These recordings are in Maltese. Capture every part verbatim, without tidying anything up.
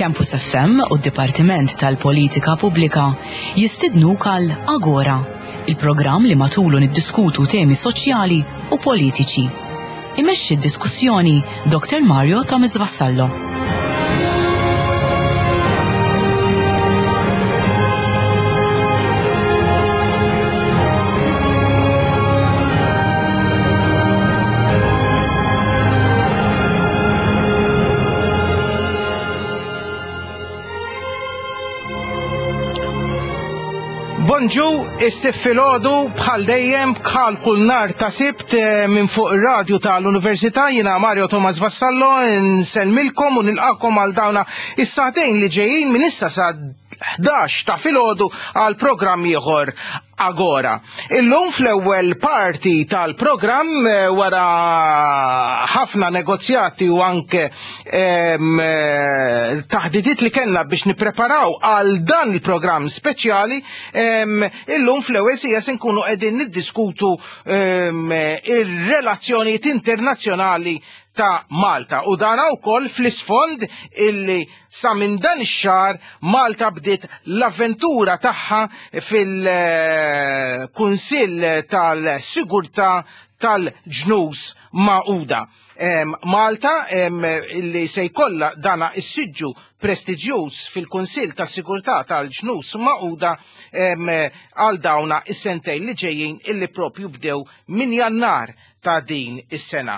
Campus F M u d-Dipartiment tal-Politika Pubblika jistidnuk għal Agora, il-programm li matulu niddiskutu temi soċjali u politiċi. Imexxi d-diskussjoni Doktor Mario Thomas Vassallo. Bonġu, is-Sibt filgħodu bħal dejjem, bħal kull nhar ta' Sibt, eh, minn fuq ir-radju tal-Università, jiena Mario Thomas Vassallo nsellmilkom u nilqakom għal dawna is-sagħtejn li ġejjin minn issa sa ħdax ta' filgħodu għal programm ieħor, Agora. Illum fl-ewwel parti tal-programm, eh, wara ħafna negozjati u anke em, eh, taħdidiet li kellna biex nippreparaw għal dan il-programm speċjali, em, illum fl-ewwel siegħa se nkunu qegħdin niddiskutu em, ir-relazzjonijiet internazzjonali ta' Malta u dan wkoll fl-isfond illi sa minn dan ix-xahar Malta bdiet l-avventura tagħha fil-Kunsill tal-Sigurtà tal-Ġnus Magħquda. Malta illi se jkollha dana is-siġġu prestiġjuż fil-Kunsill tas-Sigurtà tal-Ġnus Magħquda għal dawna is-sentejn li ġejjin illi propju bdew minn Jannar ta' din is-sena.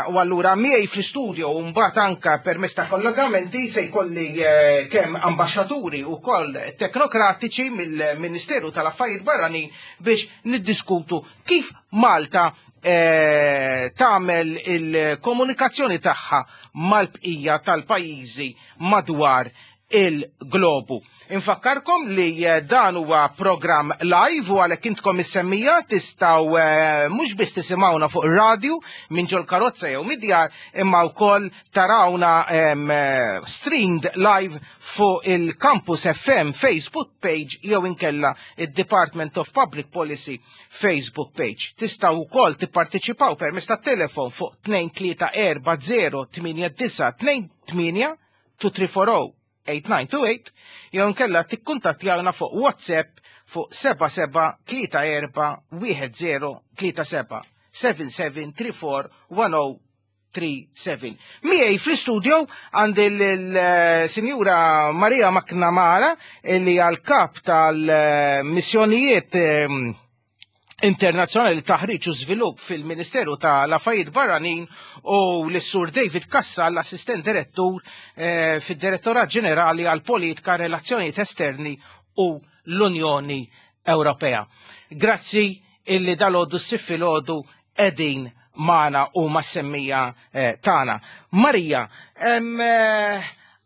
U allura miegħi fl-istudio u mbagħad anka permezz ta' kollegamenti se jkolli eh, kemm ambaxxaturi u koll teknokratiċi mill-Ministeru tal-Affarijiet Barranin biex niddiskutu kif Malta eh, tagħmel il-komunikazzjoni tagħha mal-bqija tal-pajjiżi madwar il-globu. Infakkarkom li eh, dan huwa programm live u għalhekk intkom is-semmiegħa tistgħu eh, mhux biss tisimgħuna fuq ir-radju minn ġol karozza jew mid-djar, imma wkoll tarawna em, eh, streamed live fuq il-Campus F M Facebook page jew inkella il-Department of Public Policy Facebook page. Tistgħu wkoll tipparteċipaw permezz tat-telefon fuq tnejn tlieta erba' żero tmienja disgħa tnejn tmienja, tnejn tlieta erba' tmienja disgħa tnejn tmienja jew nkella tikkuntattjawna fuq WhatsApp fuq seba' seba' tlieta erba' wieħed żero tlieta seba', seba' seba' tlieta erba' wieħed żero tlieta seba. Miegħi fl-istudio għandi l-Sinjura Maria McNamara li għal-kap tal-missjonijiet ehm, internazzjonali, taħriġ u żvilupp fil-Ministeru tal-Affarijiet Barranin, u l-Sur David Kassa, l-Assistent Direttur eh, fid-Direttorat Ġenerali għal Politika, Relazzjonijiet Esterni u l-Unjoni Ewropea. Grazzi illi dalgħodu, s-Sibt filgħodu, qegħdin magħna u mas-semmiegħa eh, tagħna. Marija, em, eh,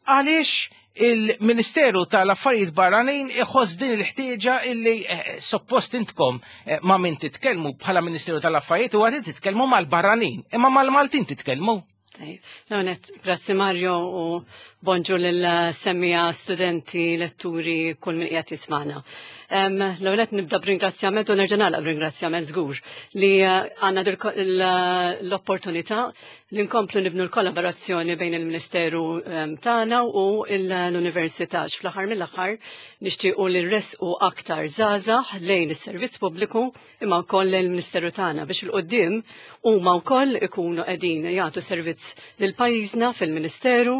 għaliex il-Ministeru tal-Affarijiet Barranin iħoss din il-ħtieġa illi eh, suppost intkom eh, ma' min titkellmu bħala Ministeru tal-Affarijiet u għadin titkellmu mal-barranin, imma mal-Maltin titkellmu? L-għonet, grazzi Mario u bonġu l-semmiegħa, studenti, letturi, kull min qiegħed jismagħna. L-għonet nibda b'ringrazzjament u nerġa' nagħlaq b'ringrazzjament żgur li eh, għandna l-opportunità li nkomplu nibnu l-kollaborazzjoni bejn il-Ministeru tagħna u l-Università. Fl-aħħar mill-aħħar nixtiequ li nressqu aktar żgħażagħ lejn is-servizz pubbliku imma wkoll il-Ministeru tagħna biex 'il quddiem huma wkoll ikunu qegħdin jagħtu servizz lil pajjiżna fil-Ministeru,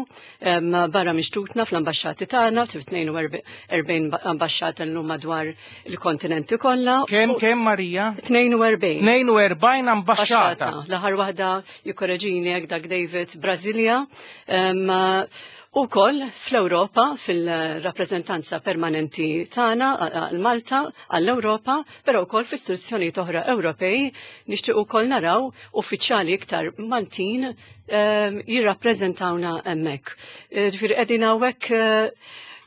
barra minn xtutna fl-ambaxxati tagħna, tnejn u erbgħin ambaxxata llum madwar il-kontinenti kollha. Kemm kemm Marija? tnejn u erbgħin. tnejn u erbgħin ambaxxata. L-aħħar waħda, jikkoreġini jekk dak David, Brasilia. U koll fl-Europa, fil-rappresentanza permanenti tagħna għal-Malta, għall-Europa, però wkoll fl-istituzzjonijiet oħra Ewropej nixtieq ukoll naraw uffiċjali iktar Maltin jirrappreżentawna hemmhekk. Ġifieri qegħdin hawnhekk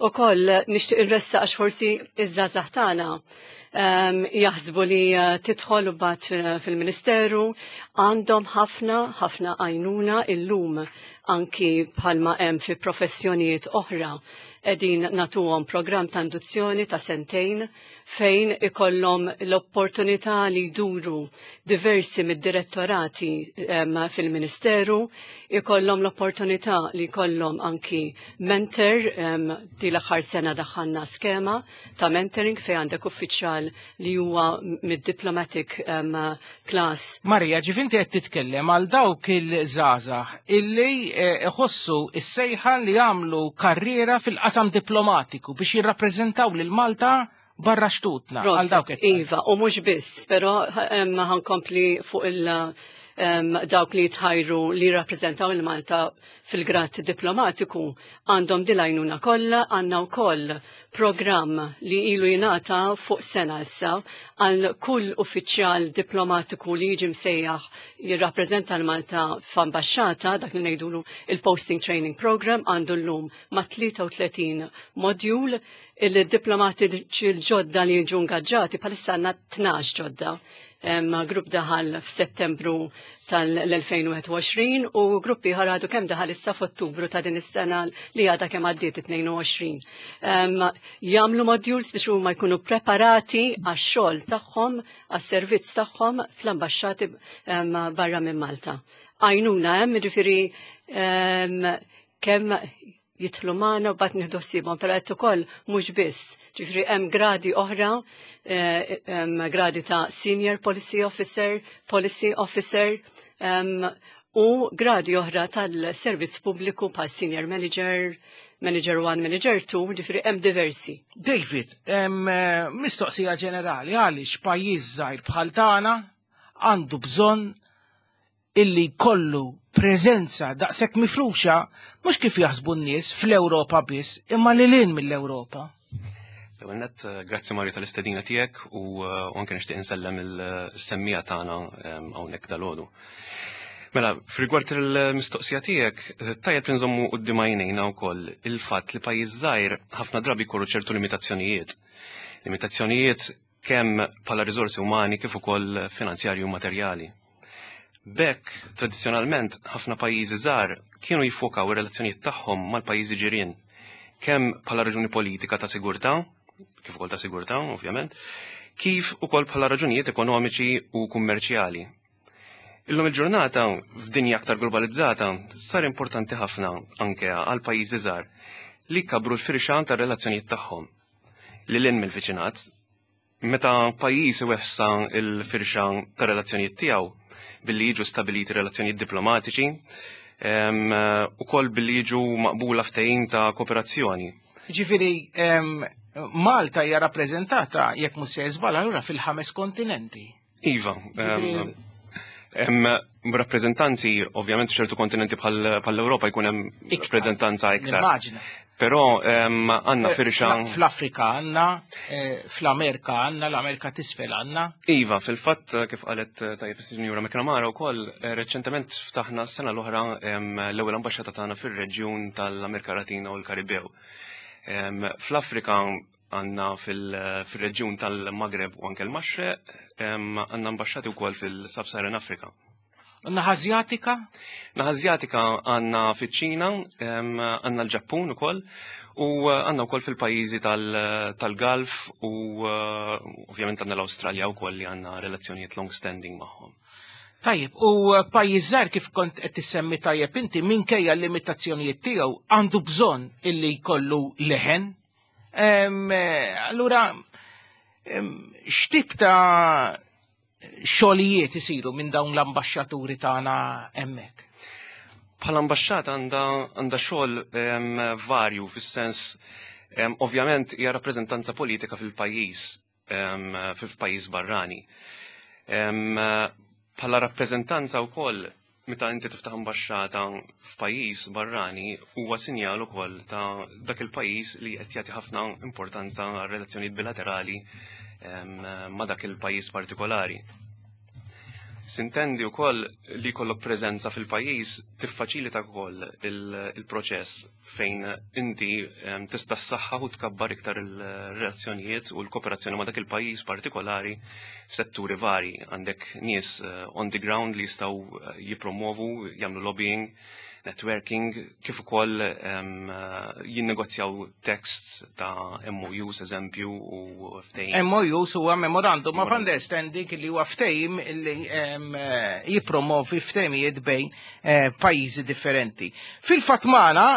ukoll nixtieq irressa għax forsi iż-żgħażagħ tagħna jaħsbu li eh, tidħol u bat fil-ministeru, għandhom ħafna ħafna għajnuna illum. Anki bħalma hemm fi professjonijiet oħra, qegħdin nagħtuhom programm ta' induzzjoni ta' sentejn fejn ikollhom l-opportunità li jduru diversi mid-direttorati fil-Ministeru, ikollhom l-opportunità li jkollhom anki mentor. um, di l-aħħar sena daħħalna skema ta' mentoring fejn għandek uffiċjal li huwa mid-diplomatic um, class. Marija, ġifinti qed titkellem għal dawk il-żgħażagħ illi eh, iħossu is-sejħa li jagħmlu karriera fil-qasam diplomatiku biex jirrappreżentaw lil Malta barra xtutna. Għal dawk qed. Iva, u mhux biss, però ħa nkompli fuq il- um, dawk li jitħajru li jirrappreżentaw il-Malta fil-grad diplomatiku għandhom din l-għajnuna kollha. Għandna wkoll programm li ilu jingħata fuq sena issa għal kull uffiċjal diplomatiku li jiġi msejjaħ jirrappreżenta l-Malta f'ambaxxata, dak li ngħidulu il-Posting Training Program. Għandu llum ma' tlieta u tletin module. Il-diplomatiċi l-ġodda li jiġu ingaġġati, bħalissa għandna tnax ġodda. Em, grupp daħal f'Settembru tal-elfejn u wieħed u għoxrin u gruppi ieħor għadu kemm daħal issa f'Ottubru ta' din is-sena li għadha kemm għaddiet, tnejn u għoxrin. Um, jagħmlu modules biex huma jkunu preparati għax-xogħol tagħhom, għas-servizz tagħhom fl-ambaxxati um, barra minn Malta. Għajnuna hemm, jiġifieri um, kemm jidħlu magħna u mbagħad nieħdu ħsiebhom, però qed ukoll mhux biss. Ġifieri hemm gradi oħra, eh, hemm gradi ta' Senior Policy Officer, Policy Officer, em, u gradi oħra tal-servizz pubbliku bħal Senior Manager, Manager one, Manager two, ġifieri hemm diversi. David, em, eh, mistoqsija ġenerali, għaliex pajjiż żgħir bħal tagħna għandu bżonn illi kollu preżenza daqshekk mifruxa, mhux kif jaħsbu n-nies fl-Ewropa biss, imma lil hinn mill-Ewropa? L-ewwel nett, eh, grazzi Mario tal-istedina tiegħek u eh, u anke nixtieq insellem il-semmiegħa tagħna em, hawnhekk dalgħodu. Mela, f'rigward il-mistoqsija tiegħek, eh, tajjeb li nżommu quddiem għajnejna wkoll il-fatt li pajjiż żgħir ħafna drabi jkollu ċertu limitazzjonijiet. Limitazzjonijiet kemm bħala riżorsi umani kif ukoll finanzjarji u materjali. B'hekk, tradizzjonalment, ħafna pajjiżi żgħar kienu jiffokaw ir-relazzjonijiet tagħhom mal-pajjiżi ġirien, kemm bħala raġuni politika ta' sigurtà, kif ukoll ta' sigurtà, ovvjament, kif ukoll bħala raġunijiet ekonomiċi u kummerċjali. Illum il-ġurnata, f'dinja aktar globalizzata, sar importanti ħafna anke għal pajjiżi żgħar li kabru l-firxa tar-relazzjonijiet tagħhom lil hinn mill-viċinat. Meta pajjiż iwessa' il-firxa ta' relazzjonijiet tiegħu billi jiġu stabiliti relazzjonijiet diplomatiċi, em, ukoll billi jiġu maqbula ftehim ta' kooperazzjoni. Ġifieri, em, Malta hija rappreżentata, jekk mhux se żball, allura fil-ħames kontinenti. Iva, em, hemm rappreżentanzi ovvjament f'ċertu kontinenti bħal bħall-Ewropa jkun hemm Iktar. rappreżentanza iktar. Nimmaġina. Però em, għandna Eh, firxa. fl- Fl-Afrika għandna, eh, fl-Amerika għandna, l-Amerika t'isfel għandna. Iva, fil-fatt, eh, kif qalet eh, tajjeb is-Sinjura McNamara wkoll, eh, reċentement ftaħna s-sena l-oħra em, l-ewwel ambaxxata tagħna fir-reġjun tal-Amerika Latina u l-Karibew. Em, Fl-Afrika għandna fil- fil-reġjun tal-Maghreb u anke l-Maxreq, em, għandna ambaxxati wkoll fil-Sub-Saharan Africa. Naħa Azjatika? Naħa Azjatika għandna fiċ-Ċina, em, għandna l-Ġappun ukoll, u eh, għandna wkoll fil-pajjiżi tal- tal-Gulf u eh, ovvjament għandna l-Awstralja wkoll li għandna relazzjonijiet long standing magħhom. Tajjeb, u pajjiż żgħir, kif kont qed tissemmi tajjeb inti, minkejja l-limitazzjonijiet tiegħu għandu bżonn illi jkollu leħen. Em, eh, Allura, em, x'tip ta' xogħlijiet isiru minn dawn l-ambaxxaturi tagħna hemmhekk? Bħala ambaxxata għandha għandha xogħol em, varju fis-sens em, ovvjament hija rappreżentanza politika fil-pajjiż em, fil-pajjiż barrani. Em, Bħala rappreżentanza wkoll, meta inti tiftaħ ambaxxata f'pajjiż barrani, huwa sinjal ukoll ta' dak il-pajjiż li qed jagħti ħafna importanza għal relazzjonijiet bilaterali em, ma' dak il-pajjiż partikolari. Sintendi wkoll li jkollok preżenza fil-pajjiż tiffaċilita wkoll il-proċess fejn inti em, tista' ssaħħaħ u tkabbar iktar il-relazzjonijiet u l-kooperazzjoni ma' dak il-pajjiż partikolari f'setturi vari. Għandek nies eh, on the ground li jistgħu eh, jippromovu, jagħmlu lobbying networking, kif ukoll jinnegozjaw texts ta' M O Us, eżempju, u ftehim. M O Us huwa Memorandum of Understanding, li huwa ftehim li jippromovi ftehimijiet bejn eh, pajjiżi differenti. Fil-fatt magħna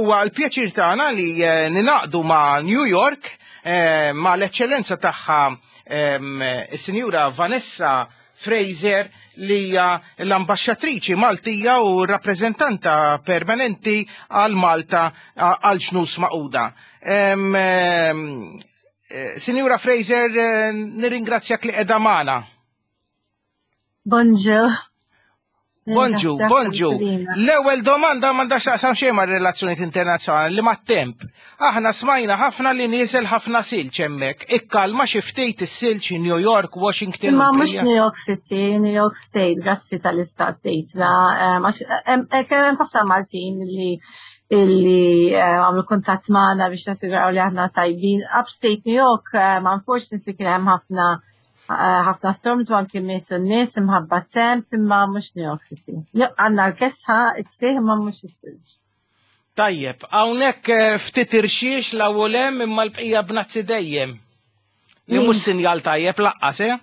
huwa l-pjaċir tagħna li eh, ningħaqdu ma' New York eh, ma' l-eċċellenza tagħha, is-Sinjura Vanessa Fraser, li hija l-ambaxxatriċi Maltija u rappreżentanta permanenti għal Malta għal Ġnus Magħquda. Sinjura Fraser, eh, nirringrazzjak li qiegħda magħna. Bonġu. Bonġu, bonġu. L-ewwel domanda m'għandha x'taqsam xejn ma' relazzjonijiet internazzjonali li mat-temp. Aħna smajna ħafna li nieżel ħafna silġ hemmhekk. Ikkalma xi ftit is-silġ New York, Washington? Ma mhux New York City, New York State, grazzi tal-istat state. Hemm ħafna Maltin li illi għamlu kuntatt magħna biex nassiguraw li aħna tajbin. Upstate New York, unfortunately, kien hemm ħafna ħafna storms u anki mietu n-nies imħabba temp, imma mhux New York City. Għandna l-kesħa, it-sih, imma mhux is-silġ. Tajjeb, hawnhekk eh, ftit irxiex l hemm, imma l-bqija bnazzi dejjem. Li mhux sinjal tajjeb lanqas, eh?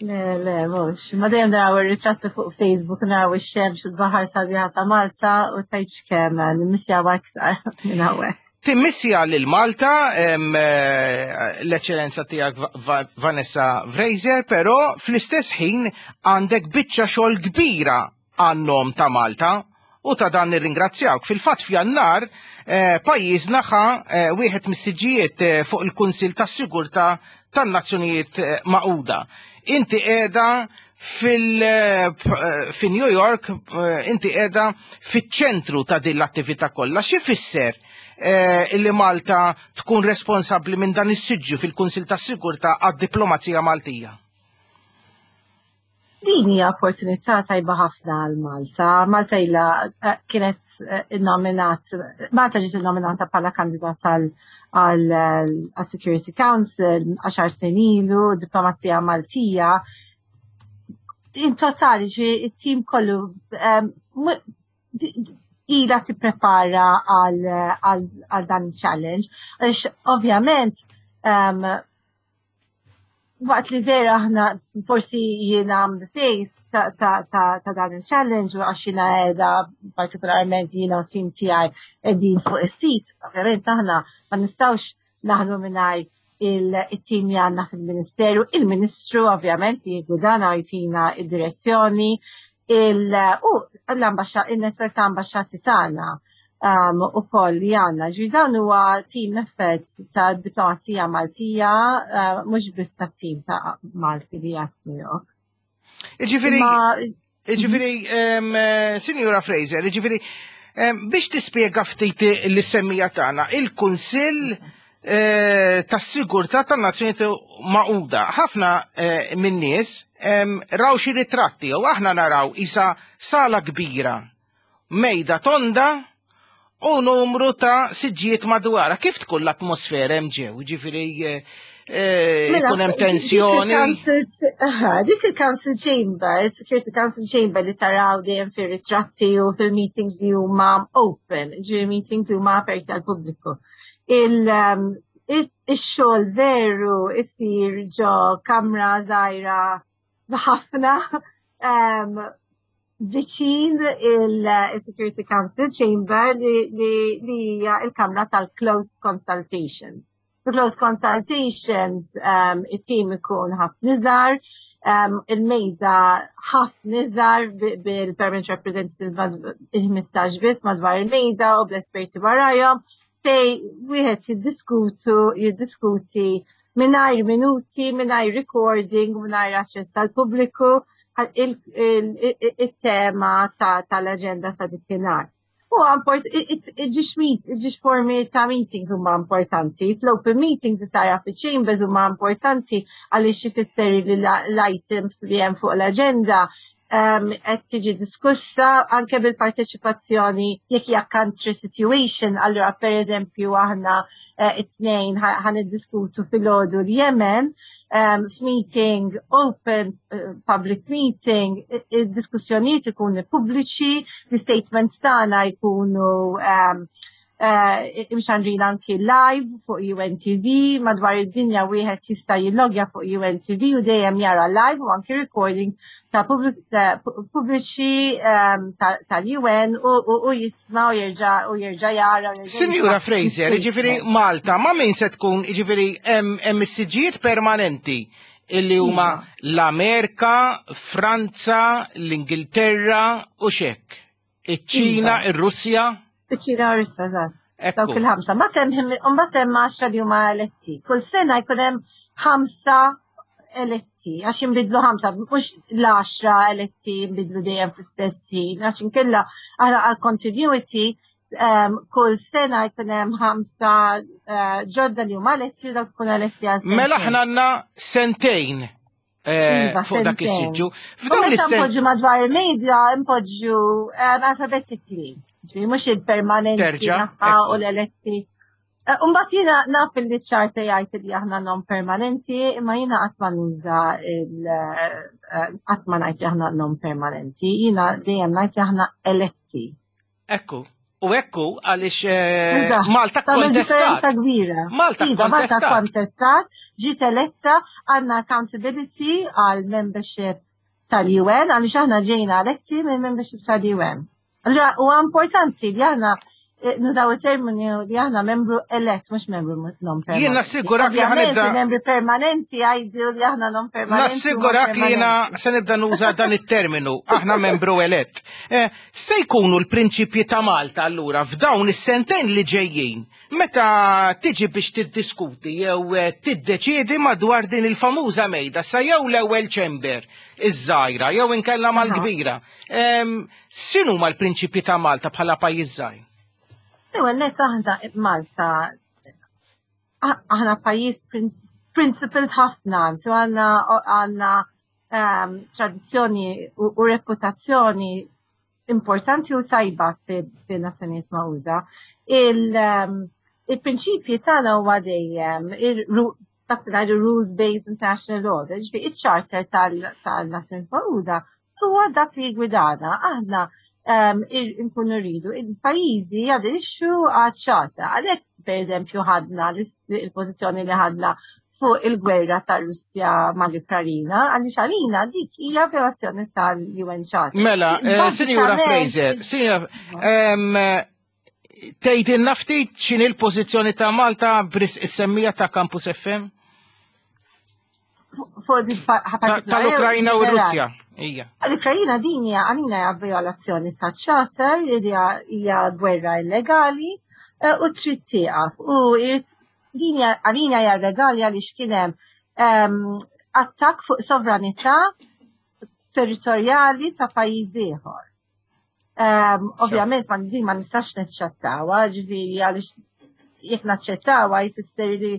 Le, le, mhux. Ma dejjem naraw ir-ritratti fuq Facebook, naraw ix-xemx u l-baħar sabiħa ta' Malta u tgħidx kemm nimmissjaw aktar minn hawnhekk. Timmissja lil Malta, eh, l-eċċellenza tiegħek Vanessa Fraser, però fl-istess ħin għandek biċċa xogħol kbira għan-nom ta' Malta u ta' dan nirringrazzjawk. Fil-fatt f'Jannar eh, pajjiżna ħa eh, wieħed mis-siġijiet fuq il-Kunsil tas-Sigurtà tan-Nazzjonijiet Magħquda. Inti qiegħda fil fi New York, inti qiegħda fiċ-ċentru ta' din l-attività kollha. Xi fisser eh, illi Malta tkun responsabbli minn dan is-siġġu fil-Kunsil tas-Sigurtà għad-diplomazija Maltija? Din hija opportunità tajba ħafna għal Malta. Malta ilha eh, kienet eh, innominat, Malta ġiet innominata bħala kandidat għal Security Council għaxar snin ilu. Diplomazija Maltija in totali, ġi it-tim kollu ila tipprepara għal dan il-challenge. Għax ovvjament um, waqt li vera aħna forsi jiena the face ta', ta, ta, ta dan il-challenge u għax jiena qiegħda, partikolarment jiena u tim tiegħi qegħdin fuq is-sit, ovvjament aħna ma nistgħux naħdmu mingħajr il-tim li għandna fil-Ministeru, il-Ministru ovvjament li jiggwidana, jtina id-direzzjoni, u il-network ta' ambasċati tagħna um, u koll li għandna. Ġi dan huwa team effort ta' diplomazija Maltija, uh, mhux biss ta' team ta' Malti li għat New York. Iġifiri, iġifiri, Signora Fraser, iġifiri, biex tispjega ftit lis-semmiegħa tagħna, il-Kunsill eh, tas-Sigurtà tan-Nazzjonijiet Magħquda. Ħafna eh, min-nies raw xi ritratti u aħna naraw isa sala kbira, mejda tonda u numru ta' siġġijiet madwara. Kif tkun l-atmosfera hemm ġew? Ġifieri eh, eh, mela, ikun hemm tensjoni? Dik il-Council Chamber, Security Council Chamber li taraw dejjem fir-ritratti u fil-meetings li huma open, ġifieri meetings li huma aperti għal pubbliku. Um, il-xogħol veru isir ġo kamra żgħira ħafna um, viċin il-Security Council Chamber li hija il-kamra tal-Closed Consultation. The closed consultations, um, it-team ikun ħafna iżgħar, um, il-mejda ħafna iżgħar, bil-permanent representative il-ħmistax biss madwar il-mejda u bl-esperti warajhom, fej wieħed jiddiskutu jiddiskuti mingħajr minuti, mingħajr recording, mingħajr aċċess għal pubbliku il-tema tal-agenda ta' dik. U iġiġ formi ta' meetings huma importanti. Fl-open meetings li tara fi chambers huma importanti għaliex ifisser li l-items li hemm fuq l-agenda qed tiġi diskussa anke bil-parteċipazzjoni jekk hija country situation. Allura, per eżempju, aħna eh, it-Tnejn ħa niddiskutu filgħodu l-Yemen, um, f'meeting open, uh, public meeting, id-diskussjonijiet ikunu pubbliċi, l-statements tagħna jkunu um, uh, imxandrin anki live fuq U N T V, madwar id-dinja wieħed jista' jillogja fuq U N T V u dejjem jara live u anki recordings ta' pubbliċi um, tal-U N u jisma' u jerġa' u jerġa' jara. Sinjura Fraser, ġifieri Malta, ma' min se tkun, ġifieri hemm is-siġġijiet permanenti illi huma iva. l-Amerika, Franza, l-Ingilterra u xek. Iċ-Ċina, iva. Ir-Russja? Iċ-Ċina u Russja, eżatt. Dawk il-ħamsa. Mbagħad hemm għaxra li huma eletti. Kull sena jkun hemm ħamsa eletti, għax jinbidlu ħamsa, mhux l-għaxra eletti jinbidlu dejjem fl-istess ħin, għax inkella għal continuity um, kull sena jkun hemm ħamsa uh, ġodda li huma eletti u dawk ikunu eletti għal Mela aħna għandna sentejn eh, Iva, fuq dak sentejn. is-siġġu. U F'dawn meta is-sen npoġġu madwar il-mejda, npoġġu um, alphabetically. Ġifieri mhux il-permanenti Terġa', naħa ekku. u l-eletti. Eh, Umbagħad jiena naf li ċ-charter jgħid li aħna non permanenti, imma jiena qatt ma nuża il eh, qatt ma ngħid li aħna non permanenti, jiena dejjem ngħid li aħna eletti. Ekku. U ekku għaliex eh, Eżatt. Malta Tagħmel differenza kontestat. kbira. Malta Iva, Malta kontestat. kontestat, ġiet eletta, għandna accountability għal membership tal-U N, għaliex aħna ġejna eletti minn membership tal-U N. Allora, huwa importanti li aħna eh, nużaw il-termini li aħna membru elett, mhux membru non permanenti. Jien nassigurak li Ovvjament, ħa nibda- il-membri permanenti jgħidu li aħna non permanenti. Nassigurak li jiena se nibda nuża dan it-terminu, aħna membru elett. Eh, se jkunu l-prinċipji ta' Malta allura f'dawn is-sentejn li ġejjin, meta tiġi biex tiddiskuti jew eh, tiddeċiedi madwar din il-famuża mejda, sa jew l-ewwel chamber iż-żgħira jew inkella mal-kbira. Em, X'inhu l-prinċipji ta' Malta bħala pajjiż żgħir? Ewwel net aħna Malta aħna pajjiż prin- principled ħafna, so għandna għandna um, tradizzjoni u, u reputazzjoni importanti u tajba fin-Nazzjonijiet Magħquda. Il, um, il-prinċipji tagħna huwa dejjem il- dak li ngħidu rules-based international order, ġifieri iċ-charter tal-Nazzjonijiet Magħquda huwa dak li jgwidana. Aħna um, nkunu rridu il-pajjiżi jaderixxu għaċ-charter. Għalhekk, per eżempju, ħadna il-pożizzjoni li ħadna fuq il-gwerra tar-Russja mal-Ukrajina, għaliex għalina dik hija violazzjoni tal-U N Charter. Mela, eh, Sinjura Fraser, Sinjura, tgħidilna ftit x'inhi l-pożizzjoni ta' Malta b'risq is-semmiegħa ta' Campus F M? Tal-Ukrajna u r-Russja. Ija. L-Ukrajina din hija għalina hija violazzjoni ta' charter, hija gwerra illegali eh, u trid tieqaf. U din għalina hija legali għaliex kien hemm attakk fuq sovranità territorjali ta' pajjiż ieħor. Ovvjament ma din ma nistax naċċettawha, ġifieri għaliex jekk naċċettawha jfisser li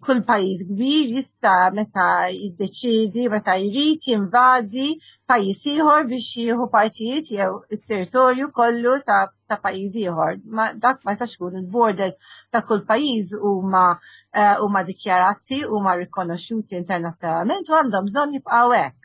kull pajjiż kbir jista' meta jiddeċidi, meta jrid jinvadi pajjiż ieħor biex jieħu partijiet jew it-territorju kollu ta', ta pajjiż ieħor. Ma dak ma jistax ikun. Il-borders ta' kull pajjiż huma eh, huma dikjarati, huma rikonoxxuti internazzjonalment u għandhom bżonn jibqgħu hekk.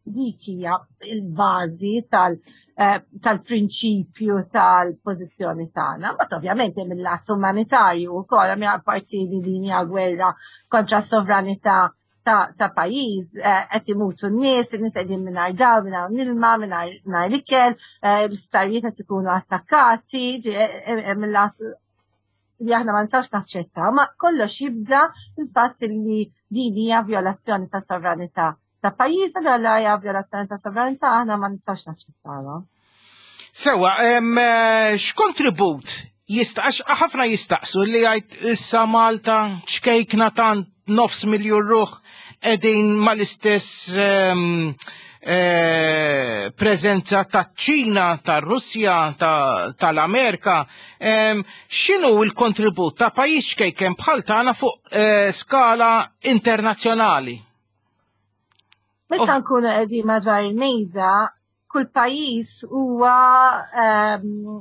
Dik hija il-bażi eh, tal-prinċipju tal-pożizzjoni tagħna. Ma ovvjament hemm il-lat umanitarju wkoll, hemm parti li din hija gwerra kontra s-sovranità ta', ta pajjiż, eh, qed imutu n-nies, in-nies qegħdin mingħajr dawl, mingħajr ilma, mingħajr ikel, eh, l-isptarijiet qed ikunu attakkati, hemm il-lat li aħna ma nistgħux naċċettaw, ma kollox jibda fil-fatt li din hija violazzjoni ta' sovranità ta' pajjiż, allura hija violazzjoni ta' sovranità, aħna ma nistax naċċettawha. Sewa, eh, x'kontribut jista' għax ħafna jistaqsu li jgħid issa Malta ċkejkna tant, nofs miljun ruħ, qegħdin mal-istess em, eh, preżenza ta' Ċina, ta' Russja, tal-Amerika. Em, X'inhu l-kontribut ta' pajjiż ċkejken bħal tagħna fuq eh, skala internazzjonali? Meta nkunu qegħdin madwar il-mejda, Kull pajjiż huwa um,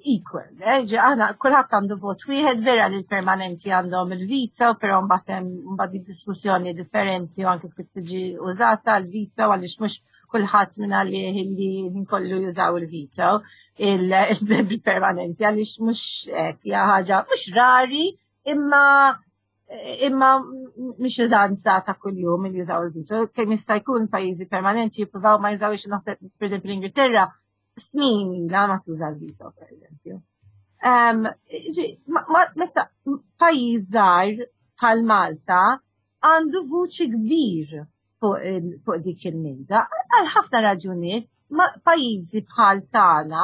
equal. Eh? Aħna kulħadd għandu vot wieħed, vera li l-permanenti għandhom il-veto, però mbagħad hemm mbagħad diskussjoni differenti u anke kif tiġi użata l-veto, għaliex mhux kulħadd minn għalih li nkollu jużaw il-veto il-permanenti, għaliex mhux hekk, hija ħaġa mhux rari, imma imma mhix użanza ta' kuljum li jużaw il-veto. Kemm jista' jkun pajjiżi permanenti jippruvaw ma jużawx. Naħseb, pereżempju, l-Ingilterra snin la ma tuża l-veto, pereżempju. Meta pajjiż żgħir bħal Malta għandu vuċi kbir fuq dik il-mejda, għal ħafna raġunijiet, pajjiżi bħal tagħna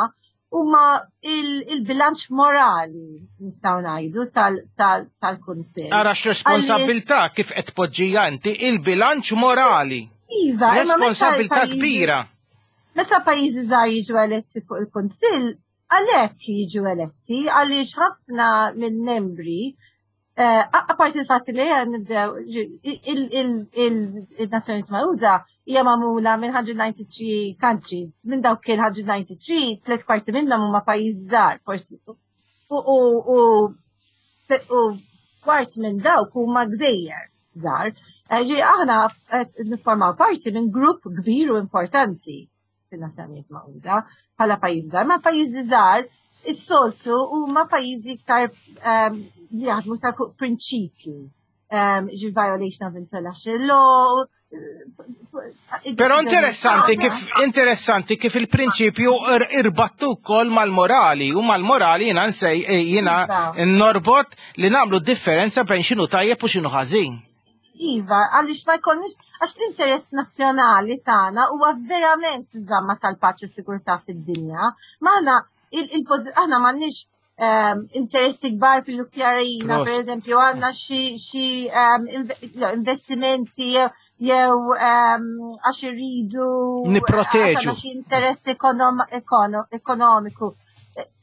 huma il-bilanċ morali, nistgħu ngħidu, tal-Kunsill. Ara x'responsabilità kif qed tpoġġija inti, il-bilanċ morali. Iva, responsabilità kbira. Meta pajjiżi żgħar jiġu eletti fuq il-Kunsill, għalhekk jiġu eletti għaliex ħafna mill-membri, eh, apparti il-fatt li nibdew, il-Nazzjonijiet Magħquda hija magħmula minn mija u disgħa u disgħin countries. Minn dawk il-mija u disgħa u disgħin, tliet kwarti minnhom huma pajjiż żgħar, forsi. U kwart minn dawk huma gżejjer żgħar. Eh, ġi aħna niffurmaw parti minn grupp kbir u importanti fin-Nazzjonijiet Magħquda bħala pajjiż żgħar. Ma pajjiżi żgħar is-soltu huma pajjiżi iktar ehm, li jaħdmu iktar fuq prinċipju. Ehm, ġi violation of international law. Però interessanti kif interessanti kif il-prinċipju irbattu wkoll mal-morali, u mal-morali jiena nsej eh, jiena Iva. norbot li nagħmlu differenza bejn x'inhu tajjeb u x'inhu ħażin. Iva, għaliex ma jkollniex, għax l-interess nazzjonali tagħna huwa verament żamma tal-paċi u sigurtà fid-dinja. Maħna aħna m'għandniex um, interessi kbar fil-Ukrajina, per eżempju, għandna xi um, investimenti jew um, għax irridu nipproteġu xi interess ekonomiku.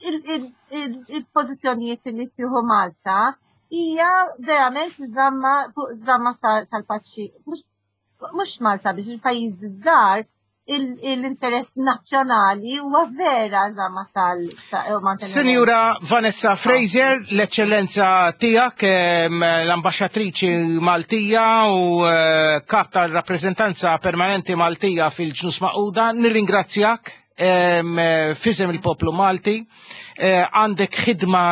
Il-pożizzjonijiet li tieħu Malta hija verament żamma żamma tal-paċi. Mhux Malta biex il-pajjiż żgħar, l-interess nazzjonali huwa vera żamma tal. Sinjura Vanessa Fraser, l-eċċellenza tiegħek, l-ambaxxatriċi Maltija u eh, kap tal-rappreżentanza permanenti Maltija fil-Ġnus Magħquda, nirringrazzjak f'isem il-poplu Malti. Eh, għandek ħidma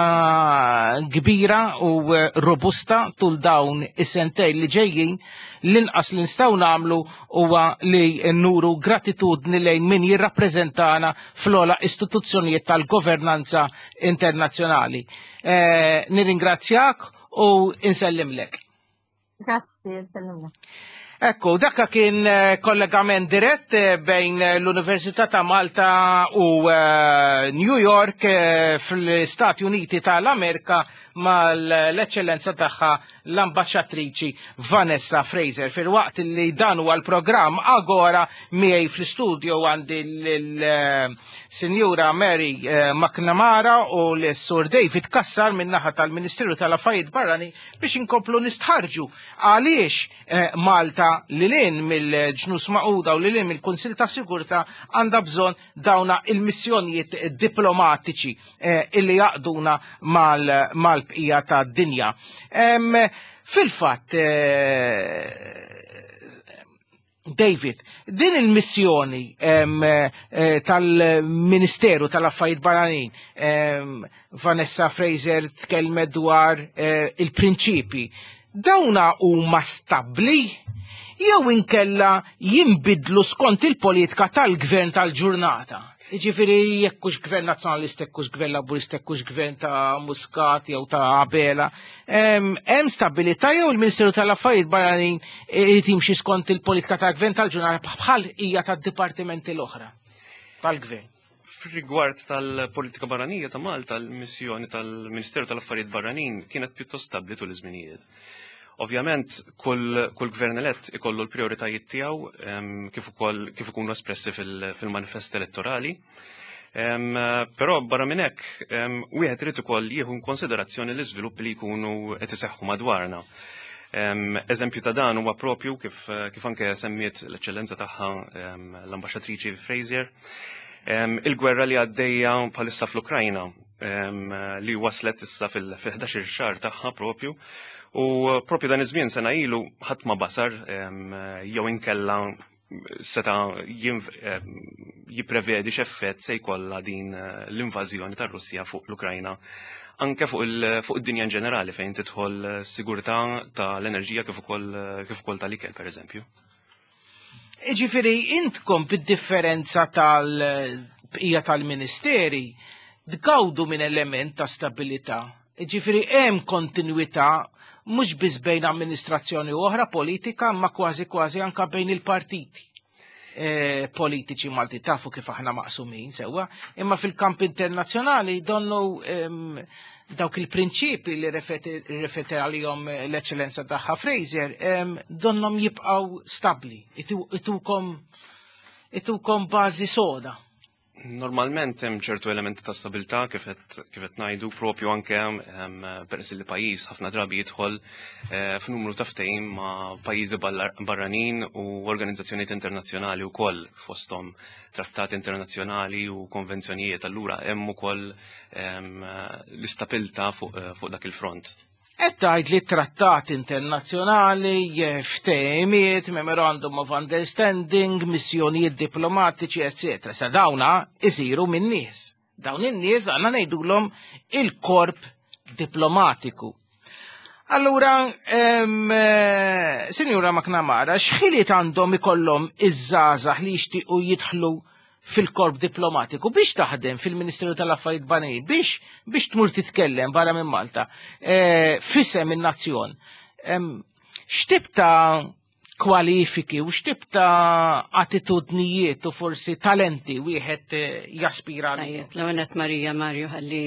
kbira u eh, robusta tul dawn is-sentejn li ġejjin. L-inqas li nistgħu nagħmlu huwa li nuru gratitudni lejn min jirrappreżentana fl-ogħla istituzzjonijiet tal-governanza internazzjonali. Eh, nirringrazzjak u insellimlek. Grazzi, insellimlek. Ekku, dakka kien eh, kollegament dirett eh, bejn l-Università ta' Malta u eh, New York fl-Stati Uniti tal-Amerika mal-eċċellenza tagħha l-ambaxxatriċi Vanessa Fraser. Fil-waqt li dan huwa l-programm Agora, miegħi fl-studio għandi l-Sinjura Mary McNamara u l-Sur David Kassar min-naħa tal-Ministeru tal-Affarijiet Barrani biex inkomplu nistħarġu għaliex Malta, lil hinn mill-Ġnus Magħquda u lil hinn mill-Kunsil ta' Sigurtà, għandha bżonn dawna il-missjonijiet diplomatiċi eh, illi jgħaqqduna mal-bqija ta' dinja. Fil-fatt, eh, David, din il-missjoni eh, tal-Ministeru tal-Affarijiet Barranin, Vanessa Fraser tkellmet dwar il-prinċipi, dawna huma stabbli jew inkella jimbidlu skont il-politika tal-gvern tal-ġurnata? Ġifieri jekk hux gvern nazzjonalista, jekk hux gvern laburista, jekk hux gvern ta' Muscat jew ta' Abela, hemm stabilità jew il-Ministeru tal-Affarijiet Barranin irid jimxi skont il-politika tal-gvern tal-ġurnata bħal hija tad-dipartimenti l-oħra tal-gvern? F'rigward tal-politika barranija ta' Malta, l-missjoni tal-Ministeru tal-Affarijiet Barranin kienet pjuttost stabbli tul iż-żminijiet. Ovvjament, kull, kull gvern elett ikollu l-prioritajiet tiegħu kif ukoll kif ikunu espressi fil-manifest elettorali. Però barra minn hekk, wieħed irid ukoll jieħu konsiderazzjoni l-iżviluppi li jkunu qed iseħħu madwarna. Eżempju ta' dan huwa propju kif, kif anke semmiet l-eċċellenza tagħha l-ambaxxatriċi Frazier, il-gwerra li għaddejja bħalissa fl-Ukrajna li waslet issa fil-ħdax-il xahar tagħha propju. U propju dan iż-żmien sena ilu ħadd ma basar jew inkella seta jipprevedi x'effett se jkollha din l-invażjoni tar-Russja fuq l-Ukrajna, anke fuq id-dinja in ġenerali fejn tidħol sigurtà tal-enerġija kif ukoll kif ukoll tal-ikel, pereżempju. Iġifieri intkom bid-differenza tal-bqija tal-ministeri tgawdu minn element ta' stabilità. Iġifieri hemm kontinwità mhux biss bejn amministrazzjoni u oħra politika, ma kważi kważi anka bejn il-partiti e, politiċi Malti. Tafu kif aħna maqsumin sewwa, imma fil-kamp internazzjonali donnu em, dawk il-prinċipi li refeti għalihom l-eċċellenza tagħha Frazier, em, donnom jibqgħu stabli, itukom itukom bażi soda. Normalment hemm ċertu elementi ta' stabilità, kif qed ngħidu, propju anke peress li pajjiż ħafna drabi jidħol eh, f'numru ta' ftehim ma' pajjiżi barranin u organizzazzjonijiet internazzjonali wkoll, fosthom trattati internazzjonali u konvenzjonijiet, allura hemm ukoll l-istabilità fuq eh, fuq dak il-front. Qed tgħid li trattati internazzjonali, ftehimiet, memorandum of understanding, missjonijiet diplomatiċi, eccetera. Sa dawna isiru minn nies. Dawn in-nies għandna ngħidulhom il-korp diplomatiku. Allura, eh, Sinjura McNamara, x'ħiliet għandhom ikollhom iż-żgħażagħ li jixtiequ jidħlu fil-korp diplomatiku biex taħdem fil-Ministeru tal-Affarijiet Barranin, biex biex tmur titkellem barra minn Malta, e, f'isem in-nazzjon? X'tip ta' kwalifiki u x'tip ta' attitudnijiet u forsi talenti wieħed eh, jaspira? Tajjeb, l-għonet Marija Mario ħalli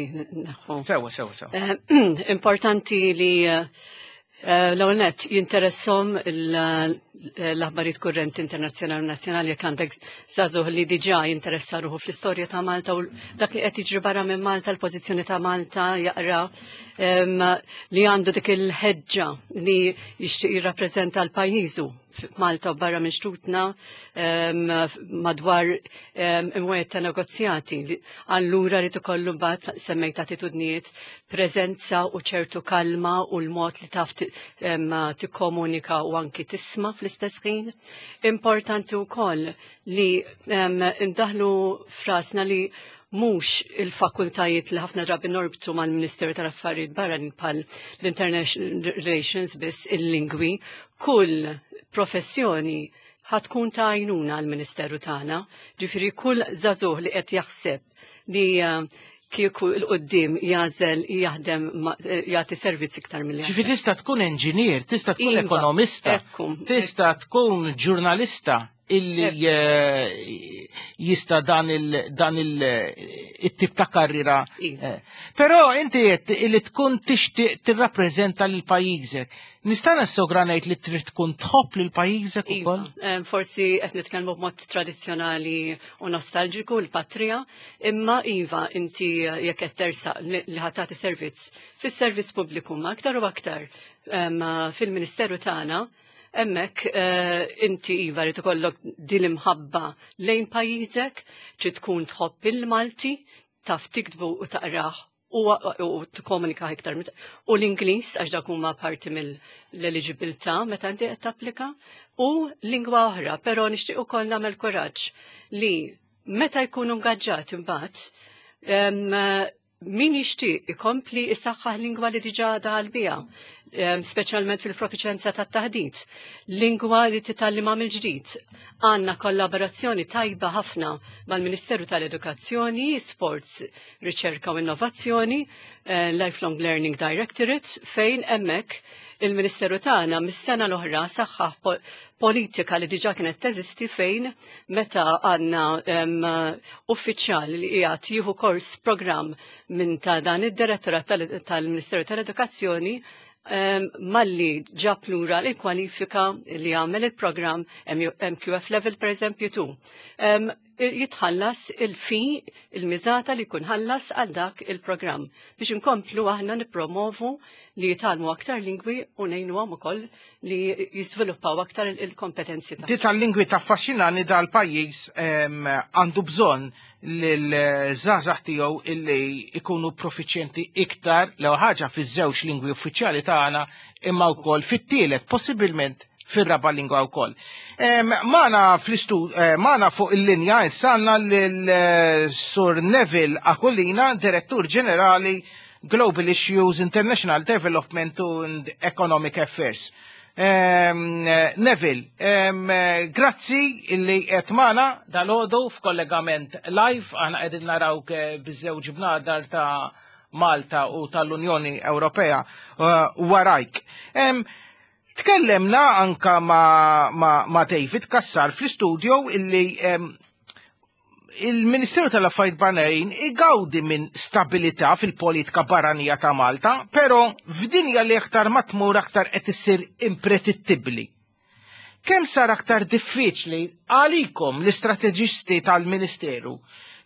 naħu. Sewa, sewa, sewa. Eh, importanti li eh, l-għonet jinteressom l-aħbarijiet kurrenti internazzjonali u nazzjonali. Jekk għandek żagħżugħ li diġà jinteressa ruħu fl-istorja ta' Malta u dak li qed jiġri barra minn Malta, l-pożizzjoni ta' Malta, jaqra, li għandu dik il-ħeġġa li jixtieq jirrappreżenta l-pajjiżu f'Malta u barra minn xtutna madwar imwiet ta' negozjati. Allura li tkollu mbagħad, semmejt attitudnijiet, preżenza u ċertu kalma u l-mod li taf tikkomunika u anki tisma' fl-istess ħin. Importanti wkoll li ndaħlu f'rasna li mhux il-fakultajiet li ħafna drabi norbtu mal-Ministeru tal-Affarijiet Barranin bħal l-International Relations biss, il-lingwi, kull professjoni ħatkun ta' għajnuna għal-Ministeru tagħna. Ġifieri kull żagħżugħ li qed jaħseb li eh, kieku 'l quddiem jagħżel jaħdem, eh, jagħti servizz iktar mill Ġifieri tista' tkun engineer, tista' tkun Iva, ekonomista, ekku, tista' tkun ġurnalista illi eh, jista' dan il dan il it-tip ta' karriera. Iva. Eh, Però inti qed illi tkun tixtieq tirrappreżenta lil pajjiżek. Nista' nassogra ngħid li trid tkun tħobb lil pajjiżek Iva, ukoll? eh, forsi qed nitkellmu b'mod tradizzjonali u nostalġiku l-patrija, imma iva, inti jekk qed tersaq li li ħa tagħti servizz fis-servizz pubbliku, ma aktar u aktar em, fil-Ministeru tagħna, hemmhekk eh, inti iva li tkollok din l-imħabba lejn pajjiżek, trid tkun tħobb il-Malti, taf tiktbu u taqrah u, u tikkomunika iktar mit- u l-Ingliż, għax dak huma parti mill-eligibilità meta inti qed tapplika, u lingwa oħra, però nixtieq ukoll nagħmel kuraġġ li meta jkunu ngaġġat imbagħad em, min jixtieq ikompli isaħħaħ lingwa li diġà daħal biha, em, speċjalment fil-profiċenza tat-taħdit, lingwa li titgħallimha mill-ġdid. Għandna kollaborazzjoni tajba ħafna mal-Ministeru tal-Edukazzjoni, Sports, Riċerka u Innovazzjoni, eh, Lifelong Learning Directorate, fejn hemmhekk il-Ministeru tagħna mis-sena l-oħra saħħaħ po- politika li diġà kienet teżisti, fejn meta għandna em, uffiċjal li qiegħed jieħu kors, programm minn ta' dan id-direttorat tal- tal-Ministeru tal-Edukazzjoni, em, malli ġab lura l-kwalifika li għamel il-programm M Q F level per eżempju two. Em, Jitħallas il-fee, il-miżata li jkun ħallas għal dak il-programm biex inkomplu aħna nippromovu li jitgħallmu aktar lingwi u ngħinuhom ukoll li jiżviluppaw aktar il-kompetenzi tagħhom. Di tal-lingwi taffaxxinani. Dal-pajjiż għandu bżonn l-żgħażagħ tiegħu illi ikunu profiċjenti iktar l ħaġa fiż-żewġ lingwi uffiċjali tagħna, imma wkoll fit-tielet, possibilment fir-raba' lingwa wkoll. Magħna fl-istud, eh, magħna fuq il-linja issa għandna lil-Sur Neville Aquilina, Direttur Ġenerali, Global Issues, International Development and Economic Affairs. Um, Neville, um, grazzi illi qed magħna dalgħodu f'kollegament live. Aħna qegħdin narawk biż-żewġ bnadar ta' Malta u tal-Unjoni Ewropea uh, warajk. Um, Tkellemna anka ma, ma, ma David Cassar fl-studio illi um, il-Ministeru tal-Affarijiet Barranin igawdi minn stabilità fil-politika barranija ta' Malta, però f'dinja li aktar ma tmur aktar qed issir impredittibbli. Kemm sar aktar diffiċli għalikom l-istrateġisti tal-Ministeru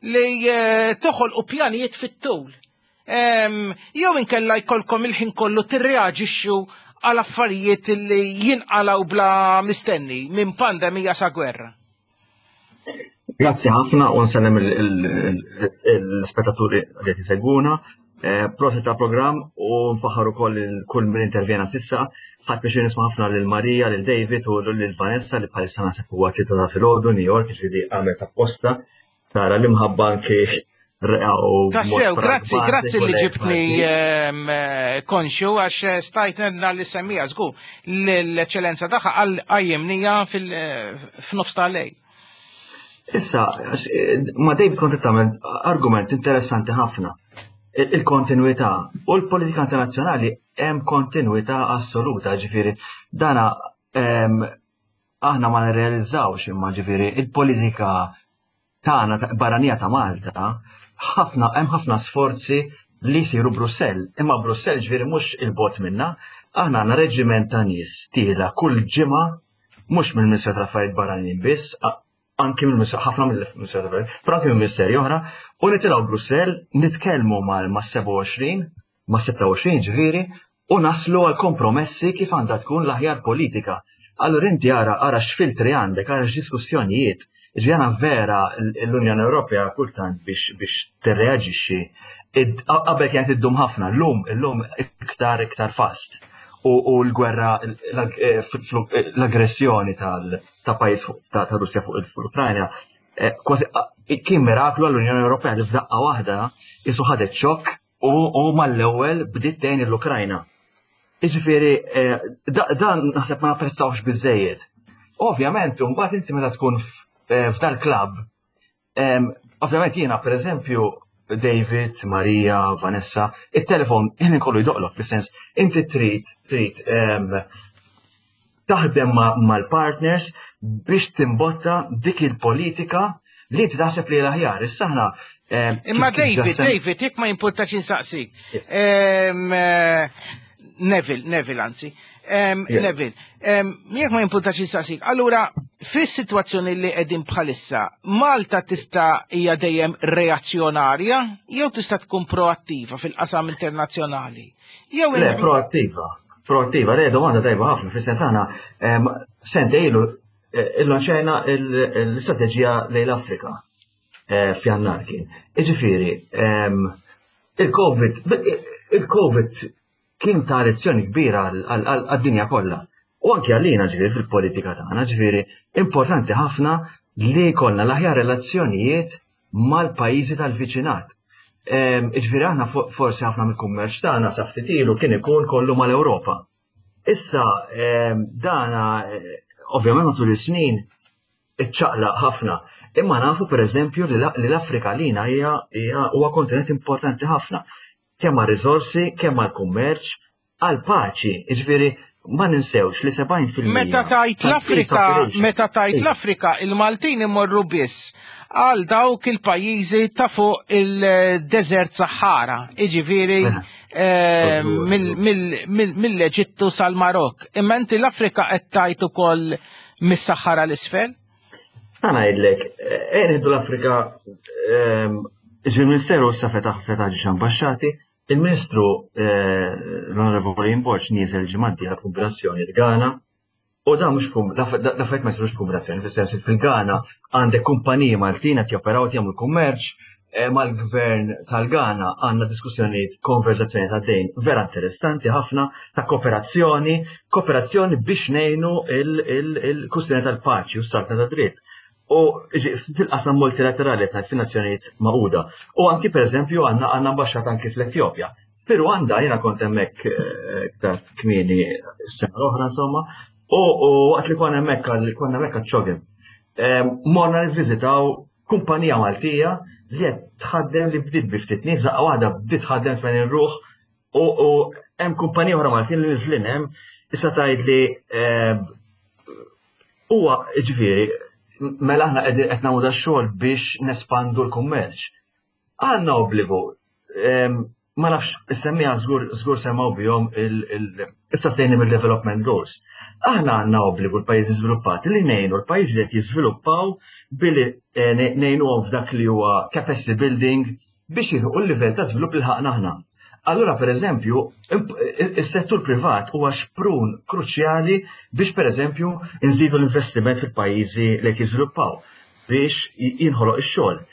li eh, toħolqu pjanijiet fit-tul? Jew inkella jkollkom il-ħin kollu tirreaġixxu għal affarijiet li jinqalaw bla mistenni, minn pandemija sa gwerra? Grazzi ħafna u nsellem l-spettaturi li qed isegwuna. Eh, prosit ta' programm u nfaħħar ukoll kull min intervjena s'issa. Ħadt biex nisma' ħafna lil Marija, lil David u lil Vanessa, li bħalissa naħseb huwa tlieta ta' filgħodu New York, ġifieri għamlet apposta. Tara l-imħabba anke. Tassew, grazzi, grazzi li ġibtni ehm, konxju, għax stajt nenna li semmija żgur l-eċċellenza tagħha għal qajjimnija fil-nofs tal-lejl. Issa, ma' David kont tagħmel argument interessanti ħafna. Il-kontinuità u l-politika internazzjonali, hemm kontinuità assoluta, ġifieri dana ehm, aħna ma nirrealizzawx, imma ġifieri il-politika tagħna barranija ta' Malta, ħafna hemm ħafna sforzi li jsiru Brussell, imma Brussell ġifieri mhux il-bogħod minna, aħna għandna reġiment ta' nies tiela kull ġimgħa, mhux mill-Ministeru tal-Affarijiet Barranin biss, anki mill-Ministeru, ħafna mill-Ministeru tal-Affarijiet, però anki mill-Ministeri oħra, u nitilgħu Brussell, nitkellmu mal ma' sebgħa u għoxrin, ma' sitta u għoxrin ġifieri, u naslu għal kompromessi kif għandha tkun l-aħjar politika. Allura inti ara ara x'filtri għandek, ara x'diskussjonijiet. Ġifieri vera l-Unjoni Ewropea kultant biex biex tirreaġixxi qabel kienet iddum ħafna, llum illum iktar iktar fast. U l-gwerra, eh, l-aggressjoni ta' pajjiż ta' Russja fuq l-Ukrajna, eh, kważi kien miraklu għall-Unjoni Ewropea li f'daqqa waħda jisu ħadet xokk u mal-ewwel bdiet tgħin l-Ukrajna. Jiġifieri eh, dan naħseb ma napprezzawx biżejjed. Ovvjament, mbagħad inti meta tkun f'dal klabb, ovvjament jiena, pereżempju, David, Maria, Vanessa, il-telefon ħin kollu jdoqqlok, fis-sens inti trid trid taħdem mal-partners biex timbotta dik il-politika li inti taħseb li l-aħjar. Issa aħna Imma David, David, jekk ma jimpurtax insaqsik. Neville, Neville anzi. Neville, jekk ma jimpurtax insaqsik. Allura, fis-sitwazzjoni li qegħdin bħalissa, Malta tista' hija dejjem reazzjonarja jew tista' tkun proattiva fil-qasam internazzjonali? Jew Le, proattiva. Proattiva, le, domanda tajba ħafna, fis-sens aħna sentejn ilu eh, illanċajna l-istrateġija lejn l-Afrika eh, f'Jannar kien. Iġifieri, il-Covid, il-Covid kien ta' lezzjoni kbira għad-dinja kollha. U anki għalina, ġifieri fil-politika tagħna, ġifieri importanti ħafna li jkollna l-aħjar relazzjonijiet mal-pajjiżi tal-viċinat. Ġifieri aħna forsi ħafna mill-kummerċ tagħna sa ftit ilu kien ikun kollu mal-Ewropa. Issa dana ovvjament matul is-snin iċċaqlaq ħafna. Imma nafu, pereżempju, li l-Afrika lina hija huwa kontinent importanti ħafna. Kemm għal riżorsi, kemm għal kummerċ, għal paċi, ġifieri ma ninsewx li sebgħin fil-mija Meta tajt l-Afrika, meta tajt l-Afrika, il-Maltin imorru biss għal dawk il-pajjiżi ta' fuq il-Desert Sahara, iġifieri mela. eh, mill-Eġittu sal-Marok. Imma inti l-Afrika qed tajt ukoll mis-Sahara l-isfel? Ħa ngħidlek, eh, nieħdu l-Afrika, ehm, il-Ministeru issa fetaħ fetaħ ġiex ambasċati, il-Ministru eh, l-Onorevoli Borg niżel ġimgħa la kombinazzjoni l-Ghana, u da mhux da fejt ma jsirux kombinazzjoni, fis-sens fil-Ghana għandek kumpaniji Maltin qed joperaw, jagħmlu kummerċ, eh, mal-gvern tal-Ghana għandna diskussjonijiet, konverzazzjoni ta' dejn vera interessanti ħafna ta' kooperazzjoni, kooperazzjoni biex ngħinu il-kwistjoni tal-paċi u s-saltna ta' dritt. U fil-qasam multilaterali tal-Nazzjonijiet Magħquda. U anki, per eżempju, għandna għandna ambasċata anki fl-Etjopja. Fi Rwanda jiena kont hemmhekk eh, iktar kmieni s-sena l-oħra, insomma, u waqt li konna hemmhekk konna hemmhekk għaċ-CHOGM. Morna nivviżitaw kumpanija Maltija li qed tħaddem, li bdiet bi ftit nies, daqqa waħda bdiet tħaddem tmenin ruħ, u hemm kumpanija oħra Maltin li niżlin hemm. Issa tgħid li huwa, ġifieri, mela aħna qed nagħmlu da xogħol biex nespandu l-kummerċ. Għandna obbligu, ma nafx, semmija żgur żgur semgħu bihom il-Sustainable Development Goals. Aħna għandna obbligu, l-pajjiżi żviluppati, li ngħinu l-pajjiżi li qed jiżviluppaw billi eh, ngħinuhom f'dak li huwa capacity building biex jilħqu l-livell ta' żvilupp li lħaqna aħna. Allura, per eżempju, il-settur privat huwa xprun kruċjali biex, per eżempju, nżidu l-investiment fil-pajjiżi li qed jiżviluppaw biex jinħoloq ix-xogħol.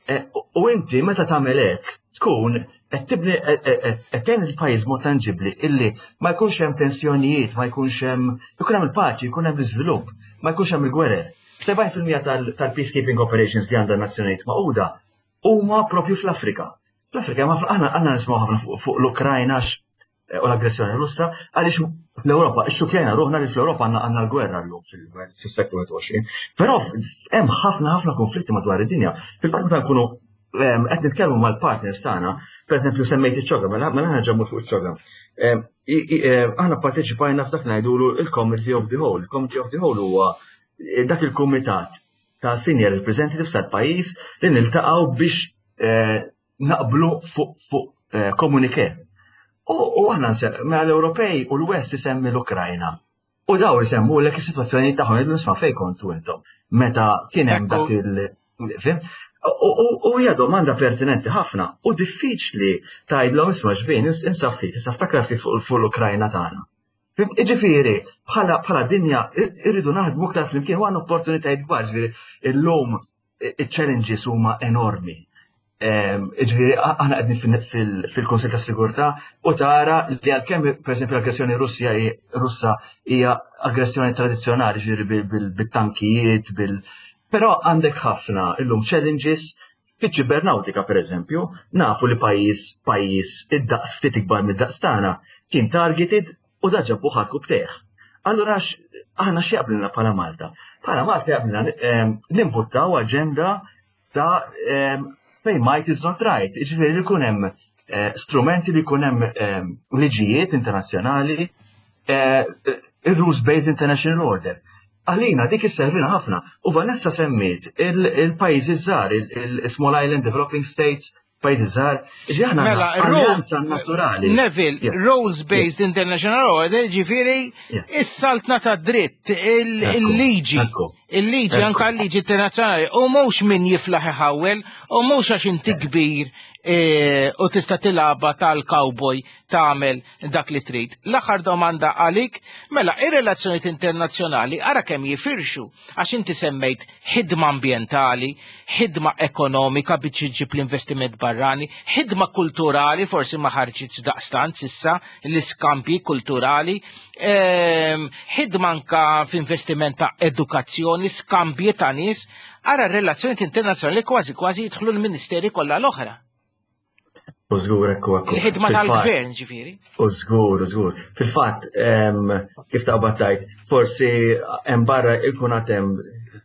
E, u inti meta tagħmel hekk tkun qed tibni, qed tgħin il-pajjiż mod tanġibbli illi ma jkunx hemm tensjonijiet, ma jkunx hemm, ikun hemm il-paċi, jkun hemm l-iżvilupp, ma jkunx hemm il-gwerer. sebgħin fil-mija tal-peacekeeping operations li għandha Nazzjonijiet Magħquda huma propju fl-Afrika. Fl-Afrika, ma aħna għandna nismaw ħafna fuq l-Ukrajna u l-aggressjoni Russa, għaliex fl-Ewropa, ixxukjajna ruħna li fl-Ewropa għandna għandna l-gwerra llum fis-seklu wieħed u għoxrin. Però hemm ħafna ħafna konflitti madwar id-dinja. Fil-fatt, meta nkunu qed nitkellmu mal-partners tagħna, pereżempju semmejt iċ-CHOGM, mela mela ħa mmur fuq iċ-CHOGM. Aħna parteċipajna f'dak ngħidulu il-Committee of the Whole. Il-Committee of the Whole huwa eh, dak il-kumitat ta' senior representatives tal-pajjiż li niltaqgħu biex eh, naqblu fuq fuq eh, communiqué. U aħna mela l-Ewropej u l-West isemmi l-Ukrajna. U daw isemmu l is-sitwazzjoni tagħhom, jgħidu, "Isma', fejn kontu intom meta kien hemm dak il-" Fim? U hija domanda pertinenti ħafna u diffiċli tgħidlhom, "Isma' xbin, insaf ftit, issa ftakar ftit fuq l-Ukrajna tagħna." Iġifieri, bħala dinja irridu naħdmu aktar flimkien u għandna opportunitajiet kbar, ġifieri illum il-challenges huma enormi. Ġifieri, aħna qegħdin fil-Kunsill ta' Sigurtà u tara li għalkemm, pereżempju, l-aggressjoni Russja Russa hija aggressjoni tradizzjonali, ġifieri bil-tankijiet, bil però għandek ħafna illum challenges fiċ-ċibernautika, per eżempju, nafu li pajjiż pajjiż id-daqs ftit ikbar mid-daqs tagħna kien targeted u da ġabu ħarku bteħ. Allura aħna xi jaqblilna bħala Malta? Bħala Malta jaqblilna nimbuttaw aġenda ta' fejn might is not right. Ġifieri li jkun hemm eh, strumenti, li jkun hemm liġijiet internazzjonali, eh, il-rules-based international order. Għalina dik isservina ħafna. U Vanessa semmiet il-pajjiżi żgħar, il-Small Island Developing States, pajjiżi żgħar, ġi Mela, alleanza naturali. Neville, rules-based international order, ġifieri is-saltna ta' dritt, il-liġi, il-liġi, anka l-liġi internazzjonali, u mhux min jiflaħ iħawel, u mhux għax inti kbir e, u tista' tilaba tal-cowboy tagħmel dak li trid. L-aħħar domanda għalik, mela ir-relazzjonijiet internazzjonali ara kemm jifirxu, għax inti semmejt ħidma ambjentali, ħidma ekonomika biex iġib l-investiment barrani, ħidma kulturali, forsi ma ħarġitx daqstant s'issa l-iskambji kulturali, ehm, ħidma anka f'investiment ta' edukazzjoni, skambji ta' nies, ara r-relazzjonijiet internazzjonali kważi kważi jidħlu l-ministeri kollha l-oħra. U żgur, ekku ekku. Il-ħidma tal-gvern, ġifieri. U żgur, u żgur. Fil-fatt, kif ta' battajt, forsi hemm barra ikun hemm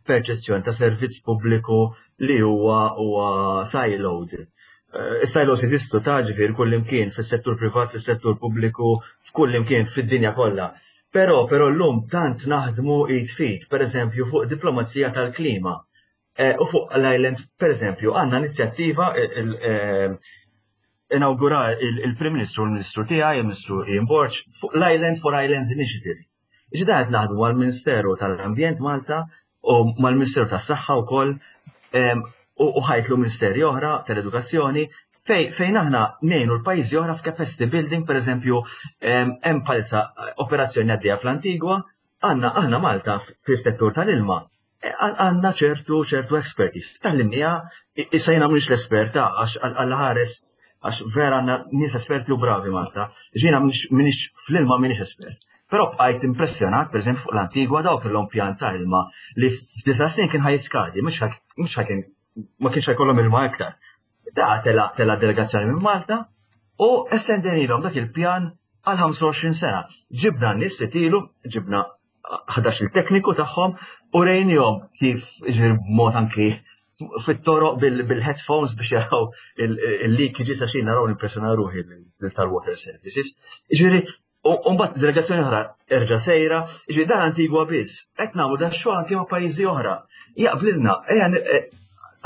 perċezzjoni ta' servizz pubbliku li huwa huwa siloed. Eh, Is-silos jeżistu ta', ġifieri, kull imkien, fis-settur privat, fis-settur pubbliku, f'kull imkien fid-dinja kollha. Però però llum tant naħdmu id f'id, per eżempju fuq diplomazija tal-klima. Eh, u fuq l-island, per eżempju, għandna inizjattiva eh, inaugura il-Prim Ministru, il-Ministru tiegħi, il-Ministru Ian Borg, fuq l-Island for Islands Initiative. Iġi qed naħdmu għal-Ministeru tal-Ambjent Malta u mal-Ministeru tas-Saħħa wkoll u ħajtlu ministeri oħra tal-edukazzjoni fejn aħna ngħinu l-pajjiżi oħra f'capacity building, per eżempju, hemm bħalissa operazzjoni għaddejja fl-Antigwa, għandna aħna Malta fis-settur tal-ilma għandna ċertu ċertu expertise. Tgħallimnieha, issa jiena mhux l-esperta għax għalla ħares għax vera għandna nies esperti u bravi Malta. Jiena m'iniex fl-ilma m'iniex espert. Però bqajt impressjonat, per eżempju, fuq l-Antigwa dawk kellhom pjan ta' ilma li f'disa' snin kien ħa jiskadi, mhux kien ma kienx ħajkollhom ilma iktar. Da tela tela delegazzjoni minn Malta u estendejnielhom dak il-pjan għal ħamsa u għoxrin sena. Ġibna n-nies li tilu, ġibna ħdax il-tekniku tagħhom u rejnihom kif ġir mod anki fit-toroq bil-headphones biex jaraw il-leakages għax naraw nimpressjona ruħi tal-water services. Ġifieri, u mbagħad delegazzjoni oħra erġa' sejra, ġifieri dan Antigwa biss, qed nagħmlu da xogħol anke ma' pajjiżi oħra. Jaqblilna,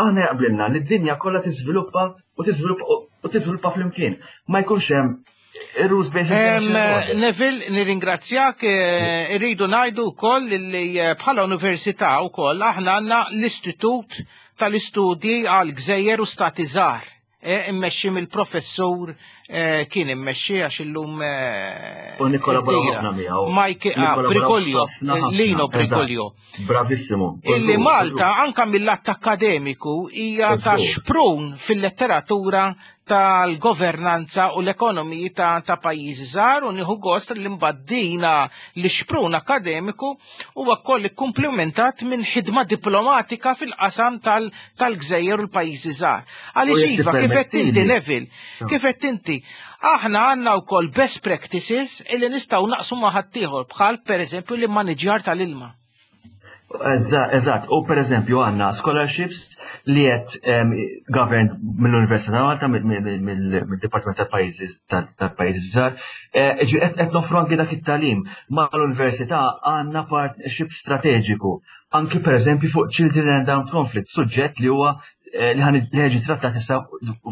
aħna jaqblilna li d-dinja kollha tiżviluppa u tiżviluppa u tiżviluppa flimkien. Ma jkunx hemm rules based. Neville, nirringrazzjak, eh, irridu ngħidu wkoll li eh, bħala università wkoll aħna għandna l-Istitut tal-Istudji għal Gżejjer u Stati Żgħar. Eh, immexxi mill-professur, kien immexxi għax illum U nikkollaboraw ħafna miegħu. Mike ah, Briguglio, Lino Briguglio. Bravissimo. Illi Malta anka mill-att akademiku hija ta' xprun fil-letteratura tal-governanza u l-ekonomiji ta', ta pajjiżi żgħar u nieħu gost li mbaddina li xprun akademiku huwa wkoll ikkumplementat minn ħidma diplomatika fil-qasam tal-gżejjer u l-pajjiżi żgħar. Għaliex iva, kif qed inti, Neville, kif qed inti, aħna għandna wkoll best practices illi nistgħu naqsmu ma' ħaddieħor bħal pereżempju l-immaniġjar tal-ilma. Eżatt, u per eżempju għandna scholarships li qed governed mill-Università ta' Malta, mill-Dipartiment tal-Pajjiżi tal-Pajjiżi Żgħar, eh, qed noffru anki dak it-tagħlim. Mal-Università għandna partnership strateġiku anki per eżempju fuq Children and Armed Conflict, suġġett li huwa eh, li ħa jiġi trattat issa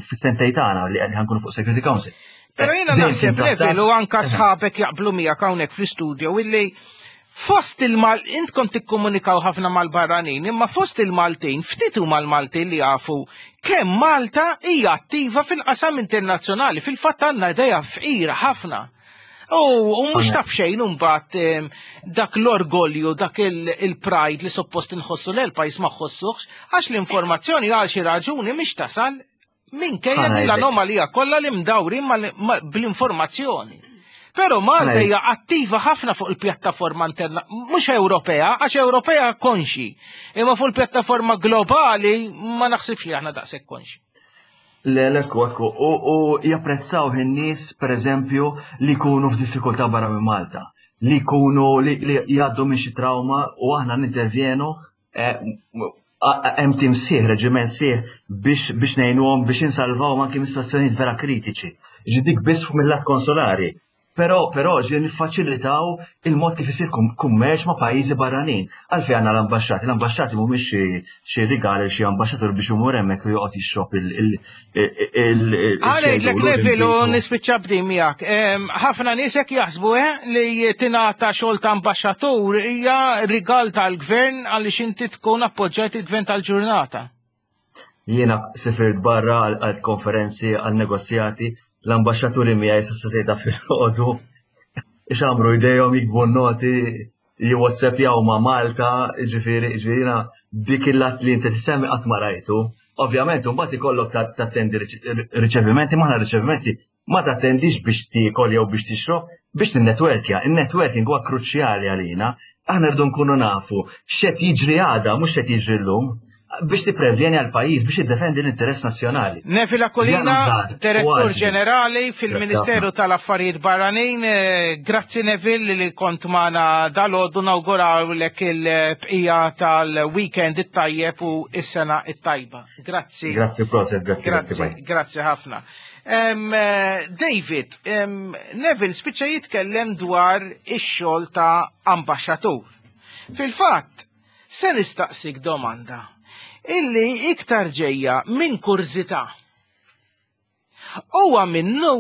fit-tentej tagħna li ħa nkunu fuq Security Council. Però jiena naħseb, Neville, u anka sħabek jaqblu miegħek hawnhekk fl-istudio, illi fost il-Mal, intkom tikkomunikaw ħafna mal-barranin, imma fost il-Maltin, ftit huma l-Maltin li jafu kemm Malta hija attiva fil-qasam internazzjonali, fil-fatt għandna idea fqira ħafna. U mhux ta' b'xejn imbagħad dak l-orgolju, dak il-pride li suppost inħossu l pajjiż ma ħossuħx, għax l-informazzjoni għal xi raġuni mhix tasal minkejja din l-anomalija kollha li mdawrin bl-informazzjoni. Però Malta hija attiva ħafna fuq il-pjattaforma interna, mhux Ewropea, għax Ewropea konxi, imma fuq il-pjattaforma globali ma naħsibx li aħna daqshekk konxi. Le, ekku, ekku, u japprezzaw in-nies, per eżempju, li jkunu f'diffikultà barra minn Malta, li jkunu li jgħaddu minn xi trauma u aħna nintervjenu, eh, hemm tim sħiħ, reġiment sħiħ biex biex ngħinuhom biex insalvaw anke minn situazzjonijiet vera kritiċi. Ġi dik biss mill-lat konsolari. Però, però ġi niffaċilitaw il-mod kif isir kummerċ ma' pajjiżi barranin. Għalfejn għandna l-ambasċati, l-ambasċati mhumiex xi rigali xi ambaxxatur biex imur hemmhekk u joqgħod jixrob il- Għalek Neville, u nispiċċa b'din miegħek. Ħafna nies hekk jaħsbu eh, li tingħata xogħol ta' ambaxxatur hija rigal tal-gvern għaliex inti tkun appoġġjat il-gvern tal-ġurnata. Jiena sifirt barra għal konferenzi, għal negozjati, l-ambasċaturi miegħi sa fil-ħodu ixamru idejhom, jiktbu noti, jiwhatsappjaw ma' Malta, ġifieri, ġifieri dik il-lat li inti tissemmi qatt ma rajtu. Ovvjament, mbagħad ikollok tattendi riċevimenti, maħna riċevimenti ma tattendix biex tiekol jew biex tixrob, biex tinnetwerkja. Il-networking huwa kruċjali għalina. Aħna rridu nkunu nafu x'qed jiġri għada, mhux x'qed jiġri llum, biex tipprevjeni għal pajjiż biex jiddefendi l-interess nazzjonali. Neville Aquilina, Direttur Ġenerali fil-Ministeru tal-Affarijiet Barranin, eh, grazzi Neville li kont magħna dalgħodu, nawgurawlek il-bqija tal-weekend it-tajjeb u s-sena it-tajba. Grazzi. Grazzi, prosit, grazzi. Grazzi, grazzi ħafna. Um, David, um, Neville spiċċa jitkellem dwar ix-xogħol ta' ambaxxatur. Fil-fatt, se nistaqsik domanda illi iktar ġejja minn kurżità. Huwa minnu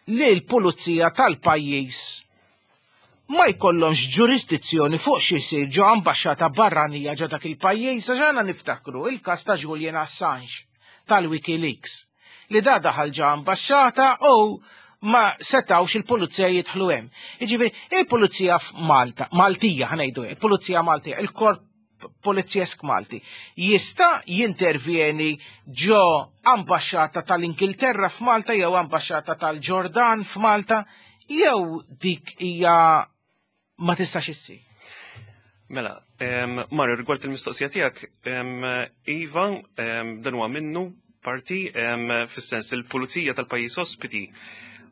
li l-pulizija tal-pajjiż ma jkollhomx ġurisdizzjoni fuq xi jsir ġo ambaxxata barranija ġo dak il-pajjiż? Għax għandna niftakru il-każ ta' Julian Assange tal-WikiLeaks, li da daħal ġo ambaxxata u ma setawx il-pulizija jidħlu hemm. Jiġifieri il-pulizija f'Malta, Maltija ħa ngħidu, il-pulizija Maltija, il-korp polizjesk Malti, jista' jintervjeni ġo ambaxxata tal-Ingilterra f'Malta jew ambaxxata tal-Ġordan f'Malta, jew dik hija ma tistax issir? Mela, Mario, rigward il-mistoqsija tiegħek, iva, dan huwa minnu parti, fis-sens il-pulizija tal-pajjiż ospiti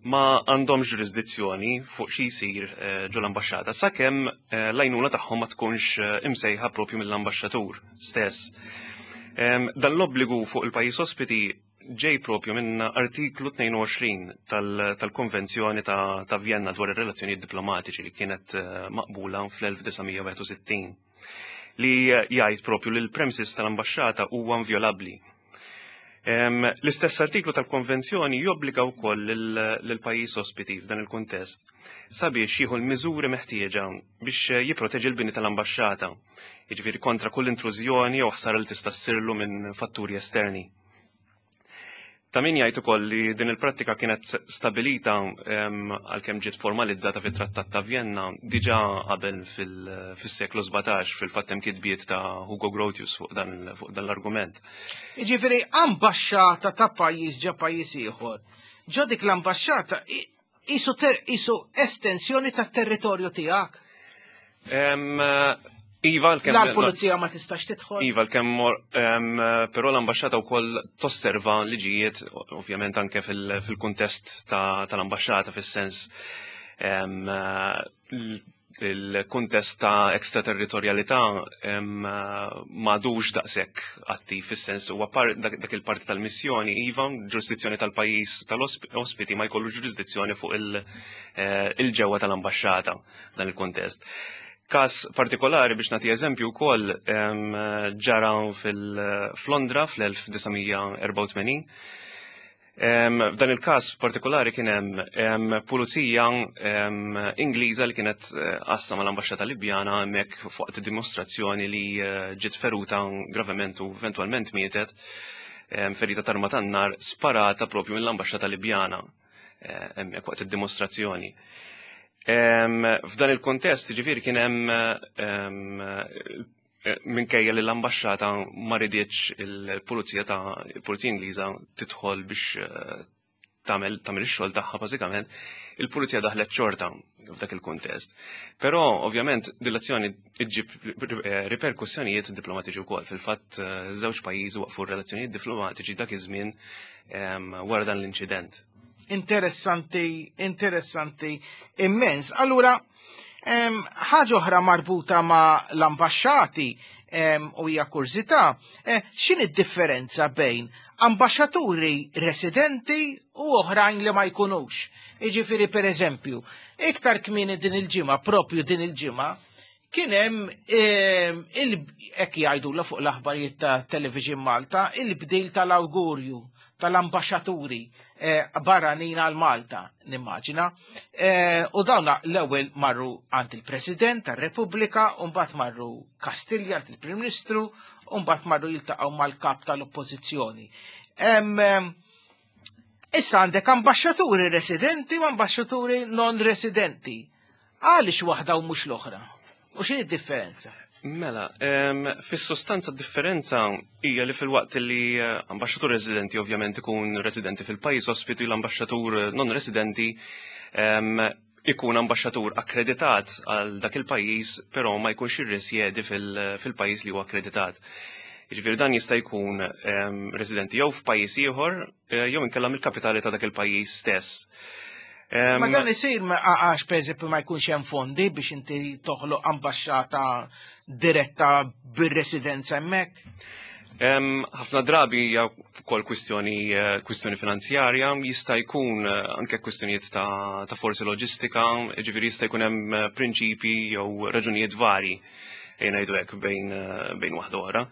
ma għandhomx ġurisdizzjoni fuq xi jsir eh, ġo l-ambaxxata sakemm eh, l-għajnuna tagħhom ma tkunx eh, imsejħa propju mill-ambaxxatur stess. Dan l-obbligu fuq il-pajjiż ospiti ġej propju minn artiklu tnejn u għoxrin tal-Konvenzjoni ta' Vienna dwar ir-relazzjonijiet diplomatiċi li kienet maqbula fl-elf disa' mija u wieħed u sittin, li jgħid propju li l-premises tal-ambaxxata huwa inviolabbli. L-istess artiklu tal-konvenzjoni jobbliga wkoll lill-pajjiż ospiti f'dan il-kuntest sabiex jieħu l-miżuri meħtieġa biex jipproteġi l-bini tal-ambaxxata, jiġifieri kontra kull intrużjoni jew ħsara li tista' ssirlu minn fatturi esterni. Ta' min jgħid ukoll li din il-prattika kienet stabilita, għalkemm ġiet formalizzata fit-Trattat ta' Vienna, diġà qabel fis-seklu sbatax. Fil-fatt hemm kitbiet ta' Hugo Grotius fuq dan fuq dan l-argument. Jiġifieri ambaxxata ta' pajjiż ġo pajjiż ieħor. Ġo dik l-ambaxxata qisu estensjoni tat-territorju tiegħek. Iva, l-kem. La l-pulizija ma tistax tidħol. Iva, l-kem, però l-ambasċata wkoll tosserva liġijiet, ovvjament anke fil-kuntest tal-ambasċata, fis-sens il-kuntest ta' ekstraterritorjalità m'għadux daqshekk attiv, fis-sens huwa dak il-parti tal-missjoni, iva, ġurisdizzjoni tal-pajjiż tal-ospiti ma jkollu ġurisdizzjoni fuq eh, il-ġewwa tal-ambasċata dan il-kuntest. Kas partikolari biex nagħti eżempju wkoll ġara fil-Londra fl-elf disa' mija erbgħa u tmenin. F'dan il-każ partikolari kien hemm pulizija Ingliża li kienet eh, għassa mal-ambaxxata Libjana hemmhekk fuq dimostrazzjoni li eh, ġiet feruta gravement u eventwalment mietet, ferita t'arma tan-nar sparata propju mill-ambaxxata Libjana eh, hemmhekk waqt id-dimostrazzjoni. F'dan il-kontest, ġifieri kien hemm, minkejja li l-ambasċata ma riditx il-pulizija ta' il-pulizija Ingliża tidħol biex eh, tagħmel tagħmel ix-xogħol tagħha bażikament, il-pulizija daħlet xorta f'dak il-kuntest. Però ovvjament din l-azzjoni iġġib eh, riperkussjonijiet diplomatiċi wkoll. Fil-fatt eh, żewġ pajjiżi waqfu relazzjonijiet diplomatiċi dak iż-żmien wara dan l-inċident. Interessanti, interessanti immens. Allura, ħaġa oħra marbuta ma' l-ambasċati u hija kurżità, eh, x'inhi d-differenza bejn ambaxxaturi residenti u oħrajn li ma jkunux? Jiġifieri, per eżempju, iktar kmieni din il-ġimgħa, propju din il-ġimgħa, kien hemm hekk jgħidu fuq l-aħbarijiet ta' Television Malta, il-bdil tal-awgurju tal-ambaxxaturi eh, barranin għal Malta, nimmaġina. Eh, u dawna l-ewwel marru għand il-President tar-Repubblika, u mbagħad marru Kastilja għand il-Prim Ministru, u mbagħad marru jiltaqgħu mal-kap tal-Oppożizzjoni. Issa għandek ambaxxaturi residenti u ambaxxaturi non residenti. Għaliex waħda u mhux l-oħra? U x'inhi d-differenza? Mela, fis-sostanza differenza hija li fil-waqt li eh, ambaxxatur residenti ovvjament ikun residenti fil-pajjiż ospitu, l-ambaxxatur non residenti ikun ambaxxatur akkreditat għal dak il-pajjiż, però ma jkunx irrisjedi fil-pajjiż li huwa akkreditat. Jiġifieri dan jista' jkun residenti jew f'pajjiż ieħor eh, jew inkella mill-kapitali ta' dak il-pajjiż stess. Ma dan isir għax, per eżempju, ma jkunx hemm fondi biex inti toħloq ambaxxata diretta bir-residenza hemmhekk? Ħafna drabi hija wkoll kwistjoni eh, kwistjoni finanzjarja, jista' jkun eh, anke kwistjonijiet ta', ta forsi loġistika, ġifieri jista' jkun hemm eh, prinċipi jew raġunijiet vari, ngħidu hekk, bejn bejn waħda oħra.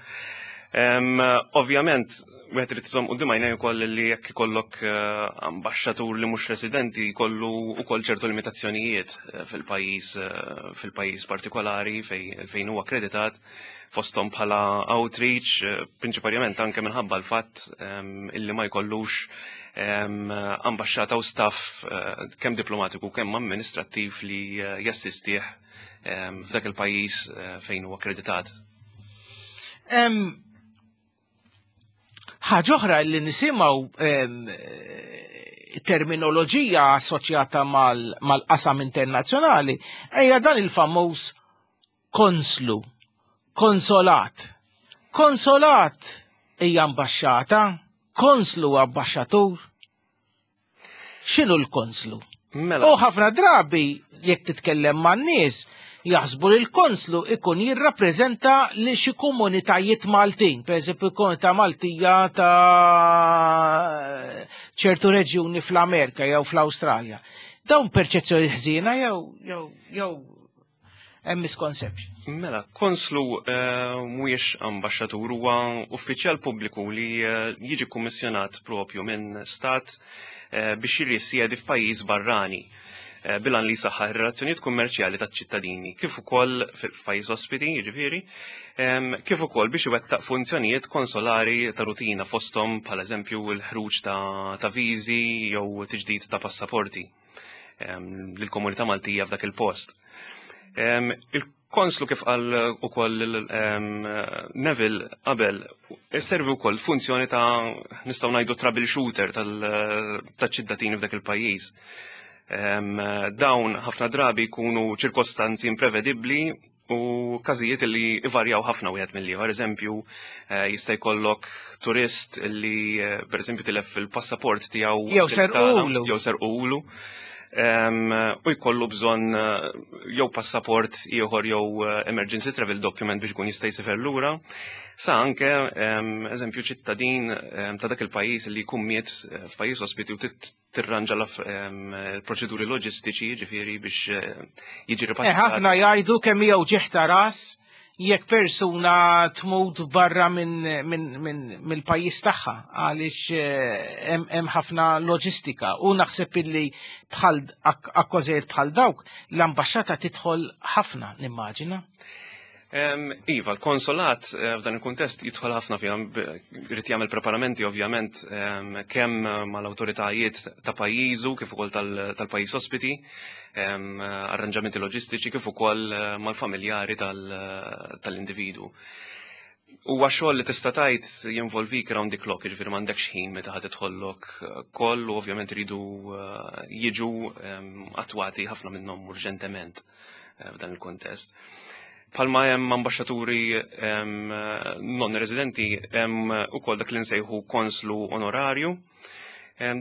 Ovvjament, wieħed irid iżomm quddiem għajnejh ukoll li jekk ikollok eh, ambaxxatur li mhux residenti jkollu wkoll ċertu limitazzjonijiet eh, fil-pajjiż eh, fil-pajjiż partikolari fejn huwa akkreditat, fosthom bħala outreach, prinċipalment anke minħabba l-fatt illi ma jkollux ambaxxata u staff kemm diplomatiku kemm amministrattiv li jassistih f'dak il-pajjiż fejn huwa akkreditat. Ħaġa oħra li nisimgħu terminoloġija assoċjata mal-qasam internazzjonali hija dan il-famuż konslu, konsolat. Konsolat hija ambaxxata, konslu ambaxxatur. X'inhu l-konslu? Mela. U ħafna drabi jekk titkellem man-nies jaħsbu li l-konslu ikun jirrappreżenta li xi komunitajiet Maltin, pereżempju komunità Maltija ta' ċertu reġjuni fl-Amerika jew fl-Awstralja. Dawn perċezzjoni ħżiena jew jew jew hemm misconceptions. Mela, konslu eh, mhuwiex ambaxxatur, huwa uffiċjal pubbliku li eh, jiġi kummissjonat propju minn stat eh, biex jirrisjedi f'pajjiż barrani bil-għan li jsaħħaħ ir-relazzjonijiet kummerċjali taċ-ċittadini, kif ukoll f'pajjiż ospiti, jiġifieri, kif ukoll biex iwettaq funzjonijiet konsolari ta' rutina fosthom bħal eżempju l-ħruġ ta' viżi jew tiġdid ta' passaporti lill-komunità Maltija f'dak il-post. Il-konslu, kif qal ukoll Neville qabel, servi wkoll funzjoni ta', nistgħu ngħidu, troubleshooter tal-ċittadini f'dak il-pajjiż. Dawn ħafna drabi jkunu ċirkostanzi imprevedibbli u każijiet li ivarjaw ħafna wieħed mill-ieħor. Eżempju, eh, jista' jkollok turist li eh, pereżempju tilef il-passaport tiegħu Jew serqulu. Jew serqulu. U jkollu bżonn eh, jew passaport ieħor jew emergency travel document biex ikun jista' jsifer lura. Sa anke eżempju ċittadin ta' dak il-pajjiż li jkun miet f'pajjiż ospiti u tirranġa l-proċeduri loġistiċi, ġifieri, biex jiġi ripatriat. Ħafna jgħidu kemm jew ġieħ ras jekk persuna tmut barra mill-pajjiż tagħha, għaliex hemm ħafna loġistika u naħseb illi bħal akkożijiet bħal dawk l-ambaxxata tidħol ħafna, nimmaġina. Iva, l-konsolat eh, f'dan il-kuntest jidħol ħafna fiha, irid jagħmel preparamenti ovvjament kemm mal-awtoritajiet ta' pajjiżu kif ukoll tal-pajjiż ospiti, arranġamenti loġistiċi, kif ukoll eh, mal-familjari tal-individu. Huwa xogħol li tista' tgħid jinvolvik round the clock, jiġifieri m'għandekx ħin meta ħadd idħollok call u ovvjament iridu eh, jiġu attwati ħafna minnhom urġentement f'dan il-kuntest. Palma hemm ambaxxaturi non residenti, hemm ukoll dak li nsejħu konslu onorarju.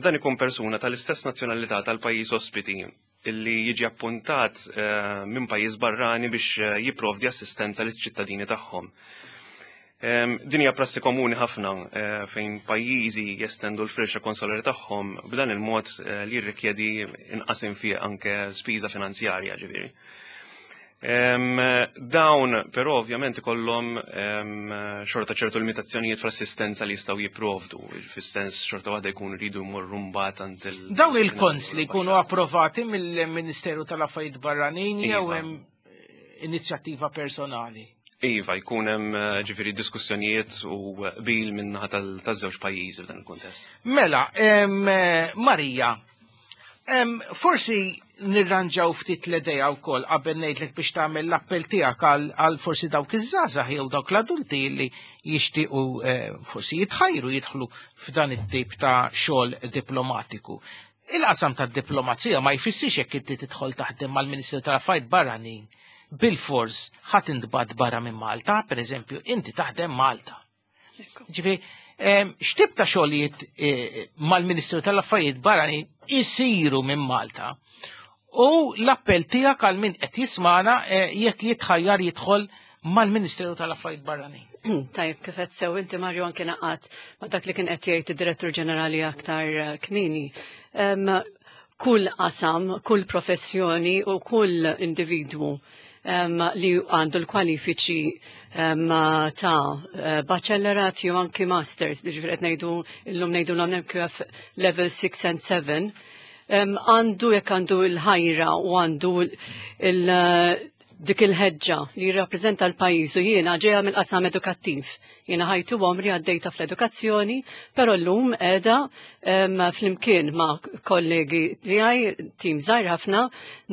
Dan ikun persuna tal-istess nazzjonalità tal-pajjiż ospiti illi jiġi appuntat eh, minn pajjiż barrani biex eh, jipprovdi assistenza liċ-ċittadini tagħhom. Din hija prassi komuni ħafna eh, fejn pajjiżi jestendu l-firxa konsolari tagħhom b'dan il-mod li jirrikjedi inqas infiq, anke spiża finanzjarja, ġifieri. Dawn però ovvjament ikollhom xorta ċertu limitazzjonijiet fl-assistenza li jistgħu jipprovdu, fis-sens xorta waħda jkunu jridu jmorru mbagħad għand il- Dawn il-konsli jkunu approvati mill-Ministeru tal-Affarijiet Barranin jew Iva. hemm inizjattiva personali? Iva, jkun hemm eh, ġifieri diskussjonijiet u qbil min-naħa tal-żewġ pajjiżi f'dan il-kuntest. Mela, em, eh, Marija, em, forsi nirranġaw ftit l-idea wkoll qabel ngħidlek biex tagħmel l-appell tiegħek għal għal forsi dawk iż-żgħażagħ jew dawk l-adulti li jixtiequ eh, forsi jitħajru jidħlu f'dan it-tip ta' xogħol diplomatiku. Il-qasam tad-diplomazija ma jfissirx jekk inti tidħol taħdem mal-Ministeru tal-Affarijiet Barranin bil-fors ħa tintbagħat barra minn Malta, per eżempju, inti taħdem Malta. Ġifieri, em, x'tip ta' xogħlijiet eh, mal-Ministeru tal-Affarijiet Barranin isiru minn Malta? U l-appell tiegħek għal min qed jismana eh, jekk jitħajjar jidħol mal-Ministeru tal-Affarijiet Barranin. Tajib, kif qed sew inti, Mario, anke naqat ma' dak li kien qed jgħid id-Direttur Ġenerali aktar eh, kmieni. Em, Kull qasam, kull professjoni u kull individwu li għandu l-kwalifiċi ta' eh, bachellorat jew anki masters, ġifieri qed ngħidu llum ngħidu l-M Q F level six and seven, għandu jekk għandu l-ħajra u għandu il- dik il-ħeġġa li jirrappreżenta l-pajjiż, u jiena ġejja mill-qasam edukattiv. Jiena ħajti u għomri għaddejta fl-edukazzjoni, però llum qiegħda flimkien ma' kollegi tiegħi, tim żgħir ħafna,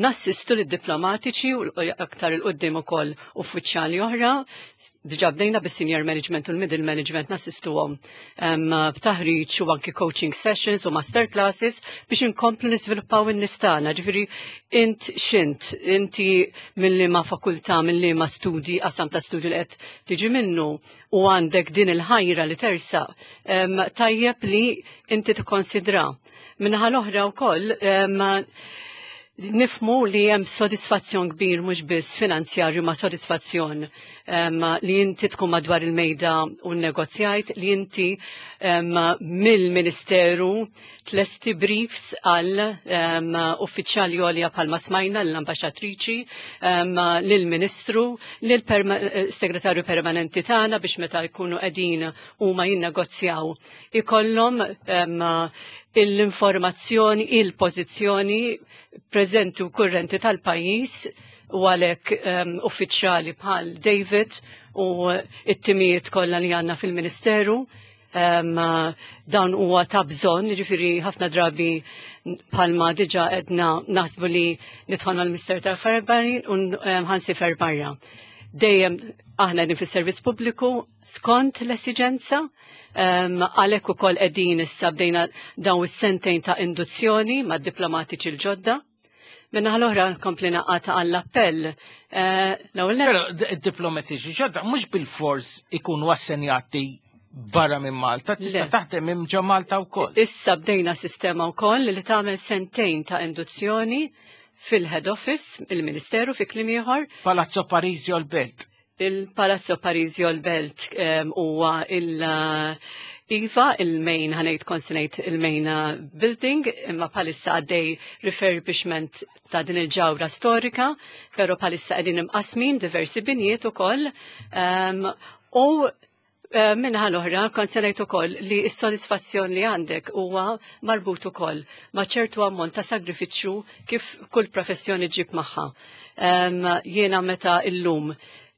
nassistu lid-diplomatiċi u aktar 'il quddiem ukoll uffiċjali oħra. Diġà bdejna bis-senior management u l-middle management, nassistuhom b'taħriġ u anki coaching sessions u master classes biex inkomplu niżviluppaw in-nies tagħna. Ġifieri int x'int, inti minn liema fakultà, minn liema studi, qasam ta' studju li qed tiġi minnu u għandek din il-ħajra li tersaq, tajjeb li inti tikkonsidra. Min-naħa l-oħra wkoll nifhmu li hemm sodisfazzjon kbir, mhux biss finanzjarju ma' sodisfazzjon um, li inti tkun madwar il-mejda u negozjajt, li inti um, mill-Ministeru tlesti briefs għal um, uffiċjali għolja bħalma smajna l-ambaxxatriċi, um, lill-Ministru, lill-Segretarju Permanenti tagħna, biex meta jkunu qegħdin huma jinnegozjaw ikollhom um, l-informazzjoni, il-pożizzjoni preżenti u kurrenti tal-pajjiż, u għalhekk um, uffiċjali bħal David u it-timijiet kollha li għandna fil-Ministeru um, dawn huwa ta' bżonn, jiġifieri ħafna drabi bħalma diġà edna naħsbu li nidħol mal-Ministeru tal-Affarijiet Barranin u ħa nsiefer barra. Dejjem aħna qegħdin fis-servizz pubbliku skont l-esiġenza, um, għalhekk ukoll qegħdin issa bdejna dawn is-sentejn ta' induzzjoni mad-diplomatiċi l-ġodda. Min-naħa l-oħra kompli naqata għall-appell. Eh, l-ewwel Però d-diplomatiċi ġodda mhux bil-fors ikunu assenjati barra minn Malta, tista' Le. taħdem minn ġo Malta wkoll. Issa bdejna sistema wkoll li tagħmel sentejn ta' induzzjoni fil-head office, il-Ministeru fi kliem ieħor. Palazzo Parisio l-Belt. Il-Palazzo Parisio l-Belt em, huwa il- Iva, il-main, ħa ngħid konsinejt il-main uh, building, imma bħalissa għaddej refurbishment ta' din il-ġawra storika, pero bħalissa qegħdin imqasmin diversi binjiet ukoll. Um, u eh, min-naħa l-oħra, kont se ngħid ukoll li s-sodisfazzjon li għandek huwa marbut ukoll ma' ċertu ammont ta' sagrifiċċju kif kull professjoni ġib magħha. Um, jiena meta illum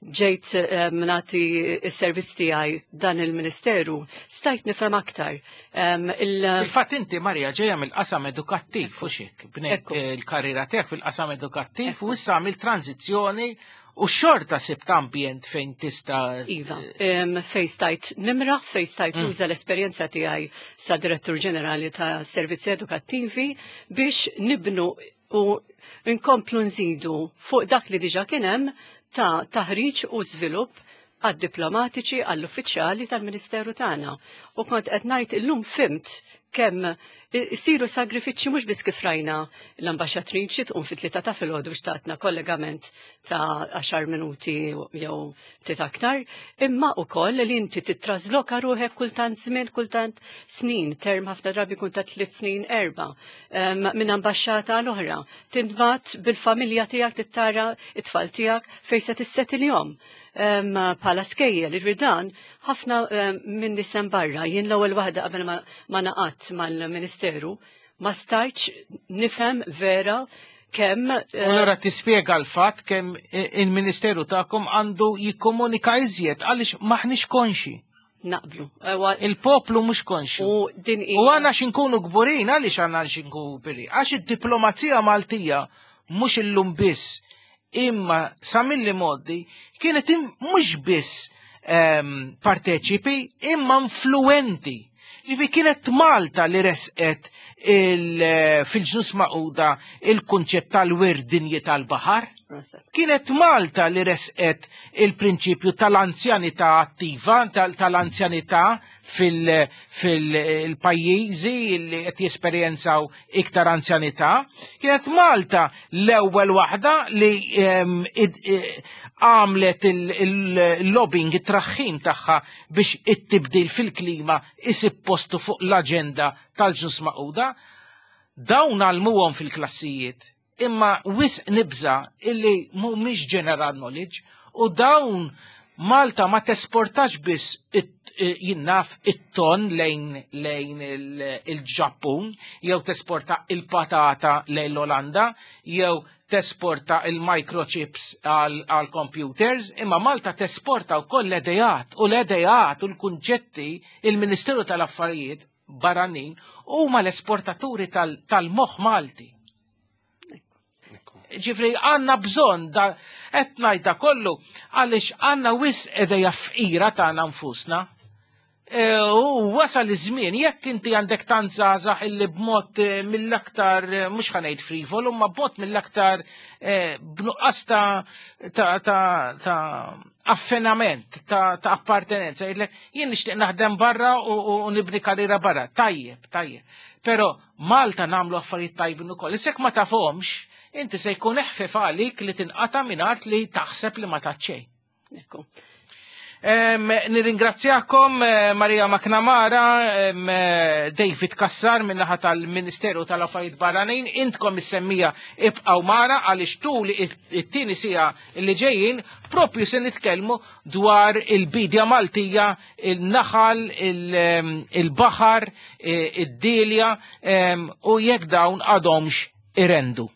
ġejt um, nagħti s-servizz tiegħi dan il-Ministeru, stajt nifhem aktar. Um, il- Il-fatt inti, Marija, ġejja mill-qasam edukattiv u xik, bnejt Ekku. il-karriera tiegħek fil-qasam edukattiv u issa għamilt tranzizzjoni u xorta sibt ambjent fejn tista' Iva, um, fej stajt nimraħ, fej stajt nuża l-esperjenza tiegħi sa direttur ġenerali ta' servizzi edukattivi biex nibnu u nkomplu nżidu fuq dak li diġa kien hemm ta' taħriġ u żvilupp għad-diplomatiċi, għall-uffiċjali tal-Ministeru tagħna. U kont qed ngħid illum fhimt kemm isiru sagrifiċċji, mhux biss kif rajna l-ambaxxatriċi tqum fit-tlieta ta' filgħodu biex tatna kollegament ta' għaxar minuti jew ftit aktar, imma ukoll li inti titrasloka ruħek kultant żmien, kultant snin, term ħafna drabi kun ta' tliet snin, erba, em, minn ambaxxata għal oħra. Tintbagħat bil-familja tiegħek, tittara it-tfal tiegħek fejn se tissetilhom bħala skejjel, ġifieri dan ħafna minn nisem barra, jien l-ewwel waħda qabel ma, ma naqatt mal-Ministeru, ma stajtx nifhem vera kemm U allura tispjega l-fatt kemm il-Ministeru tagħkom għandu jikkomunika iżjed għaliex maħniex konxi. Naqblu. Ewa, Il-poplu mhux konxu. U din U għandna xinkunu kburin, għaliex għandna xinkunu kburin? Għax id-diplomazija Maltija mhux illum biss, imma sa mill-modi kienet im- mhux biss ehm, parteċipi, imma influenti. Ġifi kienet Malta li resqet il- fil-Ġnus Magħquda il-kunċett tal-wirt dinji tal-baħar. Kienet Malta li resqet il-prinċipju tal-anzjanità attiva, tal- tal-anzjanità fil-pajjiżi li qed jesperjenzaw iktar anzjanità. Kienet Malta l-ewwel waħda li em, id- eh, għamlet il-lobbying, it-traħħim tagħha biex it-tibdil fil-klima isib postu fuq l-aġenda tal-Ġnus Magħquda. Dawn għallmuhom fil-klassijiet. Imma wisq nibża illi mhumiex general knowledge u dawn Malta ma tesportax biss jinnaf it-ton lejn lejn il-Ġappun, jew tesporta il-patata lejn l-Olanda, jew tesporta il-microchips għal computers, imma Malta tesporta wkoll l-idejat u l-idejat u l-kunċetti. Il-Ministeru tal-Affarijiet Barranin huma l-esportaturi tal-moħħ Malti. Ġifri, għandna bżonn da, qed ngħidha kollu, għaliex għandna wisq idea fqira tagħna nfusna. E, u wasal iż-żmien, jekk inti għandek tant żgħażagħ illi b'mod eh, mill-aktar, eh, mhux ħa ngħid frivol, imma b'mod mill-aktar eh, b'nuqqas ta' ta' ta' ta' affinament, ta' ta' appartenenza, jgħidlek jien nixtieq naħdem barra u, u, u nibni karriera barra. Tajjeb, tajjeb. Però Malta nagħmlu affarijiet tajbin ukoll. Issa jekk ma tafhomx, inti se jkun eħfef għalik li tinqata' minn art li taħseb li ma taċċej. Ekku. Em, Nirringrazzjakom eh, Maria McNamara, em, eh, David Cassar min-naħa tal-Ministeru tal-Affarijiet Barranin, intkom is-semmiegħa ibqgħu magħna għaliex tul it-tieni siegħa li ġejjin propju se nitkellmu dwar il-bidja Maltija, il-naħal, il- il-baħar, eh, id-dilja em, u jekk dawn għadhomx irendu.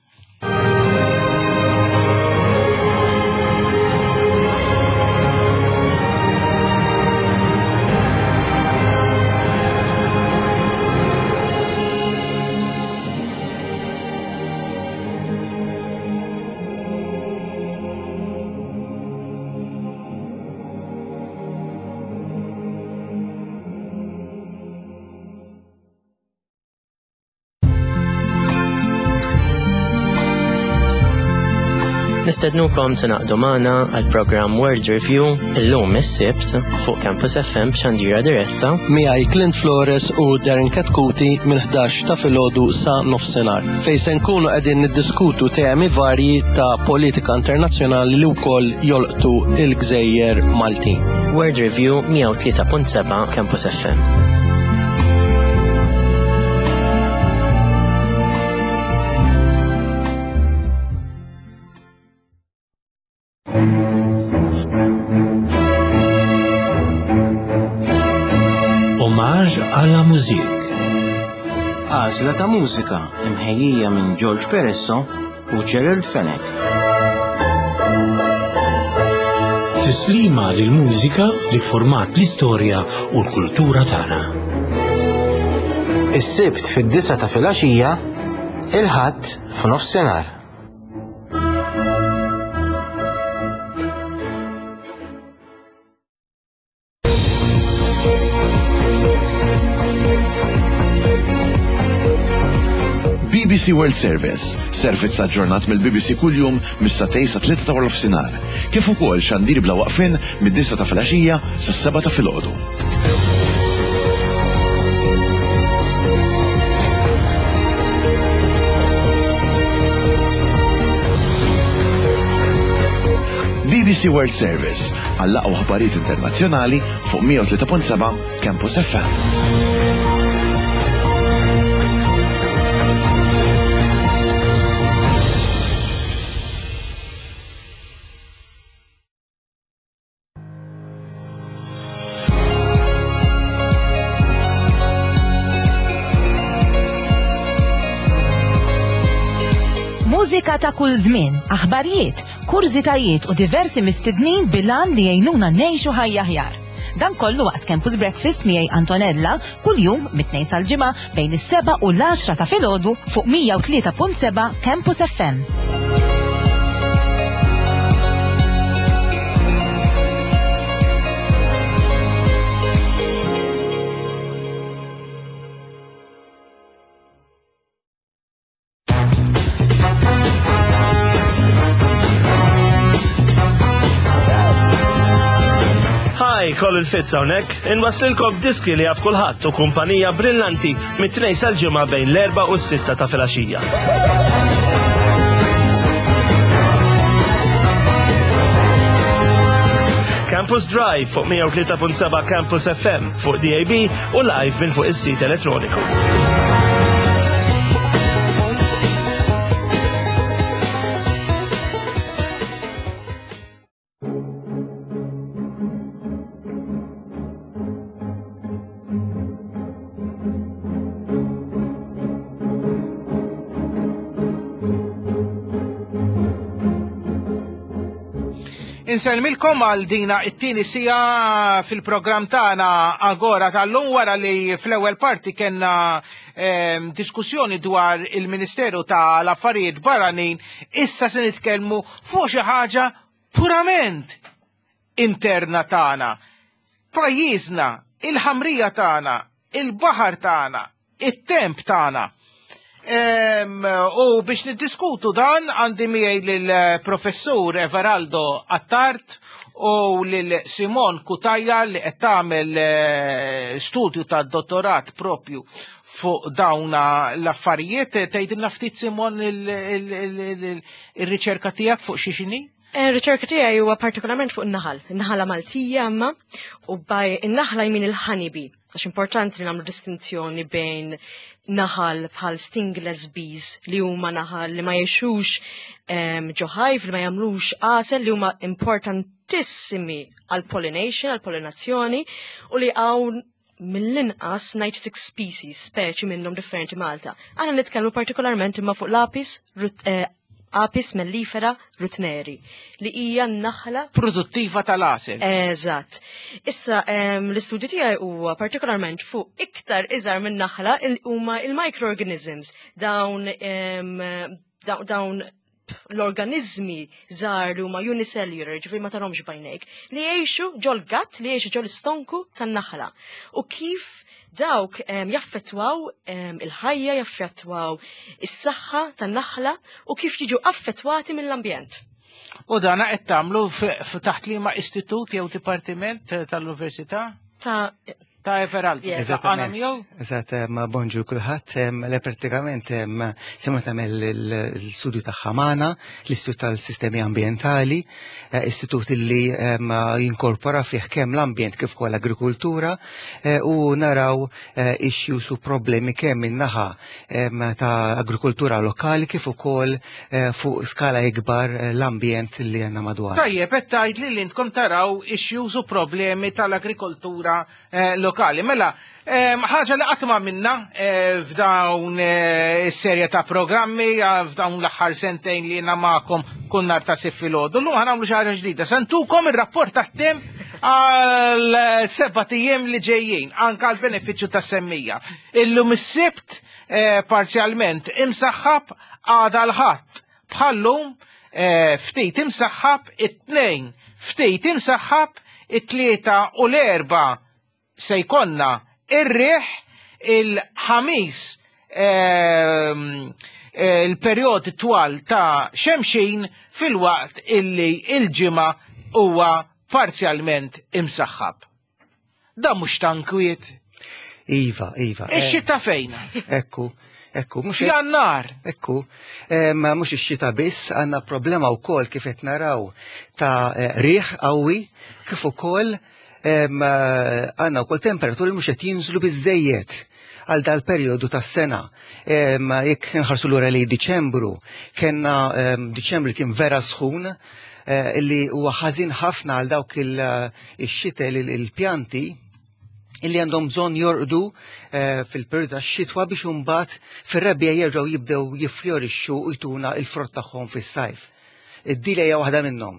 Nistednukom tingħaqdu magħna għal programm World Review illum is-Sibt fuq Campus F M b'xandira diretta. Miegħi Clint Flores u Darren Katkuti minn ħdax ta' filgħodu sa nofsinhar, fejn se nkunu qegħdin niddiskutu temi varji ta' politika internazzjonali li wkoll jolqtu il-gżejjer Maltin. World Review, mija u tlieta punt seba' Campus F M. Hommage à la musique. Għażla ta' mużika imħejjija minn George Peresso u Gerald Fenech. Tislima lil mużika li format l-istorja u l-kultura tagħna. Is-Sibt fid-disgħa ta' filgħaxija, il-Ħadd f'nofsinhar. B B C World Service, servizz aġġornat mill-B B C kuljum mis-sagħtejn sa tlieta ta' nofsinhar, kif ukoll xandir bla waqfin mid-disgħa ta' filgħaxija sas-sebgħa ta' filgħodu. B B C World Service għall-aqwa aħbarijiet internazzjonali fuq mija u tlieta punt seba' Campus F M. Mużika ta' kull żmien, aħbarijiet, kurżitajiet u diversi mistednin bil-għan li jgħinuna ngħixu ħajja aħjar. Dan kollu waqt Campus Breakfast miegħi Antonella kuljum mit-Tnejn sal-Ġimgħa bejn is-seba' u l-għaxra ta' filgħodu fuq mija u tlieta punt seba' Campus F M. Hi, Colin Fitz hawnhekk, inwaslilkom diski li jaf kulħadd u kumpanija brillanti mit-Tnejn sal-Ġimgħa bejn l-erba' u s-sitta ta' filgħaxija. Campus Drive fuq mija u tlieta punt seba' Campus F M, fuq D A B u live minn fuq is-sit elettroniku. Insellmilkom għal dina it-tieni siegħa fil-programm tagħna Agora tal-lum, wara li fl-ewwel parti kellna ehm, diskussjoni dwar il-Ministeru tal-Affarijiet Barranin, issa se nitkellmu fuq xi ħaġa purament interna tagħna. Pajjiżna, il-ħamrija tagħna, il-baħar tagħna, it-temp tagħna. U biex niddiskutu dan, għandi miegħi lill-professur Everaldo Attard u lil Simon Cutajar, li qed tagħmel eh, studju ta' dottorat propju fuq dawna l-affarijiet. Tgħidilna ftit, Simon, il-riċerka tiegħek fuq xi xini? Ir-riċerka tiegħi huwa partikolarment fuq in-naħal, in-naħala Maltija imma, u by in-naħla jmin il-honeybee, għax importanti li nagħmlu distinzjoni bejn naħal bħal stingless bees, li huma naħal li ma jgħixux ġo hive, li ma jagħmlux għasel, li huma importantissimi għal pollination, għal pollinazzjoni, u li hawn mill-inqas disgħa u disgħin species, speċi minnhom differenti Malta. Aħna nitkellmu partikolarment imma fuq l-Apis eh, Apis mellifera ruttneri, li hija naħla produttiva tal-għasel. Eżatt. Issa l-istudju tiegħi huwa partikolarment fuq iktar iżgħar minn naħla, huma il-microorganisms, dawn dawn l-organizmi żgħar li huma unicellular, ġifieri ma tarahomx b'għajnejk, li jgħixu ġol-gut, li jgħixu ġol-istonku tan-naħla. U kif dawk jaffettwaw il-ħajja, jaffettwaw is-saħħa tan-naħla u kif jiġu affettwati mill-ambjent. U dana qed tagħmlu taħt liema istitut jew dipartiment tal-università? Ta' Ta' Everaldo. Eżattament. Eżatt, ma bonġu kulħadd. Le, pratikament Simon tagħmel l-studju tagħha magħna, l-Istitut tal-Sistemi Ambjentali, eh, istitut li jinkorpora fih kemm l-ambjent kif ukoll l-agrikultura eh, u naraw eh, issues u problemi kemm min-naħa ta' agrikultura lokali kif ukoll fuq skala ikbar l-ambjent li għandna madwar. Tajjeb, qed tgħid li intkom taraw issues u problemi tal-agrikoltura lokali. Mela, ħaġa li qatt ma minna eh, f'dawn eh, is-serje ta' programmi, eh, f'dawn l-aħħar sentejn li jiena magħkom kull nhar ta' Sibt filgħodu. Llum ħa nagħmlu xi ħaġa ġdida. Se ntukom ir-rapport tat-temp għal sebat ijiem li ġejjin, anka għal benefiċċju tas-semmiegħa. Illum is-Sibt parzjalment imsaħħab, għada l-Ħadd bħallum ftit imsaħħab, it-Tnejn ftit imsaħħab, it-Tlieta u l-Erbgħa se jkollna ir-riħ, il-Ħamis ehm, il-perjodi twal ta' xemxin, filwaqt illi il-Ġimgħa huwa parzjalment imsaħħab. Da mhux tankwiet. Iva, iva. Ix-xita fejna? Ekku. Ekku, mhux Jannar. Ekku, ma mhux ix-xita biss, għandna problema wkoll kif qed naraw ta' riħ qawwi, kif ukoll għandna wkoll temperaturi mhux qed jinżlu biżejjed għal dal-perjodu tas-sena. Jekk nħarsu lura li Diċembru, kellna Diċembru kien vera sħun, eh, illi huwa ħażin ħafna għal dawk il-xitel, il-pjanti illi għandhom bżonn jorqdu eh, fil-periodu tax-xitwa biex imbagħad fir-rebbiegħa jerġgħu jibdew jiffjorixxu u jtuna il-frott tagħhom fis-sajf. Id-dila hija waħda minnhom.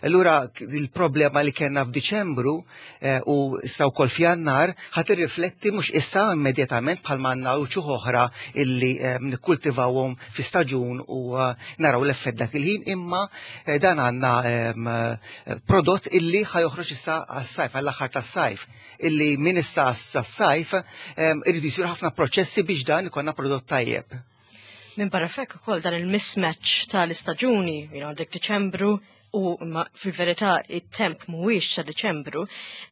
Allura il-problema li kellna f'Diċembru eh, u issa wkoll f'Jannar ħa tirrifletti mhux issa immedjatament, bħalma għandna uċuħ oħra illi eh, nikkultivawhom fi staġun u eh, naraw l-effett dak il-ħin, imma dan għandna prodott illi ħa joħroġ issa għas-sajf, għall-aħħar tas-sajf, illi minn issa għas-sajf irridu jsiru ħafna proċessi biex dan ikollna prodott tajjeb. Minn barra fekk ukoll dan il-mismatch tal-istaġuni, you know, għandek Diċembru u ma fil-verità it-temp mhuwiex ta' Diċembru,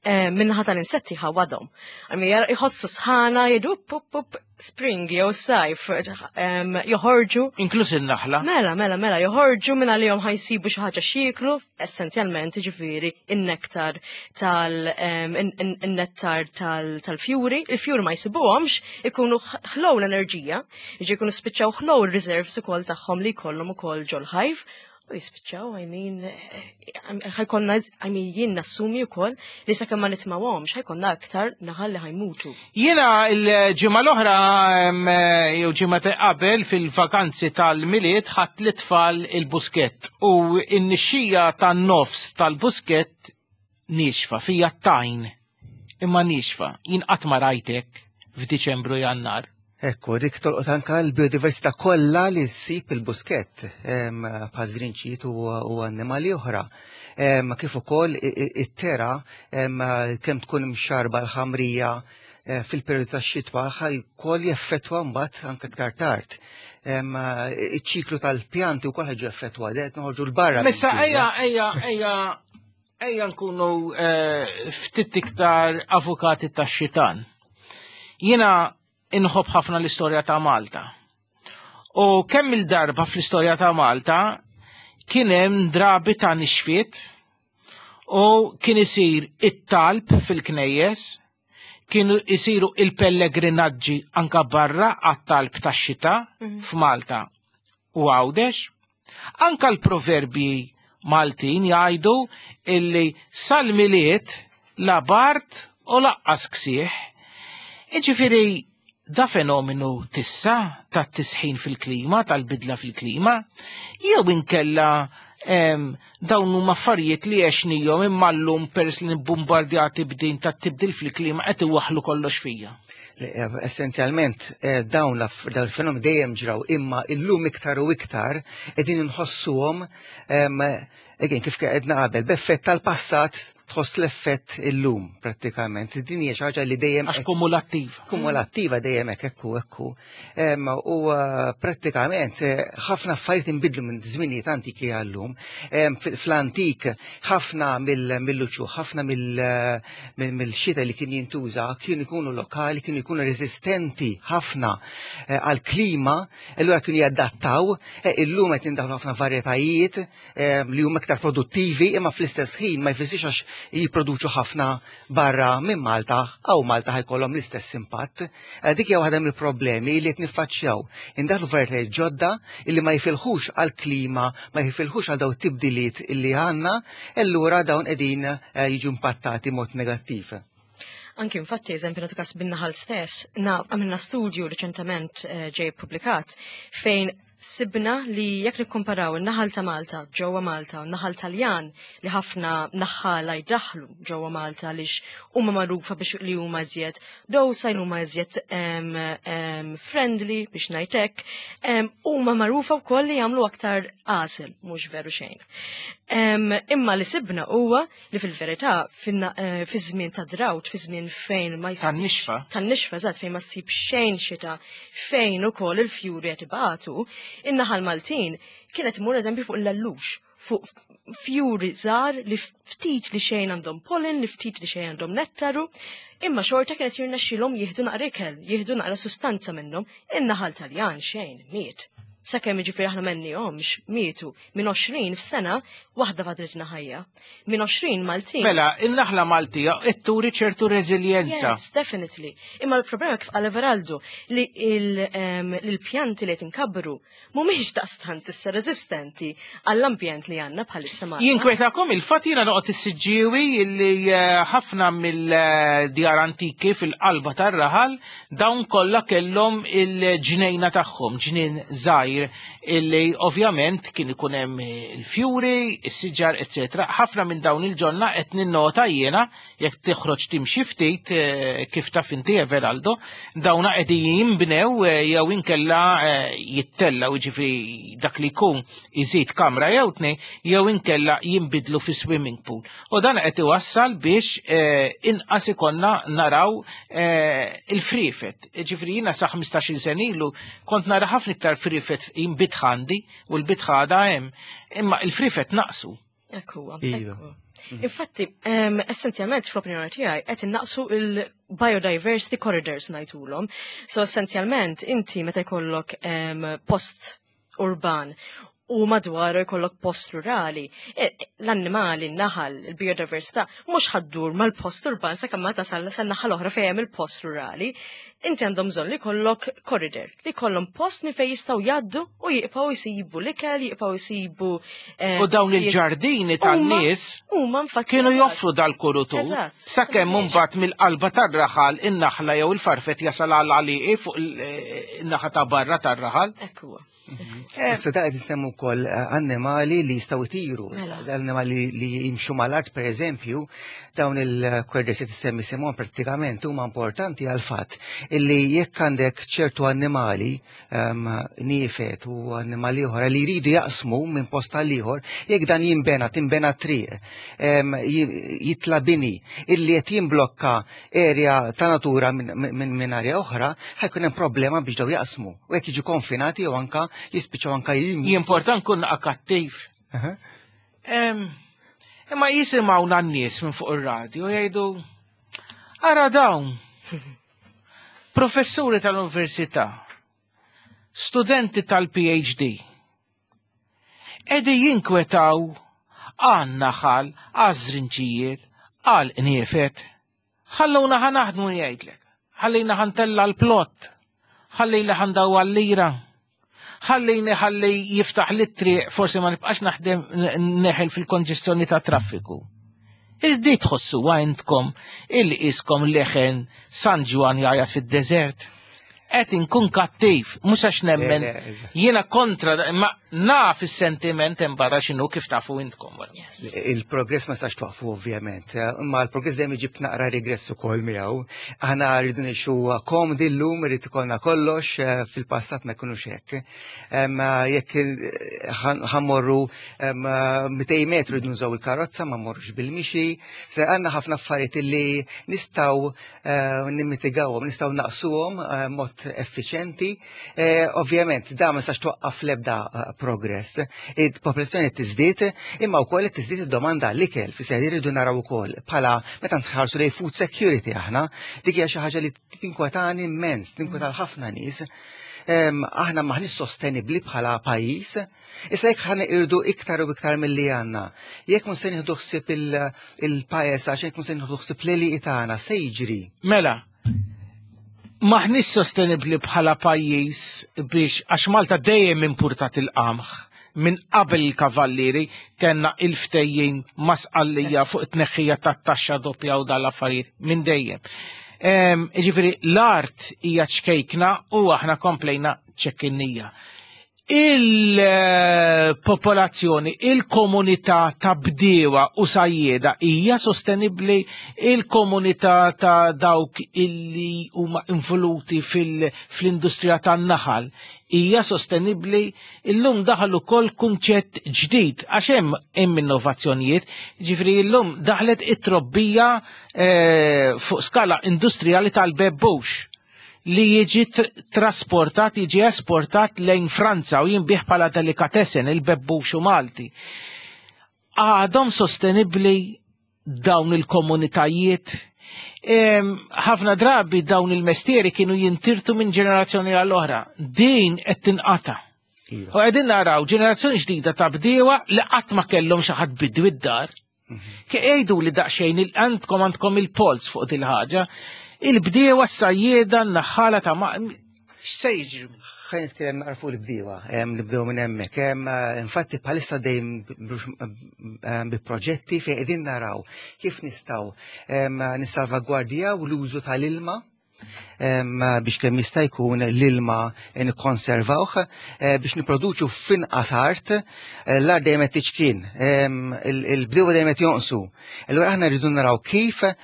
eh, minnaħa tal-insetti ħawadhom. Għalmi jħossu sħana, jgħidu up, up, up, spring jew sajf, em, joħorġu. Inkluż in-naħla. Mela, mela, mela, joħorġu minn għalihom ħa jsibu xi ħaġa x'jieklu, essenzjalment ġifieri in-nektar tal em, in- in- in-nettar tal- tal-fjuri, il-fjuri ma jsibuhomx, ikunu ħlow l-enerġija, jiġi jkunu spiċċaw ħlow il-reserves ukoll tagħhom li jkollhom ukoll ġol-hive, U jispiċċaw, I mean, ħa jkollna, I mean, jien nassumi wkoll li sakemm ma nitmawhomx ħa jkollna aktar naħal li ħa jmutu. Jiena il-ġimgħa l-oħra jew ġimgħa ta' qabel fil-vakanzi tal-Milied ħadt l-itfal il-Buskett u n-nixxija tan-nofs tal-Buskett nixfa fija t-tajn imma nixfa. Jien qatt ma rajtek f'Diċembru, Jannar. Ekku, dik tolqot anka l-biodiversità kollha li ssib il-Buskett bħal żrinċijiet u annimali oħra. Kif ukoll it-tera kemm tkun imxarba l-ħamrija eh, fil-periodu tax-xitwa ħa jkoll jeffettwa mbagħad anke iktar tard. Iċ-ċiklu tal-pjanti wkoll ħa jiġu effettwa, qed noħorġu 'l barra. Missa ejja ejja ejja ejja nkunu eh, ftit iktar avukati tax-xitan. Jiena inħobb ħafna l-istorja ta' Malta. U kemm il-darba fl-istorja ta' Malta kien hemm drabi ta' nixfiet u kien isir it-talb fil-knejjes, kienu isiru il-pellegrinaġġi anka barra għat-talb tax-xita mhm. f'Malta u Għawdex. Anka l-proverbji Maltin jgħidu illi sal-Milied la bard u lanqas ksieħ. Iġifieri da fenomenu tissa ta' tisħin fil-klima, tal-bidla fil-klima, jew inkella dawn huma affarijiet li għexnihom imma llum peress li nibbombardjati b'din ta' tibdil fil-klima qed iwaħlu kollox fija. Eh, essenzjalment eh, dawn l-fenomeni dejjem ġraw imma illum iktar u iktar qegħdin inħossuhom again kif għedna qabel b'effett tal-passat tħoss l-effett illum prattikament. Din hija xi ħaġa li dejjem għax kumulattiva. Kumulattiva dejjem hekk ekku ekku. U uh, prattikament eh, ħafna affarijiet inbidlu minn żminijiet antiki għallum. Fl-antik ħafna mill-uċuħ, ħafna mill-xita li kien jintuża kienu jkunu lokali, kienu jkunu resistenti ħafna eh, għal-klima, allura kienu jadattaw, eh, illum qed indaħlu ħafna varjetajiet li huma iktar produttivi, imma fl-istess ħin ma jfissirx għax jipproduċu ħafna barra minn Malta, għaw Malta ħa jkollhom l-istess impatt. Eh, dik hija waħda mill-problemi li qed niffaċċjaw. Indaħlu varjetajiet ġodda illi ma jifilħux għal-klima, ma jifilħux għal daw tibdiliet illi għandna, allura dawn qegħdin eh, jiġu impattati mod negattiv. Anki infatti, eżempju, nagħtu kas bin-naħal stess, għamilna studju reċentement eh, ġej publikat fejn sibna li jekk nikkomparaw in-naħal ta' Malta ġewwa Malta u n-naħal Taljan li ħafna naħħala jdaħlu ġewwa Malta għaliex huma magħrufa biex li huma iżjed docile, huma iżjed friendly biex ngħidlek, huma magħrufa wkoll li jagħmlu aktar għasel, mhux veru xejn. Imma li sibna huwa li fil-verità eh, fi żmien ta' drought, fi żmien fejn ma jsibx. Tan-nixfa. Tan-nixfa, eżatt, fejn ma ssib xejn xita, fejn ukoll il-fjuri qed ibatu, in-naħal Maltin kienet imur eżempju fuq l-allux, fuq fjuri żgħar li ftit li xejn għandhom pollen, li ftit li xejn għandhom nettaru, imma xorta kienet jirnexxilhom jieħdu naqra ikel, jieħdu naqra sustanza minnhom, in-naħal Taljan xejn miet. Sakemm jiġifieri aħna m'għenniehomx, mietu minn għoxrin f'sena waħda fadlitna ħajja. Minn għoxrin Maltin. Mela, il-naħla Maltija turi ċertu reżiljenza. Yes, definitely. Imma l-problema kif qal Everaldo li il-pjanti li qed inkabbru mhumiex daqstant issa resistenti għall-ambjent li għandna bħalissa Malta. Jinkwetakom il-fatt, jiena noqgħod is-Siġġiewi, illi eh, ħafna mill-djar antiki fil-qalba tar-raħal dawn kollha kellhom il-ġnejna tagħhom, ġnien żgħir illi ovvjament kien ikun hemm il-fjuri, is-siġar, eċetera. Ħafna minn dawn il-ġonna qed ninnota jiena jekk toħroġ timxi ftit eh, kif taf inti Everaldo, dawna qegħdin jinbnew eh, jew inkella jittellgħu, jiġifieri dak li jkun iżid kamra jew tnejn jew inkella jinbidlu fi swimming pool. U dan qed iwassal biex inqas ikollna naraw il-frifet. Ġifieri jiena sa ħmistax-il sena ilu kont nara ħafna iktar frifet fil-bitħa għandi u l-bitħa għadha hemm. Imma il-frifet naqsu. Ekku, ekku. Infatti, essenzjalment fl-opinjoni tiegħi qed innaqsu il-biodiversity corridors ngħidulhom. So essenzjalment inti meta jkollok post urban u madwaru jkollok post rurali. E, l-annimali, n-naħal, il-biodiversità, mhux ħa ddur mal-post urban sakemm ma tasal san-naħa l-oħra fejn hemm il-post rurali. Inti għandhom bżonn li jkollok corridor, li jkollhom post minn fejn jistgħu jgħaddu u jibqgħu jsibu l-ikel, jibqgħu jsibu eh, U dawn il-ġardini tan-nies huma infatti kienu joffru dal-kurutur. Eżatt. Sakemm mbagħad mill-qalba tar-raħal in-naħla jew il-farfett jasal għal għalieqi fuq il-naħa ta' barra tar-raħal. Ekku. Issa da qed insemmu wkoll eh, annimali li jistgħu jtiru, Mela. annimali li jimxu mal-art pereżempju, dawn il-corridors li tissemmi Simon prattikament huma importanti għal fatt illi jekk għandek ċertu annimali um, niefet u annimali oħra li jridu jaqsmu minn post għal ieħor, jekk dan jinbena, tinbena triq, em, jitla bini illi qed jimblokka area ta' natura minn min, min area oħra, ħa jkun hemm problema biex daw jaqsmu. U jekk jiġu konfinati jew anka jispiċċaw anka jim. Jimportan kun kattiv. Em, Imma jisimgħuna n-nies minn fuq ir-radio jgħidu ara dawn professuri tal-università, studenti tal-PhD, qegħdin jinkwetaw għan-naħal, għaż-żrinġijiet, għal qniefet. Ħalluna ħa naħdmu jgħidlek. Ħallina ħa ntella' l-plot. Ħallina ħa ndawwar lira. Ħallini ħalli jiftaħ li triq forsi ma nibqax naħdem neħel fil-konġestjoni ta' traffiku. Irdi tħossu għandkom il-iskom leħen San Ġwann jgħajjat fid-deżert. Qed inkun kattiv, mhux għax nemmen. Le, le, eżatt. Jiena kontra, ma naf is-sentiment hemm barra x'inhu kif tafu intkom. wara. Il-progress ma sax twaqfu ovvjament, imma l-progress dejjem iġib naqra regress ukoll miegħu. Aħna rridu ngħixu komdi llum, irid ikollna kollox, eh, fil-passat ma jkunux hekk. Em, Jekk eh, ħan- ħa mmorru em, mitejn metru rridu nużaw il-karozza, ma mmorrux bil-mixi. Se għandna ħafna affarijiet illi nistgħu eh, nimmitigawhom, nistgħu naqsuhom eh, mod effiċenti. Eh, Ovvjament, da ma sax twaqqaf l-ebda eh, progress. Il-popolazzjoni tiżdied, imma wkoll qed tiżdied id-domanda għall-ikel, fisser irridu naraw ukoll bħala meta nħarsu lejn food security aħna, dik hija xi ħaġa li tinkwetani immens, tinkweta ħafna nies. Em, Aħna maħniex sostenibbli bħala pajjiż. Issa jekk ħa irdu iktar u iktar milli għandna, jekk mhux se nieħdu ħsieb il- il-pajjiż għax jekk mhux se nieħdu ħsieb l tagħna se jiġri. Mela, maħniex sostenibli bħala pajjiż biex għax Malta dejjem importat il-qamħ minn qabel il-kavallieri kellna il-ftehim ma' Sqallija fuq it-tneħħija tat-taxxa doppja u dal-affarijiet minn dejjem. Em, Ġifieri l-art hija ċkejkna u aħna komplejna ċekkinnija. Il-popolazzjoni, il-komunità ta' bdiewa u sajjeda hija sostenibbli, il-komunità ta' dawk illi huma involuti fil- fl-industrija tan-naħal hija sostenibbli, illum daħal ukoll kunċett ġdid għax hemm hemm innovazzjonijiet, ġifieri illum daħlet it-trobbija eh, fuq skala industrijali tal-bebbux li jiġi tr trasportat, jiġi esportat lejn Franza u jinbiegħ bħala delicatessen il-bebbuxu Malti. Għadhom sostenibli dawn il-komunitajiet. Em, Ħafna drabi dawn il-mestieri kienu jintirtu minn ġenerazzjoni għall-oħra. Din qed tinqata. Iva. U qegħdin naraw ġenerazzjoni ġdida ta' bdiewa li qatt ma kellhom xi ħadd bidwi d-dar. Ke jgħidu li daqsxejn il għandkom għandkom il-polz fuq dil-ħaġa, il-bdiewa s-sajjeda n-naħħala ta' ma' x'se jiġri? Ħa nitkellem naqra fuq il-bdiewa, em, nibdew minn hemmhekk. Em, eh, Infatti bħalissa dejjem bi proġetti fejn qegħdin naraw kif nistgħu em, nissalvagwardjaw l-użu tal-ilma em, biex kemm jista' jkun l-ilma nikkonservawh eh, biex niproduċu f'inqas art, eh, l-art dejjem qed tiċkien, em, il- il-bdiewa dejjem qed jonqsu. Allura aħna rridu naraw kif eh,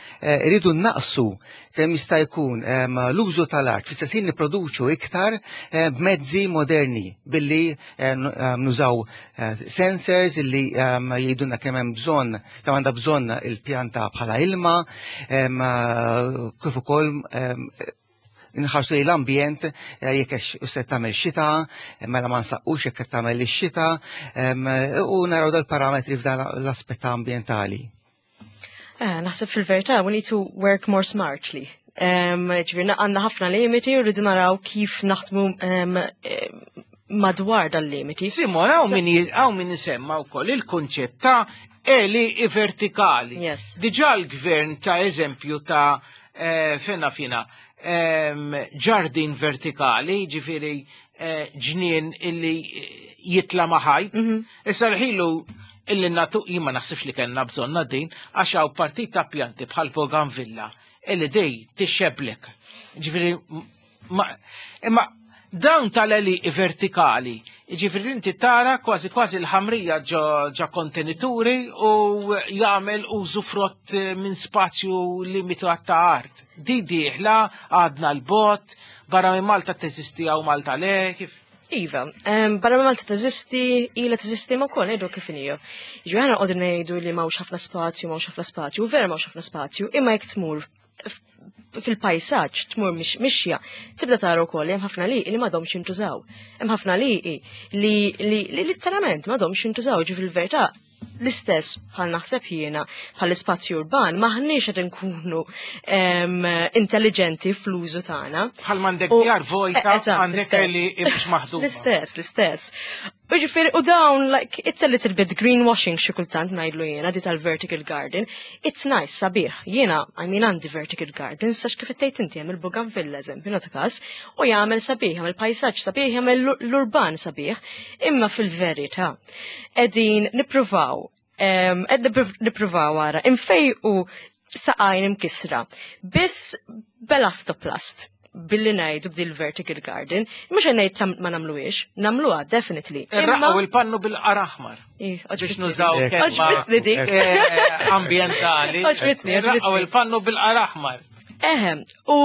rridu naqsu kemm jista' jkun em, l-użu tal-art, fl-istess ħin nipproduċu iktar eh, b'mezzi moderni billi eh, n- em, nużaw eh, sensors illi em, jgħidulna kemm hemm bżonn, kemm għandha bżonn il-pjanta bħala ilma, em, eh, kif ukoll em, nħarsu li l-ambjent eh, jekk hux se tagħmel xita, eh, mela ma nsaqqux jekk qed tagħmel ix-xita, em, u naraw dal-parametri f'dan l-aspett ambjentali. Eh, naħseb fil-verità, we need to work more smartly. Um, ġifieri, għandna ħafna limiti u rridu naraw kif naħdmu um, eh, Madwar dal-limiti. Simon, hawn min hawn min isemma wkoll il-kunċett ta' għelieqi vertikali. Yes. Diġà l-gvern ta eżempju ta' eh, fena fina ġardin vertikali, ġifieri eh, ġnien illi jitla ma' ħajt. Mhm. Issa l-ħilu illi natu jien ma naħsibx li kellna bżonna din, għax hawn partit ta' pjanti bħal bougainvillea illi dej tixxeblek. Ġifieri, imma dawn tal-għelieqi vertikali, ġifieri inti tara kważi kważi l-ħamrija ġo kontenituri u jagħmel użu frott minn spazju limitat ta' art. Di dieħla għadna l-bot, barra minn Malta teżisti għaw Malta le, kif? Iva, barra minn Malta teżisti, ila teżisti ma kol, ngħidu kif inhi. Ġi aħna qogħdu ngħidu li m'hawnx ħafna spazju, m'hawnx ħafna spazju, vera m'hawnx ħafna spazju, imma jekk tmur fil-pajsaġġ tmur mixja, tibda tara wkoll hemm ħafna li li m'għadhomx jintużaw. Hemm ħafna li li li litteralment m'għadhomx jintużaw, ġi fil-verità l-istess bħal naħseb jiena bħal ispazju urban maħniex qed inkunu intelligenti fl-użu tagħna. Bħal m'għandek djar vojta, għandek li mhux maħduma. L-istess, l-istess. U ġifieri, u dawn, like, it's a little bit greenwashing xi kultant ngħidlu jiena di tal-vertical garden. It's nice, sabiħ. Jiena, I mean, għandi vertical garden, sax kif tgħid inti hemm il-bougainvillea eżempju, nagħtu każ, u jagħmel sabiħ, jagħmel pajsaġġ sabiħ, jagħmel l-urban sabiħ. Imma fil-verità, qegħdin nippruvaw, qed nippruvaw ara, infejqu saqajn imkisra. Biss b'elastoplast billi ngħidu b'dil vertical garden, mhux ngħid ma nagħmluhiex, nagħmluha definitely. Imma il-pannu bil-qar aħmar. Biex nużaw kelma eh, ambientali. Għoġbitni. Il-pannu bil-qar aħmar. Eħe, u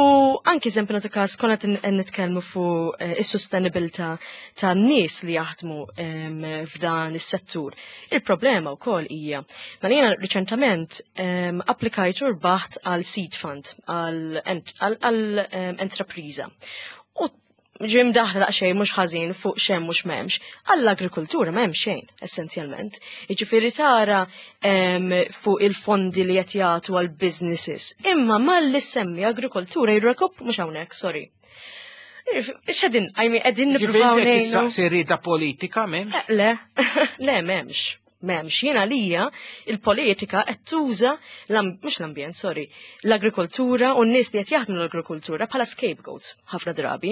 anki eżempju nagħtu każ konna nitkellmu fuq eh, is-sostenibilità ta' nies li jaħdmu f'dan is-settur. Il-problema wkoll hija, ma jiena riċentament applikajt u rbaħt għal seed fund għal entrapriża. U ġim daħla daqsxejn mhux ħażin fuq xem mhux m'hemmx, għall-agrikoltura m'hemm xejn essenzjalment. Jiġifieri tara fuq il-fondi li qed jagħtu għal businesses. Imma malli semmi agrikoltura jirrekop mhux hawnhekk, sorry. X'qegħdin, I mean, qegħdin nippruvaw ngħinu. Ġifieri politika m'hemmx? Eh, le, le m'hemmx. M'hemmx, jiena lija il-politika qed tuża mhux l-ambjent, sorry, l-agrikoltura u n-nies li qed jaħdmu l-agrikoltura bħala scapegoat ħafna drabi.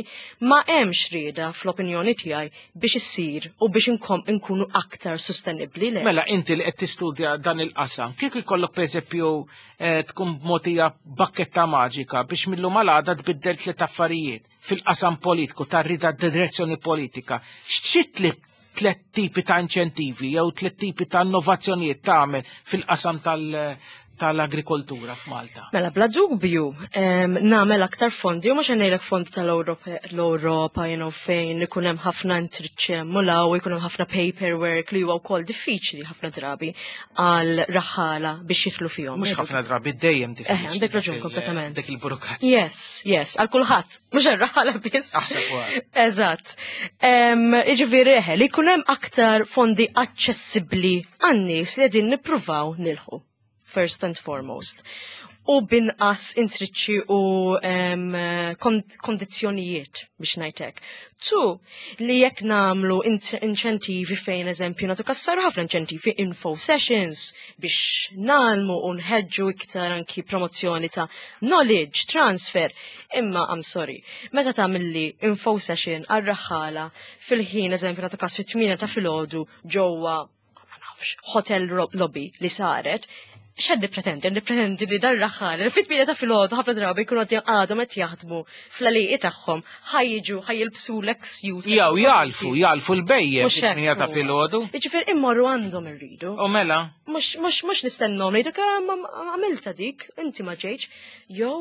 Ma hemmx rieda fl-opinjoni tiegħi biex issir u biex inkunu aktar sostenibbli le. Mela inti li qed tistudja dan il-qasam, kieku jkollok pereżempju eh, tkun mogħtija bakketta maġika biex mil-lum għal għada tbiddel tliet affarijiet fil-qasam politiku tar-rida direzzjoni politika, x'tli tlet tipi ta' inċentivi jew tlet tipi ta' innovazzjonijiet tagħmel fil-qasam tal- tal-agrikoltura f'Malta? Mela, bla dubju, nagħmel aktar fondi, u mhux ngħidlek fondi tal-Ewropa, you know, fejn ikun hemm ħafna intriċċi u jkun hemm ħafna paperwork li huwa wkoll diffiċli ħafna drabi għal raħala biex jidħlu fihom. Mhux ħafna drabi, dejjem Eh, diffiċli. Għandek raġun kompletament. Dik il-burokrazija. Yes, yes, għal kulħadd, mhux għal raħala biss. Aħseb wara. Eżatt. Jiġifieri eħe, li jkun hemm aktar fondi aċċessibbli għan-nies li qegħdin nippruvaw nilħu first and foremost. U binqas intriċċi u um, kondizzjonijiet biex ngħidlek. Tu, li jekk nagħmlu inċentivi fejn eżempju nagħtu każ saru ħafna inċentivi info sessions biex ngħallmu u nħeġġu iktar anki promozzjoni ta' knowledge transfer. Imma, I'm sorry, meta tagħmilli info session għar-raħala fil-ħin eżempju nagħtu każ fit-tmienja ta' filgħodu ġewwa ma nafx, hotel lobby li saret, x'qed nippretendi? Nippretendi li dar raħal, fit-tmienja ta' filgħodu ħafna drabi jkunu għadhom qed jaħdmu fl-għelieqi tagħhom, ħa jiġu, ħa jilbsu l-suit. Jew jagħlfu, jagħlfu l-bhejjem fit-tmienja ta' filgħodu. Jiġifieri immorru għandhom irridu. U mela? Mhux mhux mhux nistennhom ngħidu kemm għamilta dik, inti ma ġejtx, jew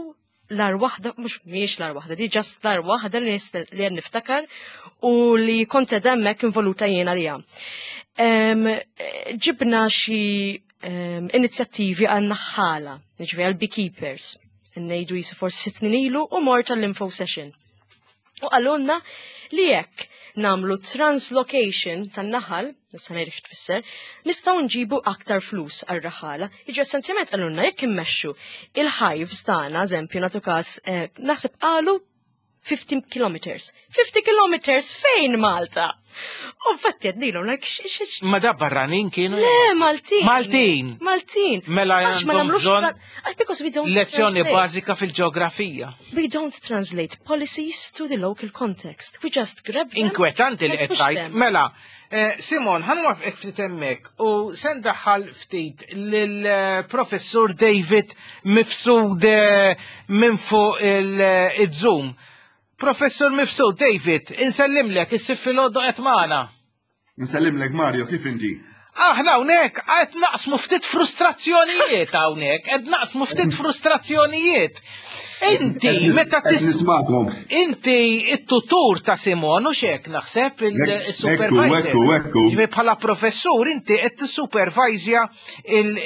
l-agħar waħda, mhux mhijiex l-agħar waħda, di just l-agħar waħda li li qed niftakar u li kont hemmhekk involuta jiena liha. Ġibna xi inizjattivi għal naħħala, ġifieri għal beekeepers, ngħidu jisu forsi sitt snin ilu u mort għall-info session. U qalulna li jekk nagħmlu translocation tan-naħal, issa ngħidlek x'tfisser, nistgħu nġibu aktar flus għar-raħala. Jiġi essenzjalment qalulna jekk immexxu il-hives tagħna, eżempju nagħtu każ, eh, naħseb qalu fifty kilometers. fifty kilometers fejn Malta? U infatti għednilhom, like, x Ma da barranin kienu? Le, Maltin. Maltin. Maltin. Mela Għax ma għandhom nagħmlux bżonn tra- because we don't lezzjoni translate. bażika fil-ġeografija. We don't translate policies to the local context. We just grab them. Inkwetanti li and qed push tgħid. them. Mela, eh, Simon, ħa nwaqfek ftit hemmhekk u se ndaħħal ftit lill-professur David Mifsud eh, minn fuq il-Zoom. Professur Mifsud, David, insellimlek, is-Sibt filgħodu qed magħna. Nsellimlek Mario, kif inti? Aħna hawnhekk qed naqsmu ftit frustrazzjonijiet hawnhekk, qed naqsmu ftit frustrazzjonijiet. Inti meta Qed tis nismakom. Inti it-tutur ta' Simon u xek naħseb il-supervisor. Ekku, ekku. Ġifieri bħala professur inti qed tissupervajzja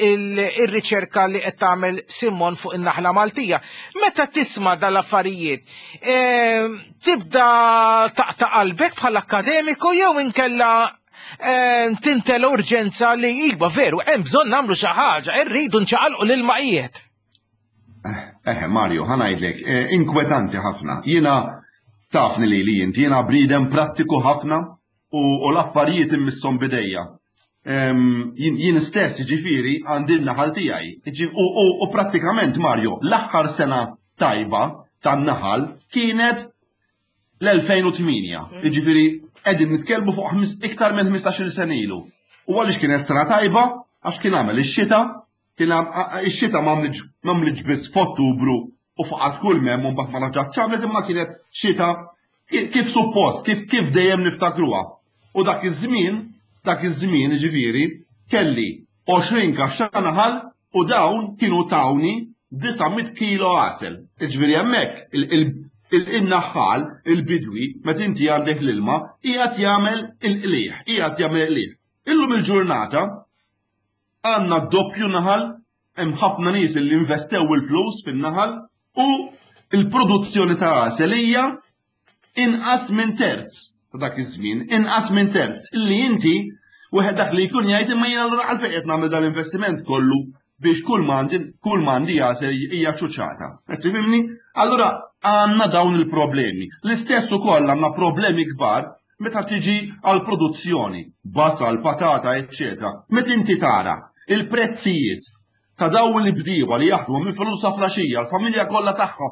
il-riċerka li qed tagħmel Simon fuq in-naħla Maltija. Meta tisma' dal-affarijiet, ehm, tibda taqta' qalbek bħala akademiku jew inkella ehm, tintela urġenza li iva veru hemm bżonn nagħmlu xi ħaġa, irridu nċaqalqu l-ilmaqiet. Eħe, Mario, ħa ngħidlek, eh, inkwetanti ħafna. Jiena tafni li li inti, jiena bniedem prattiku ħafna u, u l-affarijiet immisshom b'idejja. Em, Jien jien stess ġifieri għandi n-naħal tiegħi. Ġi- U, u, u prattikament, Mario, l-aħħar sena tajba tan-naħal kienet l-elfejn u tmienja. Jiġifieri qegħdin nitkellmu fuq ħmis- iktar minn ħmistax-il sena ilu. U għaliex kienet sena tajba? Għax kien għamel ix-xita, kien għam- a- a- ix-xita m'għamlitx biss f'Ottubru u faqat kull mem u mbagħad ma raġgħatx għamlet, imma kienet xita ki- kif suppost, kif kif dejjem niftakruha. U dak iż-żmien, dak iż-żmien ġifieri, kelli għoxrin kaxxa naħal u dawn kienu tawni disa' mitt kilo għasel. Ġifieri hemmhekk il-naħħal, il-bidwi, meta inti għandek l-ilma, qiegħed jagħmel il-qliħ, qiegħed jagħmel il-qliħ. Illum il-ġurnata għandna doppju naħal, hemm ħafna nies li investew il-flus fin-naħal u il-produzzjoni ta' għasel hija inqas minn terz ta' dak iż-żmien, inqas minn terz. Illi inti wieħed dak li jkun jgħid, imma jiena allura għalfejn qed nagħmel dal-investiment kollu biex kull m'għandi kull m'għandi għasel hija ċuċata? Qed tifhimni? Allura għandna dawn il-problemi. L-istess ukoll għandna problemi kbar meta tiġi għal produzzjoni, basal, patata, eccetera. Meta inti tara il-prezzijiet ta' dawn il-bdiewa li jaħdmu minn filgħodu sa filgħaxija, l-familja kollha tagħha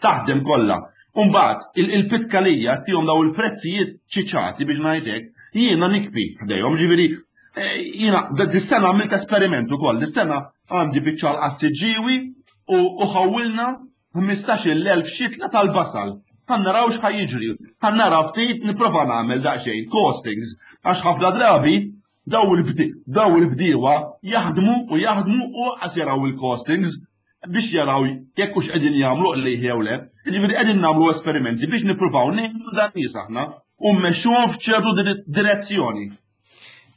taħdem kollha. Umbagħad il-pitkalija tihom daw il-prezzijiet ċiċati biex ngħidlek, jiena nikbi ħdejhom, ġifieri eh, jiena dis-sena għamilt esperiment ukoll, dis-sena għandi biċċa l-qassiġġiwi u ħawilna ħmistax-il elf xitla tal-basal. Ħa naraw x'ħa jiġri, ħa naraw ftit, nipprova nagħmel daqsxejn costings, għax ħafna drabi daw il-bdiewa jaħdmu u jaħdmu u qas jaraw il-costings biex jaraw jekk hux qegħdin jagħmlu li jew le. Jiġifieri qegħdin nagħmlu esperimenti biex nippruvaw ngħinu dan nies aħna u mmexxuhom f'ċertu direzzjoni.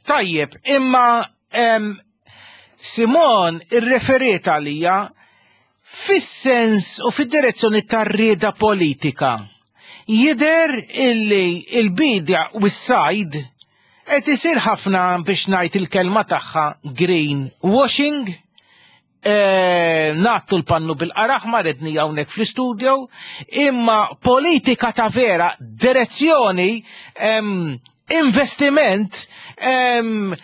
Tajjeb, imma Simon irreferiet għalija fis-sens u fid-direzzjoni tar-rieda politika. Jider illi il-bidja u s-sajd qed isir ħafna, biex ngħid il-kelma tagħha, green washing, e, ngħattu l-pannu bil-qaraħ ma redni hawnhekk fl-istudio, imma politika ta' vera, direzzjoni, em, investiment, em,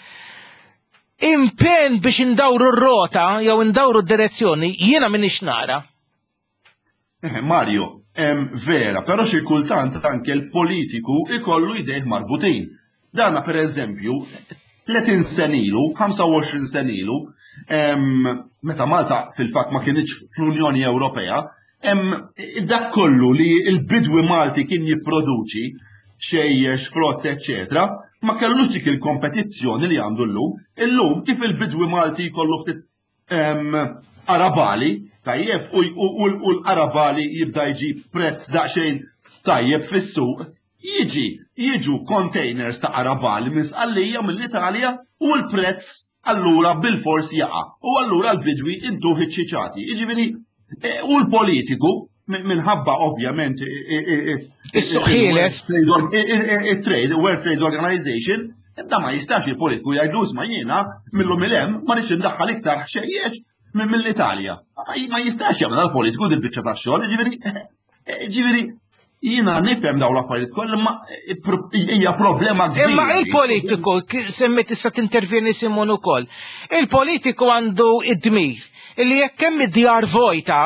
impen biex indawru r-rota jew indawru d-direzzjoni, jiena minix nara. Eh, Mario, em, vera, però xi kultant anke l-politiku ikollu idejh marbutin. Dana per eżempju, tletin sena ilu, ħamsa u għoxrin sena ilu, em, meta Malta fil-fatt ma kienx fl-Unjoni Ewropea, em, dak kollu li il-bidwi Malti kien jipproduċi, ħxejjex, frott, eccetera, ma kellux dik il-kompetizzjoni li għandu llum. Illum kif il-bidwi Malti jkollu ftit em, qarabagħli, tajjeb, u, u, u, u l-qarabagħli jibda jġib prezz daqsxejn tajjeb fis-suq, jiġi, jiġu containers ta' qarabagħli minn Sqallija, mill-Italja, u l-prezz allura bil-fors jaqa'. U allura l-bidwi intuh iċ-ċiċati. Jiġifieri, eh, u l-politiku minħabba ovvjament Is-suq ħieles. Il-trade, World Trade Organization, da ma jistax il-politiku jgħidlu, "Isma', jiena millum il-hemm ma nix indaħħal iktar ħxejjex minn mill-Italja." Ma jistax jagħmel dal-politiku dil-biċċa tax-xogħol, ġifieri ġifieri Jiena nifhem dawn l-affarijiet kollha imma hija problema kbira. Imma il-politiku, semmi tista' tintervjeni Simon ukoll. Il-politiku għandu id-dmir illi jekk hemm id-djar vojta,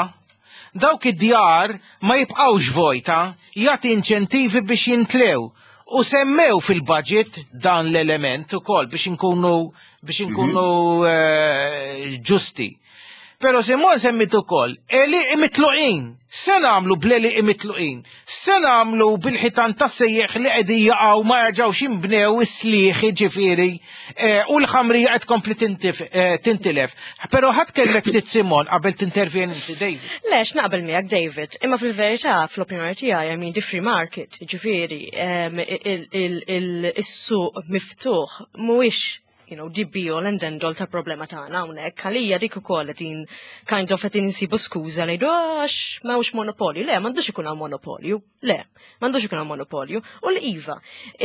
dawk id-djar ma jibqgħux vojta, jagħti inċentivi biex jintlew. U semmew fil-budget dan l-element ukoll biex inkunu biex inkunu eh, ġusti. Pero Simon semmit ukoll, għelieqi mitluqin, se nagħmlu bl-għelieqi mitluqin, se nagħmlu bil-ħitan tas-sejjeħ li qegħdin jaqgħu ma jerġgħux jinbnew is-slieħi ġifieri eh, u l-ħamrija qed tkompli eh, tintilef. Però ħadd kellek ftit Simon qabel tintervjeni inti David. Lex, naqbel miegħek David, imma fil-verità fl-opinjoni tiegħi I mean the free market, ġifieri il-suq miftuħ mhuwiex you know, the be all and end all ta' problema tagħna hawnhekk. Għalija dik ukoll qegħdin kind of qegħdin insibu skuża li għax m'hawnx monopolju. Le, m'għandux ikun hawn monopolju. Le, m'għandux ikun hawn monopolju. U l-iva,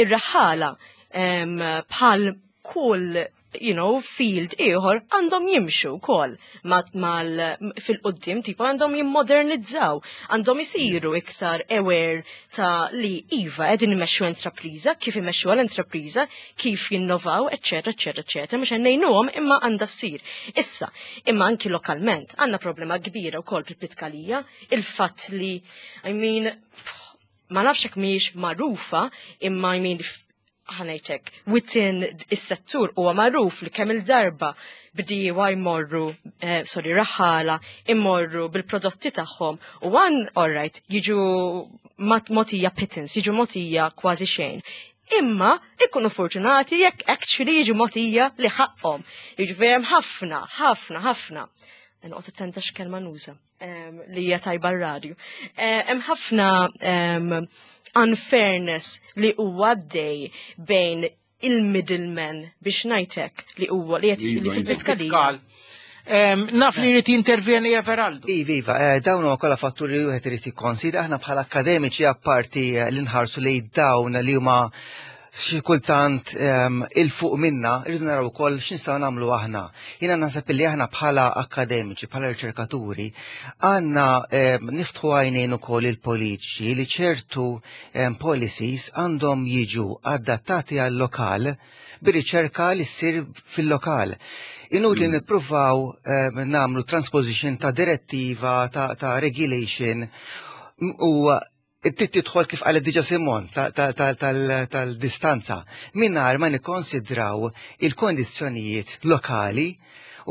ir-raħala bħal kull you know, field ieħor għandhom jimxu wkoll mal fil-qoddim tipo għandhom jimmodernizzaw, għandhom isiru iktar aware ta' li iva qegħdin imexxu intrapriża, kif imexxu l-intrapriża, kif jinnovaw, eċetera, eċetera, eċetera, mhux ngħinuhom imma għandha ssir. Issa, imma anki lokalment għandna problema kbira wkoll bil-pitkalija, il-fatt li I mean, ma nafx hekk mhijiex magħrufa, imma I mean ħa ngħidlek, within is-settur huwa magħruf li kemm il-darba bdiewa jmorru, eh, sorry, raħala, immorru bil-prodotti tagħhom u one, alright, jiġu mogħtija pittance, jiġu mogħtija kważi xejn. Imma ikunu fortunati jekk actually jiġu mogħtija li ħaqhom. Jiġu hemm ħafna, ħafna, ħafna. Noqgħod attenta x'kelma nuża li hija tajba r-radju. Eh, hemm ħafna unfairness li huwa għaddej bejn il-middleman biex ngħidlek li huwa li qed li fil-pitkalija. Naf li jrid jintervjeni Everaldo. Iva, iva, eh, dawn huma kollha fatturi li wieħed irid jikkonsidra aħna bħala akademiċi apparti eh, li nħarsu lejn dawn li huma xi kultant il-fuq minna, rridu naraw ukoll x'nistgħu nagħmlu aħna. Jiena naħseb li aħna bħala akademiċi, bħala riċerkaturi, għandna niftħu għajnejn ukoll il-politiċi li ċertu policies għandhom jiġu adattati għal-lokal bir-riċerka li ssir fil-lokal. Inutli mm. nippruvaw nagħmlu transposition ta' direttiva, ta', ta regulation u trid tidħol kif qalet diġà Simon tal-distanza mingħajr ma nikkonsidraw il-kondizzjonijiet lokali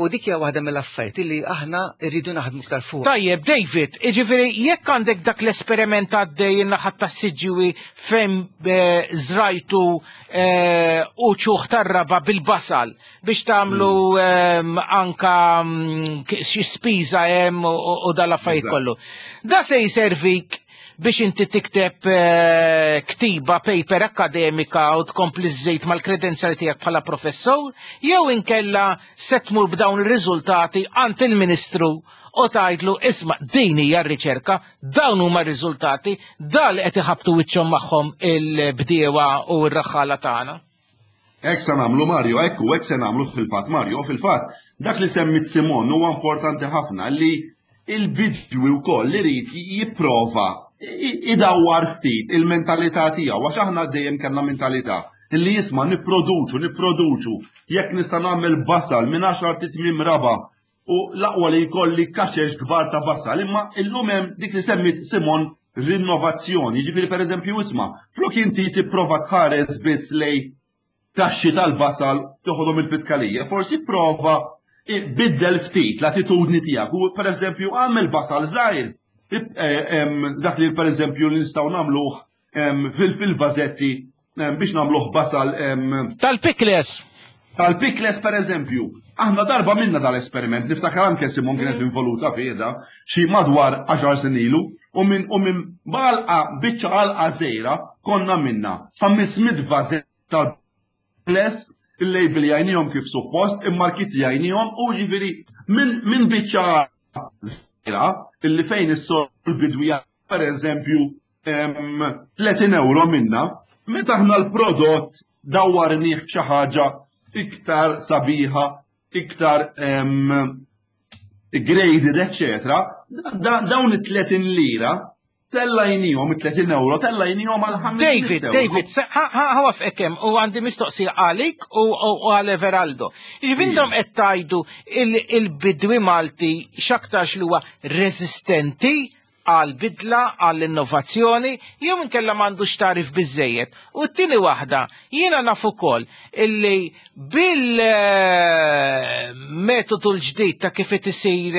u dik hija waħda mill-affarijiet li aħna rridu naħdmu iktar fuq. Tajjeb, David, jiġifieri jekk għandek dak l-esperiment għaddej in-naħa tas-Siġġiewi fejn eh, żrajtu eh, uċuħ tar-raba bil-basal biex tagħmlu mm. anka mm, xi spiża hemm u dal-affarijiet kollu. Da se jservik biex inti tikteb eh, ktiba, paper akademika u tkompli żżejt mal-kredenzjali tiegħek bħala professor, jew inkella se tmur b'dawn ir-riżultati għand il-Ministru u tgħidlu isma' din hija r-riċerka, dawn huma r-riżultati, dal qed iħabtu wiċċhom magħhom il-bdiewa u r-raħħala tagħna. Hekk se nagħmlu Mario, ekku hekk se nagħmlu fil-fatt Mario, fil-fatt dak li semmit Simon huwa importanti ħafna li il-bidwi wkoll li jrid jipprova idawwar ftit il-mentalità tiegħu għax aħna dejjem kellna mentalità illi jisma' nipproduċu, nipproduċu, jekk nista' nagħmel basal minn għaxar titmim raba u l-aqwa li jkolli kaxex kbar ta' basal, imma illum hemm dik li semmit Simon rinnovazzjoni, ġifieri pereżempju isma' flok inti tipprova tħares biss lej kaxxi tal-basal toħodhom il-pitkalija, forsi prova biddel ftit l-attitudni tiegħek u pereżempju għamel basal żgħir eh, dak li pereżempju li nistgħu nagħmluh fil-vażetti biex nagħmluh basal tal-pikles. Tal-pikles pereżempju. Aħna darba minna dal-esperiment, niftakar anke Simon kienet mm. involuta fiha xi madwar għaxar snin ilu u minn u minn balqa biċċa għalqa żgħira konna minna ħames mitt vażett tal-pikles il-label jajnijom kif suppost, immarkiti jajnijom u ġifiri minn min biċċa żgħira illi fejn is-sol bidwija per eżempju tletin euro minna, meta aħna l-prodott dawwarnih b'xi ħaġa iktar sabiħa, iktar graded, eccetera, dawn it-tletin lira Tellajnihom it-tletin euro, tellajnihom għal ħames David, David, ħawaf ekem, u għandi mistoqsija għalik u għal Everaldo. Jiġifieri intom qed tgħidu il-bidwi Malti x'aktarx li huwa reżistenti għal bidla, għall innovazzjoni, jew inkella m'għandux tarif biżejjed. U t-tieni waħda, jiena naf ukoll illi bil-metodu l-ġdid ta' kif qed isir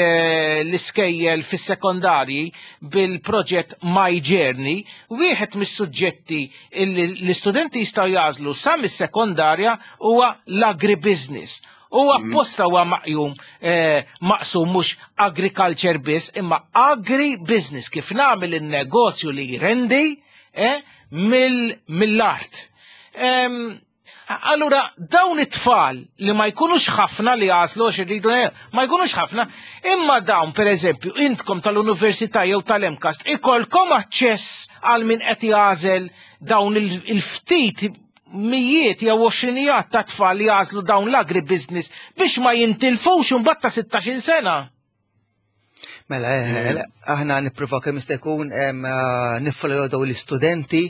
l-iskejjel fis-sekondarji bil-proġett My Journey, wieħed mis-suġġetti illi l-istudenti jistgħu jagħżlu sa mis-sekondarja huwa l-agribusiness. U apposta huwa maqjum maqsum mhux agriculture biss, imma agribusiness, kif nagħmel in-negozju li jrendi mill-art. Allura dawn it-tfal li ma jkunux ħafna li għaslu għax irridu ma jkunux ħafna, imma dawn pereżempju intkom tal-università jew tal-MCAST ikolkom aċċess għal min qed jagħżel dawn il-ftit mijiet jew għoxrinijat ta' tfal li jagħżlu dawn l-agribusiness biex ma jintilfux imbagħad ta' sittax-il sena. Mela, aħna nippruvaw kemm jista' jkun niffollow daw l-istudenti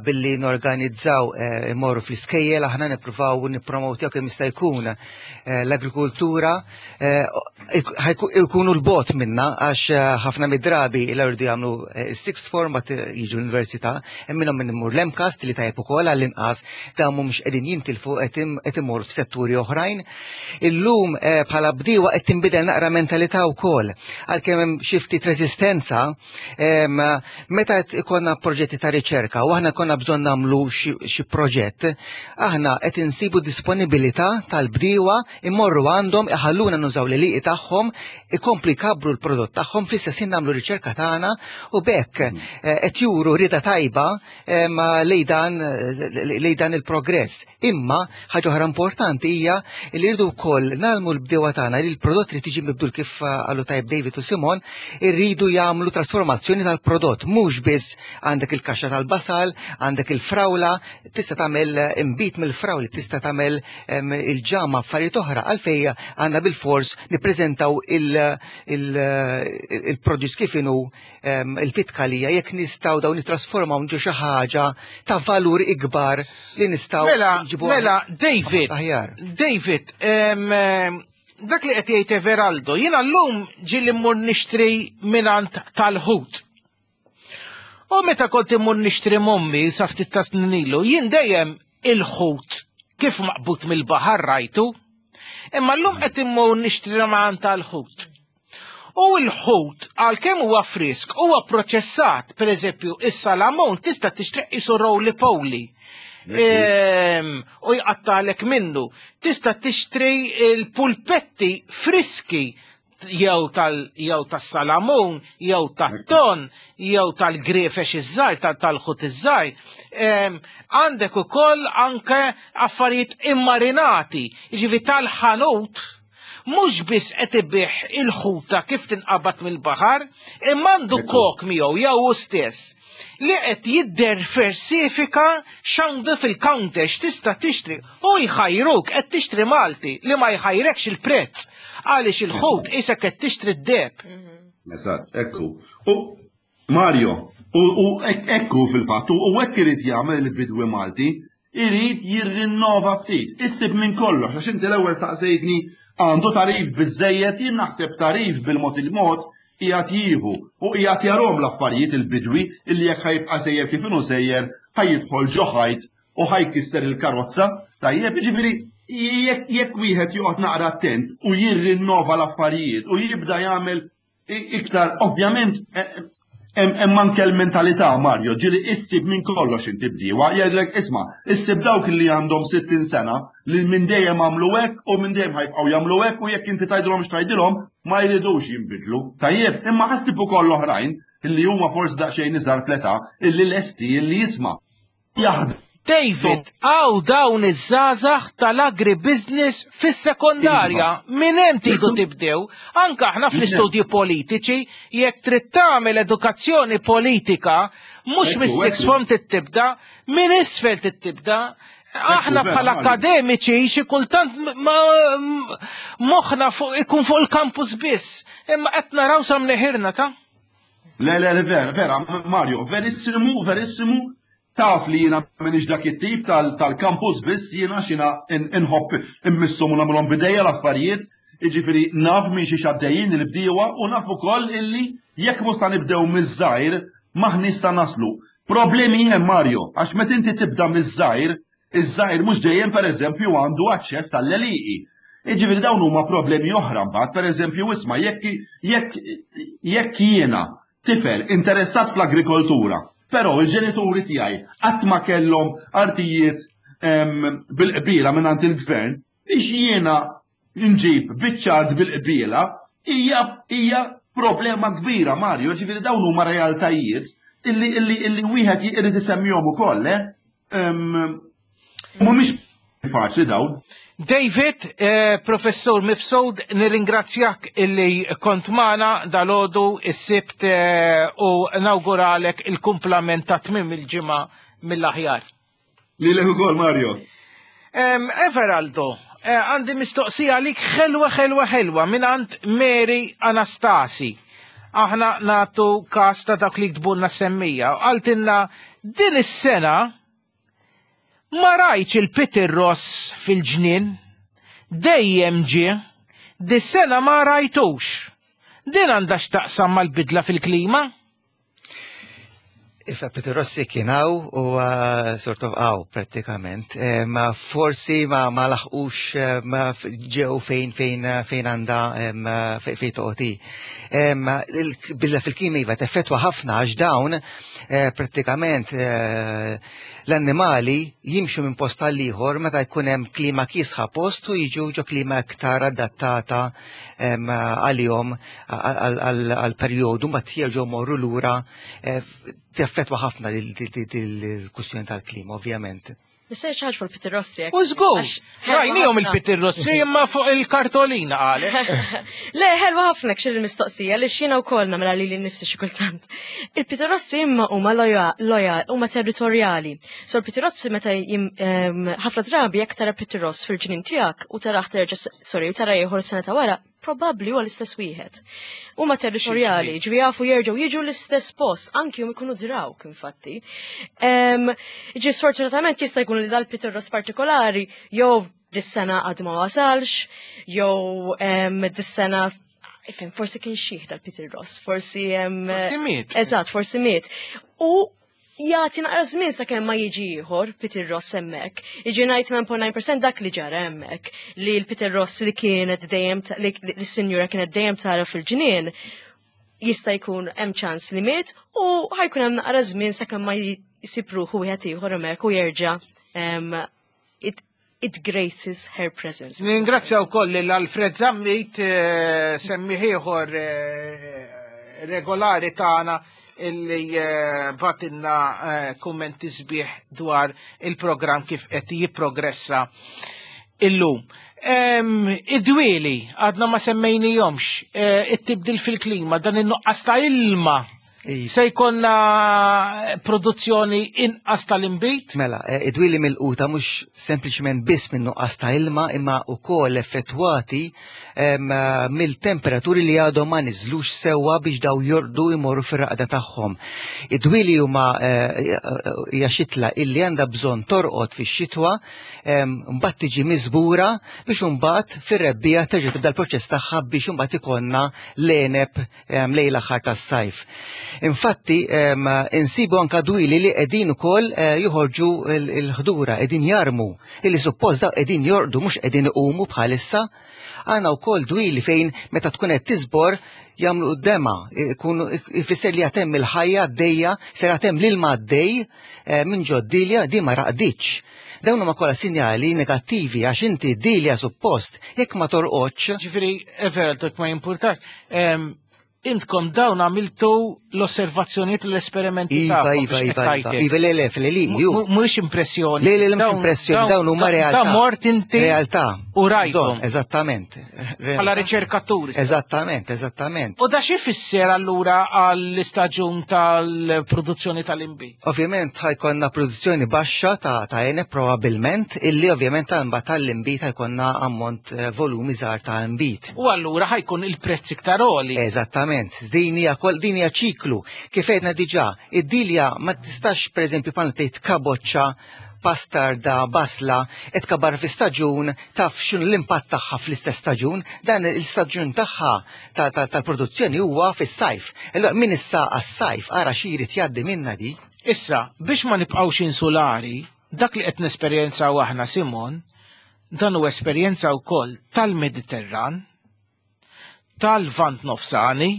billi norganizzaw imorru fl-iskejjel, aħna nippruvaw nippromotjaw kemm jista' jkun l-agrikultura ikunu l-bot minna għax ħafna mid-drabi l-erdu jagħmlu sixth form bat jiġu l-università, hemm minnhom min imur l-MCAST li tajjeb ukoll għall-inqas dawn mhumiex qegħdin jintilfu qed imur f'setturi oħrajn. Illum bħala bdiewa qed tinbidel naqra mentalità wkoll. Għalkemm hemm xi ftit reżistenza, meta ikollna proġetti ta' riċerka u aħna konna bżonn nagħmlu xi proġett, aħna qed insibu disponibilità tal-bdiewa immorru għandhom iħalluna nużaw l-għelieqi tagħhom, ikomplu jkabbru l-prodott tagħhom fl-istess ħin nagħmlu riċerka tagħna u bekk qed juru rieda tajba lejn dan il-progress. Imma ħaġa oħra importanti hija li rridu wkoll nagħmlu l-bdiewa tagħna li l-prodott li tiġi mibdul kif qalu tajb David u Simon, irridu jagħmlu trasformazzjoni tal-prodott, mhux biss għandek il-kaxxa tal-basal, għandek il-frawla, tista' tagħmel imbit mill-frawli, tista' tagħmel il-ġama, affarijiet oħra, għalfejn għandna bil-fors nippreżentaw il-produce kif inhu il-pitkalija, jekk nistgħu dawn nittrasformaw ġo xi ħaġa ta' valur ikbar li nistgħu nġibu. Mela, David, David, dak li qed jgħid Everaldo, jiena llum ġieli mmur nixtri mingħand tal-ħut. U meta kont immur nixtri mommi sa ftit ta' snin ilu, jien dejjem il-ħut kif maqbut mill-baħar rajtu, imma llum qed immur nixtri mingħand tal-ħut. U l-ħut għalkemm huwa frisk huwa proċessat, pereżempju is-salamon tista' tixtri qisu roly poly. U jqattalek minnu. Tista' tixtri l-pulpetti friski jew tas-salamun, jew tat-ton, jew tal-grefex iż-żgħir, tal-ħut iż-żgħir. Għandek ukoll anke affarijiet immarinati, jiġifieri tal-ħanut mhux biss qed ibih il-ħuta kif tinqabad mill-baħar, imma għandu kok miegħu jew hu stess li qed jiddiversifika x'għandu fil-counter x'tista' tixtri u jħajruk qed tixtri Malti li ma jħajrekx il-prezz għaliex il-ħut isek qed tixtri d-deheb. Eżatt, ekku. U Mario, u ekku fil-fatt, u hekk irid jagħmel il-bidwi Malti, irid jirrinnova ftit, issib minn kollox, għax inti l-ewwel saqsejtni għandu tarif biżejjed, jien naħseb tarif bil-mod il-mod qiegħed jieħu u qiegħed jarhom l-affarijiet il-bidwi illi jekk ħajbqa' sejjer kif inhu sejjer ħajjidħol ġo ħajt u ħajkisser il-karozza. Tajjeb, jiġifieri jekk wieħed joqgħod naqra attent u jirrinnova l-affarijiet u jibda jagħmel iktar, ovvjament hemm anke l-mentalità, Mario, ġieli issib minn kollox inti bdiewa, jgħidlek isma', issib dawk li għandhom sittin sena li minn dejjem għamlu hekk u minn dejjem ħajbqgħu jagħmlu hekk u jekk inti tgħidilhom x'tgħidilhom ma jridux jinbidlu. Tajjeb, imma ħassib ukoll oħrajn illi huma forsi daqsxejn iżgħar fl-età illi lesti illi jisma'. Jaħdem. David, għaw dawn iż-żgħażagħ tal-agribusiness fis-sekondarja, minn hemm tridu tibdew, anke aħna fl-istudji politiċi, jekk trid tagħmel edukazzjoni politika, mhux mis-sixth form tibda, minn isfel tibda. Aħna bħala akademiċi xi kultant moħħna ikun fuq il-campus biss, imma qed naraw sa mneħirna ta'. Le, le, le, vera, vera, Mario, verissimu, verissimu, taf li jiena m'iniex dak it-tip tal-campus biss, jiena xina inħobb immisshom u nagħmilhom bidejja l-affarijiet, jiġifieri naf minn xiex għaddejjin il-bdiewa u naf ukoll illi jekk mhux sa nibdew miż-żgħir m'aħniex sa naslu. Problemi hemm, Mario, għax meta inti tibda miż-żgħir, iż-żgħir mhux dejjem pereżempju għandu aċċess għall-għelieqi. Jiġifieri dawn huma problemi oħra mbagħad, pereżempju isma' jekk jekk jekk jiena tifel interessat fl-agrikoltura, però il-ġenituri tiegħi qatt ma kellhom artijiet bil-qbiela mingħand il-gvern, biex jiena nġib biċ-ċart bil-qbiela hija hija problema kbira, Mario, ġifieri dawn huma realtajiet illi illi illi wieħed irid isemmihom ukoll, eh? Mhumiex faċli dawn. David, eh, Professur Mifsud, nirringrazzjak illi kont magħna dalgħodu is-Sibt eh, u nawguralek il-kumplament ta' tmiem il-ġimgħa mill-aħjar. Lilek ukoll, Mario. Em, Everaldo, eh, għandi mistoqsija għalik ħelwa ħelwa ħelwa minn għand Mary Anastasi. Aħna nagħtu kas ta' dak li ktbulna semmija. Qaltilna din is-sena ma rajtx il-Peter Ross fil-ġnien, dejjem ġie, dis-sena ma rajtux. Din għandha x'taqsam mal-bidla fil-klima? Iva, Peter Rossi kien hawn u sort of hawn prattikament. Eh, ma forsi ma ma laħqux eh, ma ġew fejn fejn fejn għandha fejn toqgħod. Bidla fil-klima iva teffettwa ħafna għax dawn eh, prattikament l-annimali jimxu minn post għal ieħor meta jkun hemm klima kiesħa post u jiġu ġo klima iktar adattata għalihom għal perjodu mbagħad jerġgħu morru lura, teffettwa ħafna il-kwistjoni tal-klima, ovvjament. Nista' xi ħaġa fuq il-Peter Rossi. U żgur, rajnihom il-Peter Rossi imma fuq il-kartolina qalet. Le, ħelwa ħafna xil il-mistoqsija li xina wkoll nagħmilha lili nnifsi xi kultant. Il-Peter Rossi imma huma loyal, huma territorjali. So il-Peter Rossi meta ħafna drabi jekk tara Peter Ross fil-ġnien tiegħek u taraħ terġa' sorry, u tara ieħor sena ta' wara, probabbli huwa l-istess wieħed. Huma territorjali, ġifieri jafu jerġgħu jiġu l-istess post, anki hum ikunu drawk infatti. Ġi sfortunatament jista' jkun li dal-Peter Ross partikolari jew dis-sena għad ma wasalx, jew dis-sena ifhem forsi kien xih dal-Peter Ross, forsi Forsi miet. Eżatt, forsi miet. U jagħti naqra żmien sakemm ma jiġi ieħor Peter Ross hemmhekk. Jiġi disgħa punt tnejn fil-mija dak li ġara hemmhekk li l-Peter Ross li kienet dejjem li s-sinjura kienet dejjem tara fil-ġnien jista' jkun hemm ċans li miet u ħajkun hemm naqra żmien sakemm ma jsib ruħu wieħed ieħor hemmhekk u jerġa' it, it graces her presence. Ningrazzja wkoll lil Alfred Zammit, semmiegħ ieħor regolari tagħna illi bagħtilna kummenti sbieħ dwar il-programm kif qed jipprogressa illum. Id-dwieli għadna ma semmejnihomx, it-tibdil fil-klima, dan in-nuqqas ta' ilma. Se jkollna produzzjoni inqas tal-inbid? Mela, id-dwieli milquta mhux sempliċement biss minn nuqqas ta' ilma imma wkoll effettwati mill-temperaturi li għadhom ma niżlux sewwa biex daw jorqdu jmorru fir-raqda tagħhom. Id-dwieli huma hija xitla illi għandha bżonn torqod fix-xitwa, mbagħad tiġi miżbura biex imbagħad fir-rebbiegħa terġa' tibda l-proċess tagħha biex imbagħad ikollna l-għeneb lejn l-aħħar tas-sajf. Infatti, insibu anka dwieli li qegħdin ukoll joħorġu l-ħdura, qegħdin jarmu, illi suppost daw qegħdin jorqdu mhux qegħdin iqumu bħalissa. Għandna wkoll dwieli fejn meta tkun qed tiżbor jagħmlu dema, ikunu ifisser li għatem il-ħajja għaddejja, ser għatem l-ilma għaddej minn ġod-dilja di ma raqditx. Dawn huma kollha sinjali negattivi għax inti d-dilja suppost jekk ma torqodx. Ġifieri, Everald, ma jimpurtax, intkom dawn għamiltu l-osservazzjonijiet u l-esperimenti Iva, tagħkom iva, biex iva, qed iva. tgħid. Iva, le, le, le, le, ju. Mhuwiex impressjoni. Le, le, le, mhux Dawn- impressjoni, dawn huma realtà. Da mort inti Realtà. u rajthom. Bżonn, eżattament. Bħala riċerkaturi. Eżattament, eżattament. U da xi fisser allura għall-istaġun tal-produzzjoni tal-inbid? Ovvjament ħajkonna produzzjoni baxxa ta' ta' għeneb probabbilment, illi ovvjament imbagħad tal-inbid ħajkonna ammont eh, volumi żgħar ta' inbid. U allura ħajkun il-prezz iktar għoli. Eżattament. Ovvjament, din hija kol din hija ċiklu. Kif għedna diġà, id-dilja ma tistax pereżempju bħal tgħid kaboċċa, pastarda, basla, qed kabar fi staġun, taf x'inhu l-impatt tagħha fl-istess staġun, dan il-staġun tagħha tal-produzzjoni huwa fis-sajf. Allura min issa għas-sajf ara xi jrid jgħaddi minna di. Issa, biex ma nibqgħux insulari, dak li qed nesperjenzaw aħna Simon, dan hu esperjenza wkoll tal-Mediterran, tal-Lvant Nofsani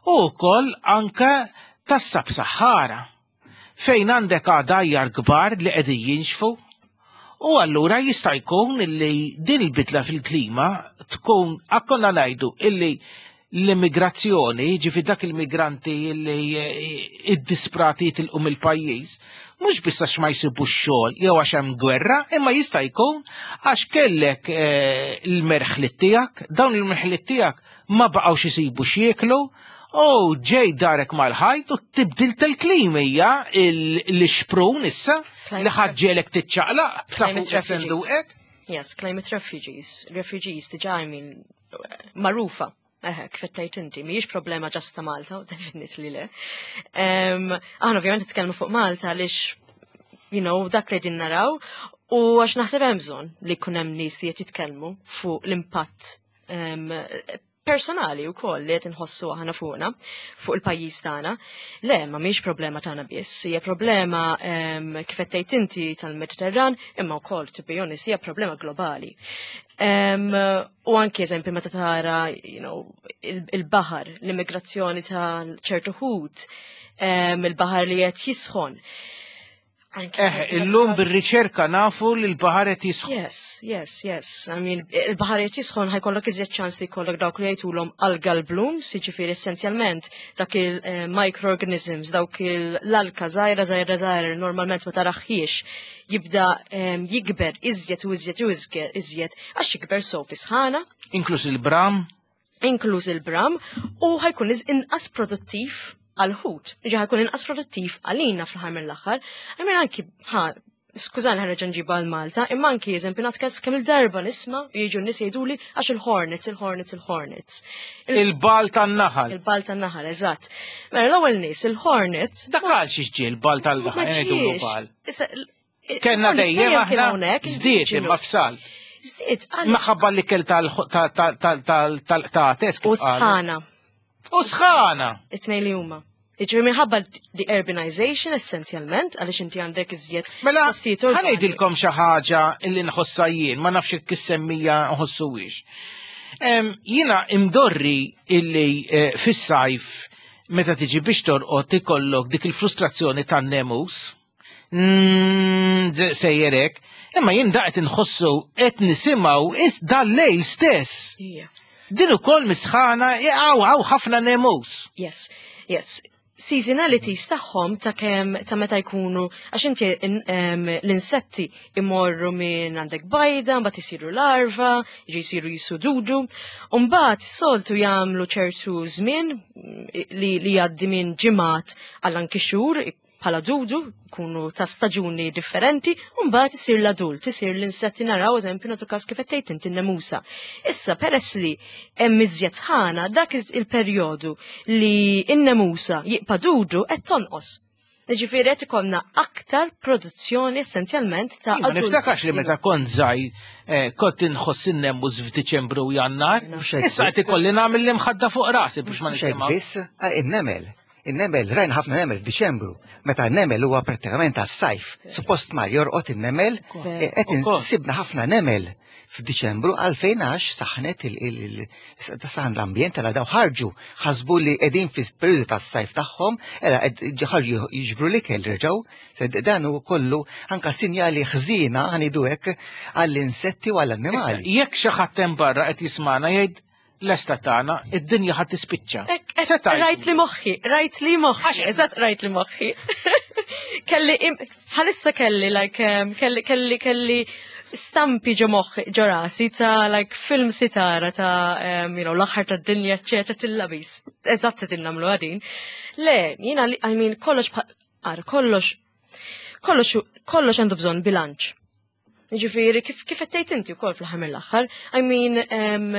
u wkoll anke tas-Sab-Sahara, fejn għandek għadajjar kbar li qegħdin jinxfu u allura jista' jkun illi din il-bidla fil-klima tkun akkonna ngħidu illi l-immigrazzjoni, ġifi dak il-migranti illi id-disprati jitilqu mill-pajjiż, mhux biss għax ma jsibux xogħol jew għax hemm gwerra, imma jista' jkun għax kellek il-merħlit tiegħek, dawn il-merħlit tiegħek ma baqgħux isibu x'jieklu, u ġej darek mal-ħajt u tibdil tal-klima hija l-xprun issa li ħaġġelek tiċċaqlaq ta' fuq hekk. Yes, climate refugees. Refugees diġà, I mean, magħrufa. Eħe, kif tgħid inti, mhijiex problema just ta' Malta, definitely le. Aħna ovvjament nitkellmu fuq Malta għaliex, you know, dak li din naraw, u għax naħseb hemm bżonn li jkun hemm nies li qed jitkellmu fuq l-impatt personali u koll li qed inħossu aħna fuqna, fuq il-pajjiż tagħna. Le, ma mhix problema tagħna biss, hija problema kif qed tgħid inti tal-Mediterran, imma wkoll to be honest hija problema globali. U anki eżempju meta tara, you know, il-baħar, l-immigrazzjoni ta' ċertu ħut, il-baħar li qed jisħon. Eh, illum bir-riċerka nafu li l-baħar qed jisħon. Yes, yes, yes. I mean, il-baħar qed jisħon ħa jkollok iżjed ċans li jkollok dawk li jgħidulhom algal blooms, jiġifieri essenzjalment dak il-microorganisms, dawk l-alka żgħira żgħira żgħira normalment ma taraħħiex jibda jikber iżjed u iżjed u iżjed għax jikber so fi sħana. Inkluż il-bram. Inkluż il-bram u ħa jkun inqas produttiv għal-ħut, ġi ħa jkun inqas produttiv għalina fl-aħħar mill-aħħar. Għamil anki, ħa, skużani ħa nerġa' nġibha għal Malta, imma anki eżempju nagħti kemm il-darba nisma' jiġu n-nies jgħiduli għax il-hornets, il-hornets, il-hornets. Il-bal tan-naħal. Il-bal tan-naħal, eżatt. Mela l-ewwel nies, il-hornets. Dak għal xiex ġie il-bal tal-naħal, jgħidulu bal. Kenna dejjem aħna żdied imma f'salt. Żdied, Maħabba l-ikel tal-qtates. U sħana. U sħana! It-tnejn li huma. Jiġifieri minħabba the urbanization essenzjalment, għaliex inti għandek iżjed Mela, ħa ngħidilkom xi ħaġa illi nħossha jien, ma nafx jekk is-semmija nħossuwiex. Jiena imdorri illi fis-sajf meta tiġi biex torqod ikollok dik il-frustrazzjoni tan-nemus, sejjerek, imma jien daqt inħossu qed nisimgħu is dal-lejl stess. Din ukoll misħana għaw għaw ħafna nemus. Yes, yes. Seasonalities tagħhom ta' kemm ta' meta jkunu għax inti l-insetti imorru minn għandek bajda, mbagħad isiru larva, jiġi jsiru jisu dudu, u mbagħad soltu jagħmlu ċertu żmien li li jgħaddi minn ġimgħat għal anki xhur bħala dudu, kunu ta' staġuni differenti, u mbagħad isir l-adult, isir l-insetti naraw eżempju nagħtu każ kif qed tgħid inti n-nemusa. Issa peress li hemm iżjed sħana dak il-perjodu li n-nemusa jibqa' dudu qed tonqos. Ġifieri qed ikollna aktar produzzjoni essenzjalment ta' Ma niftakarx li meta kont żgħir kont inħoss in-nemus f'Diċembru u Jannar. Issa qed ikolli nagħmel l-imħadda fuq rasi biex ma nisimgħu. Biss in-nemel. In-nemel, rajna ħafna nemel f'Diċembru. Meta n-nemel huwa prattikament għas-sajf. Suppost mar jorqod in-nemel, qed insibna ħafna nemel f'Diċembru għalfejn għax saħnet saħan l-ambjent għal daw ħarġu, ħasbu li qegħdin fi periodu tas-sajf tagħhom, era ħarġu jiġbru l-ikel reġgħu. Dan hu kollu anka sinjali ħżiena ħanidu hekk għall-insetti u għall-annimali. Jekk xi ħadd hemm barra qed jismana jgħid l-esta tagħna, id-dinja ħadd tispiċċa. Rajt li moħħi, rajt li moħħi, eżatt rajt li moħħi. Kelli, bħalissa kelli, like, kelli, kelli, kelli stampi ġo moħħi, ġo rasi ta' like film sitara ta' you know, l-aħħar tad-dinja, eċċetera, tillabis. Eżatt se nagħmlu għadin. Le, jiena, I mean, kollox, ara, kollox, kollox, kollox għandu bżonn bilanċ. Ġifieri kif kif qed tgħid inti wkoll fl-aħħar mill-aħħar, I mean em,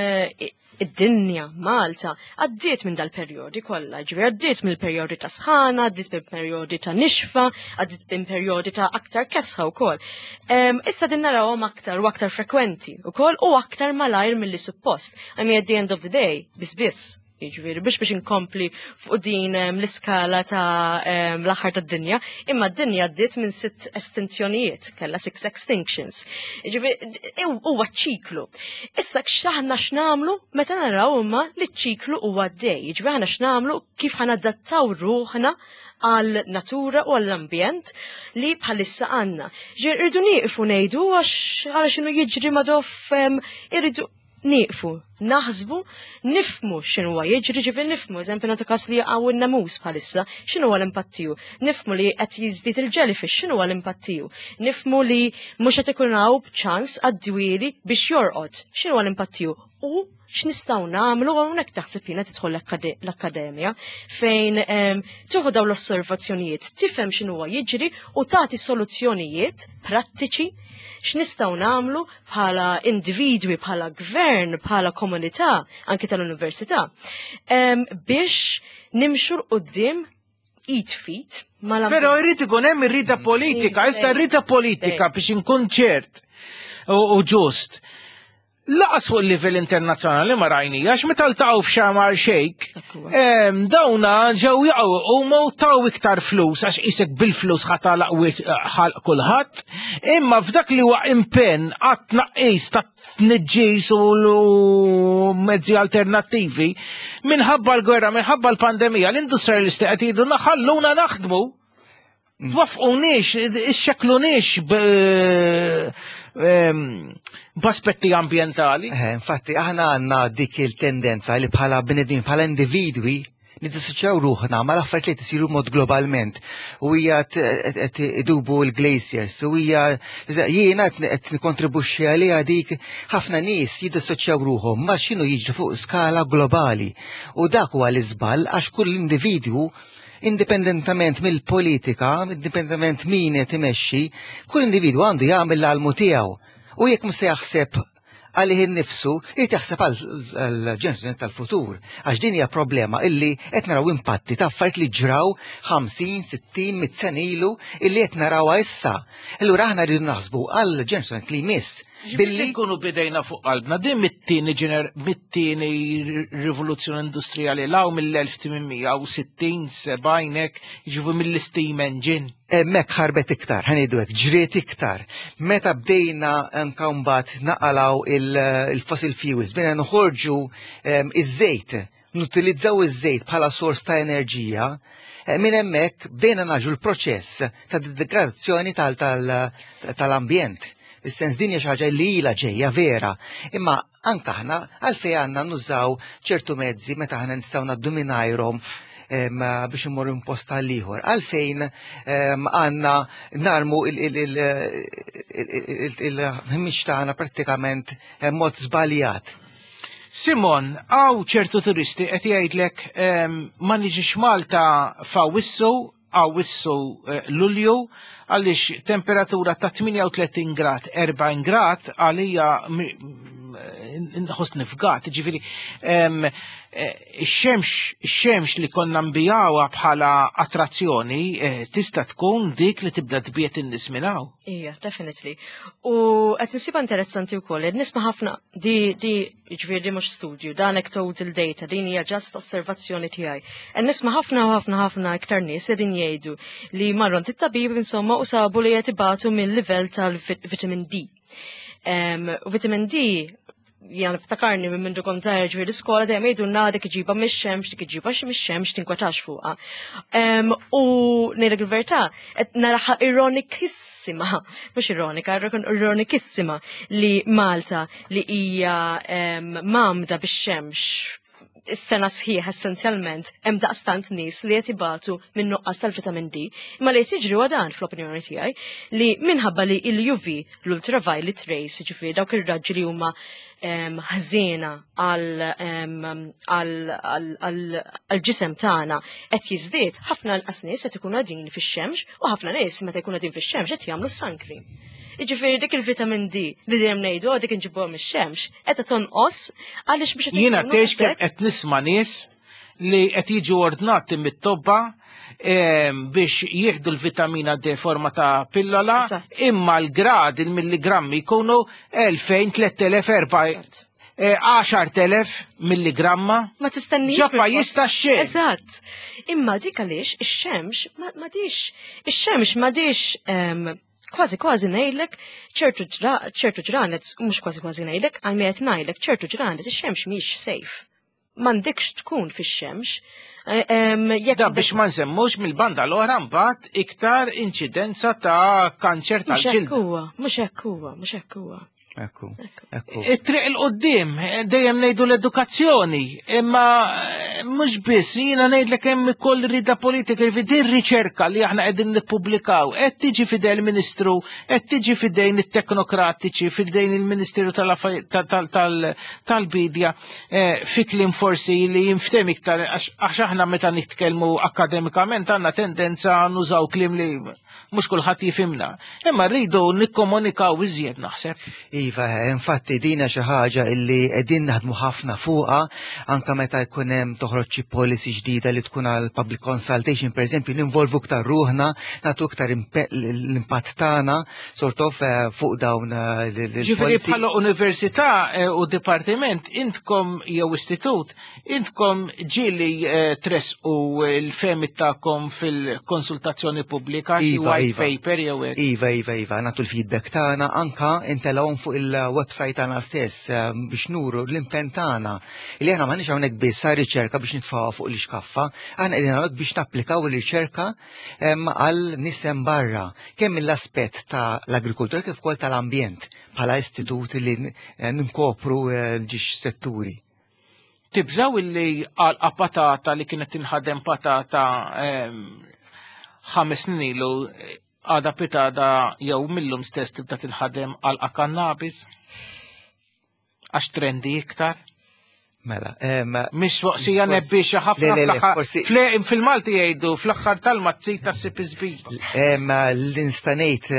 id-dinja Malta għaddiet minn dal-perjodi kollha, ġifieri għaddiet mill-perjodi ta' sħana, għaddiet minn perjodi ta' nixfa, għaddiet minn perjodi ta' aktar kesħa wkoll. Em, Issa din narawhom aktar u aktar frekwenti wkoll u aktar malajr milli suppost. I mean at the end of the day, biss biss. Jiġifieri biex biex inkompli fuq din em, l-iskala ta' em, l-aħħar tad-dinja, imma d-dinja għaddiet minn sitt estinzjonijiet, kellha six extinctions. Jiġifieri huwa ċiklu. Issa x'aħna x'nagħmlu meta naraw imma li ċ-ċiklu huwa għaddej. Jiġifieri aħna x'nagħmlu kif ħa nadattaw ruħna għal natura u għall-ambjent li bħalissa għandna. Ġifieri irridu nieqfu ngħidu għax għal x'inhu jiġri madoff em, irridu nieqfu, naħsbu, nifhmu x'inhu jiġri, ġifieri nifhmu, eżempju nagħtu każ li jaqgħu n-namus bħalissa, x'inhu l-impatt tiegħu. Nifhmu li qed jiżdied il-jellyfish, x'inhu l-impatt tiegħu. Nifhmu li mhux qed ikun hawn ċans għad-dwieli biex jorqod, x'inhu l-impatt tiegħu. U x'nistgħu nagħmlu hawnhekk taħseb jiena tidħol l-akkade- l-akkademja fejn em, tieħu dawn l-osservazzjonijiet, tifhem x'inhu jiġri u tagħti soluzzjonijiet prattiċi x'nistgħu nagħmlu bħala individwi, bħala gvern, bħala komunità, anke tal-università, em, biex nimxu 'l quddiem id f'id mal Però jrid ikun hemm ir-rida politika, issa r-rida politika biex inkun ċert u u ġust. Lanqas fuq il-livell internazzjonali ma rajni, għax meta ltaqgħu f'Sharm el-Sheikh, em, dawna ġew jaqgħu u ma taw iktar flus għax isek bil-flus ħa tagħlaq ħalq kulħadd, imma f'dak li huwa impenn għat tnaqqis ta' tniġġis u l- mezzi alternattivi, minħabba l-gwerra, minħabba l-pandemija, l-industrialisti qed jgħidu ħalluna naħdmu. Twaqqfunix, ixxekklunix b'aspetti ambientali. Eh, infatti, aħna għandna dik il-tendenza li bħala bnedmin, bħala individwi, nidissoċjaw ruħna ma l-affarijiet li isiru mod globalment. U hija qed idubu l-glaciers, u hija jiena qed nikkontribwixxi għaliha dik ħafna nies jiddissoċjaw ruħhom ma x'inhu jiġri fuq skala globali. U dak huwa l-iżball għax kull individwu indipendentament mill-politika, indipendentament min qed imexxi, kull individwu għandu jagħmel l-almu tiegħu. U jekk mhux se jaħseb għalih innifsu, irid jaħseb għal-ġenerazzjoni tal-futur. Għax din hija problema illi qed naraw impatti ta' affarijiet li ġraw ħamsin, sittin, mitt sena ilu illi qed narawha issa. Allura aħna rridu naħsbu għal-ġenerazzjoni li jmiss. Billi nkunu bidejna fuq qalbna, din mit-tieni ġener, mit-tieni rivoluzzjoni industrijali law mill-elf tmien mija u sittin, sebgħin, ġifu mill-steam engine. Hemmhekk ħarbet iktar, ħa ngħidu hekk, ġriet iktar. Meta bdejna anka mbagħad naqalaw il-fossil fuels, bdejna noħorġu iż-żejt, nutilizzaw iż-żejt bħala sors ta' enerġija, minn hemmhekk bdejna naġu l-proċess ta' degradazzjoni tal-ambjent. Is-sens din hija xi ħaġa li ilha ġejja vera, imma anka aħna għalfejn għandna nużaw ċertu mezzi meta aħna nistgħu ngħaddu mingħajrhom biex immorru post għal ieħor. Għalfejn għandna narmu il-ħmieġ tagħna prattikament mod żbaljat. Simon, hawn ċertu turisti qed jgħidlek ma niġix Malta f'Awissu, Awissu, eh, Lulju, għaliex temperatura ta' tmienja u tletin grad, erbgħin grad, għalija nħoss nifgat, ġifieri, eh, ix-xemx, ix-xemx li konna nbigħuha bħala attrazzjoni eh, tista' tkun dik li tibda tbiet in-nies minn hawn. Ija, definitely. U qed insibha interessanti wkoll, qed nisma' ħafna di di ġifieri di mhux studju, da anecdotal data, din hija just osservazzjoni tiegħi. Qed nisma' ħafna ħafna ħafna iktar nies li din jgħidu li marru għand it-tabib insomma u sabu li qed ibatu mill-livell tal-vitamin D. Um, u vitamin D jien niftakarni minn mindu kont żgħir ġifieri l-iskola dejjem jgħidulna dik iġiba mix-xemx, dik iġiba mix-xemx tinkwetax fuqha. Um, u ngħidlek il-verità, qed naraha ironikissima, mhux ironika, ironikissima li Malta li hija um, mgħammda bix-xemx is-sena sħiħ essenzjalment hemm daqstant nies li qed ibatu minn nuqqas tal-vitamin D. Imma li qed jiġri huwa dan fl-opinjoni tiegħi li minħabba li l-U V, l-ultraviolet rays, ġifieri dawk ir-raġġi li huma ħżiena għal-ġisem tagħna qed jiżdied, ħafna inqas nies qed ikunu qegħdin fix-xemx u ħafna nies meta jkunu qegħdin fix-xemx qed jagħmlu suncream. Jiġifieri dik il-vitamin D li dejjem ngħidu dik inġibuha mix-xemx, qed tonqos għaliex biex Jiena tgħix kemm qed nisma' nies li qed jiġu ordnati mit-tobba biex jieħdu l-vitamina D forma ta' pillola, imma l-grad, il-milligrammi jkunu elfejn, tliet elef, erba' għaxart elef milligramma. Ma tistenniex. Ġoppa jista' xejn. Eżatt. Imma dik għaliex ix-xemx m'għadix ix-xemx m'għadix kważi kważi ngħidlek ċertu ċertu ġranet, mhux kważi kważi ngħidlek, għal qed ngħidlek ċertu ġranet ix-xemx mhix safe. M'għandekx tkun fix-xemx. Da biex ma nsemmux mill-banda l-oħra mbagħad iktar inċidenza ta' kanċer tal-ġild. Mhux hekk huwa, mhux hekk huwa, mhux hekk huwa. Ekku, ekku. It-triq il-qoddim, dejjem ngħidu l-edukazzjoni, imma mhux biss, jiena ngħidlek hemm ukoll rida politika, jiġifieri ir-riċerka li aħna qegħdin nippubblikaw, qed tiġi fidejn il-Ministru, qed tiġi fidejn it-teknokratiċi, fidejn il-Ministeru tal-Bidja, fi kliem forsi li jinftem iktar, għax aħna meta nitkellmu akademikament għandna tendenza nużaw kliem li mhux kulħadd jifhimna. Imma rridu nikkomunikaw iżjed naħseb. Iva, infatti dina xi ħaġa illi qegħdin naħdmu ħafna fuqha, anke meta jkun hemm toħroġ xi policy ġdida li tkun għal public consultation, pereżempju, ninvolvu iktar ruħna, nagħtu iktar l-impatt tagħna sort of fuq dawn il-policy. Ġifieri bħala università u dipartiment intkom jew istitut, intkom ġieli tresqu l-fehmiet tagħkom fil-konsultazzjoni pubblika, xi white paper jew hekk. Iva, iva, iva, nagħtu l-feedback tagħna anke intelgħu fuq il-website tagħna stess biex nuru l-impenn tagħna li aħna m'għandniex hawnhekk biss riċerka biex nitfgħuha fuq l-ixkaffa, aħna qegħdin hawnhekk biex napplikaw ir-riċerka għal nisem barra, kemm mill-aspett ta' l-agrikoltura kif ukoll tal-ambjent bħala istitut li ninkopru ġiex setturi. Tibżaw illi għalqa patata li kienet tinħadem patata ħames snin ilu għada pitada jew millum stess tibda tinħadem għalqa kannabis? Għax trendi iktar? Mela, Mhix waqsija nebbiexa ħafna fil-Malti jgħidu fl-aħħar tal-mazzita ssib iż-żbiba. L-instanejt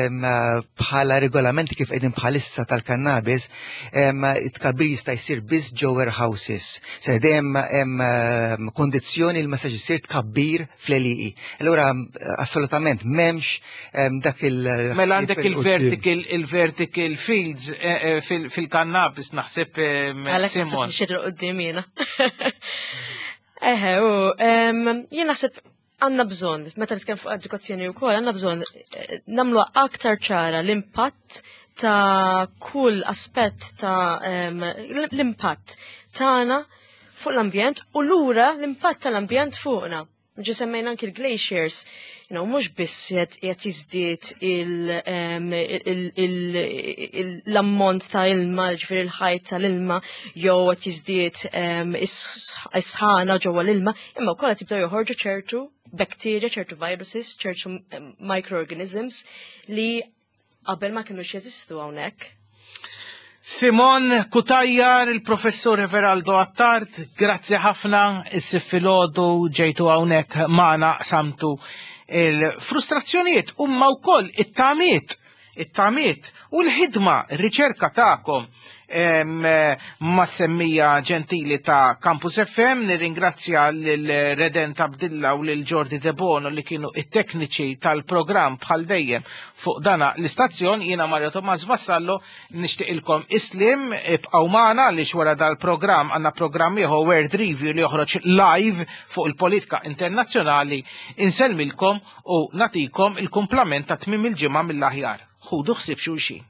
bħala regolamenti kif qegħdin bħalissa tal-kannabis, it-tkabbir jista' jsir biss ġo warehouses. Se dejjem hemm kondizzjoni li ma sax isir tkabbir fl-għelieqi. Allura assolutament m'hemmx dak il- Mela għandek il-vertical il-vertical fields fil-kannabis naħseb Simon. Jiena. Eħe, u jien naħseb għandna bżonn, meta nitkellem fuq edukazzjoni wkoll, għandna bżonn nagħmlu aktar ċara l-impatt ta' kull aspett ta' l-impatt tagħna fuq l-ambjent u lura l-impatt tal-ambjent fuqna. Ġi semmejna anki l-glaciers, you know, mhux biss qed jiżdied l-ammont ta' ilma, ġifieri l-ħajt tal-ilma, jew qed jiżdied is-sħana ġewwa l-ilma, imma wkoll qed jibdew joħorġu ċertu bacteria, ċertu viruses, ċertu microorganisms li qabel ma kinux jeżistu hawnhekk. Simon Cutajar, il-professur Everaldo Attard, grazzi ħafna, is-sif filgħodu ġejtu hawnhekk magħna samtu il-frustrazzjonijiet umma wkoll it-tamiet, it-tamiet u l-ħidma, r-riċerka tagħkom ma' semmija ġentili ta' Campus F M. Nirringrazzja lil Redent Abdilla u lil Jordi De Bono li kienu it-tekniċi tal-programm bħal dejjem fuq dana l-istazzjon. Jiena Mario Tomas Vassallo, nixtieqilkom islim, ibqgħu magħna għaliex wara dal-programm għandna programm ieħor World Review li joħroġ live fuq il-politika internazzjonali. Insellmilkom u nagħtikom il-kumplament ta' tmiem il-ġimgħa mill-aħjar. Ħudu ħsieb xulxin.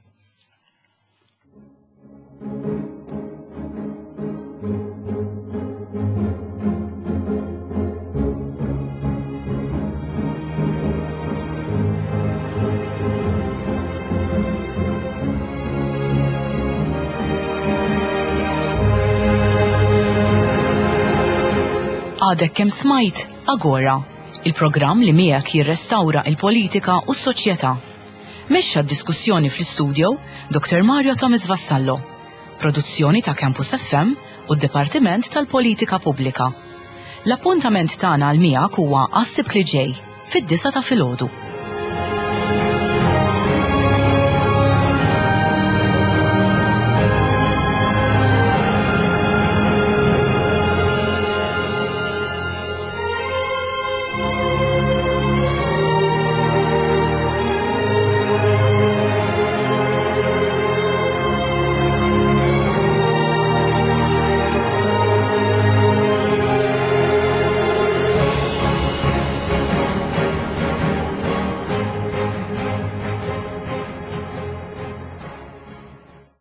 Għadek kemm smajt Agora, il-programm li miegħek jirrestawra il-politika u s-soċjetà. Mexxa d-diskussjoni fl-istudio Doktor Mario Thomas Vassallo. Produzzjoni ta' Campus F M u d-Dipartiment tal-Politika Pubblika. L-appuntament tagħna għal miegħek huwa għas-Sibt li ġej fid-disgħa ta' filgħodu.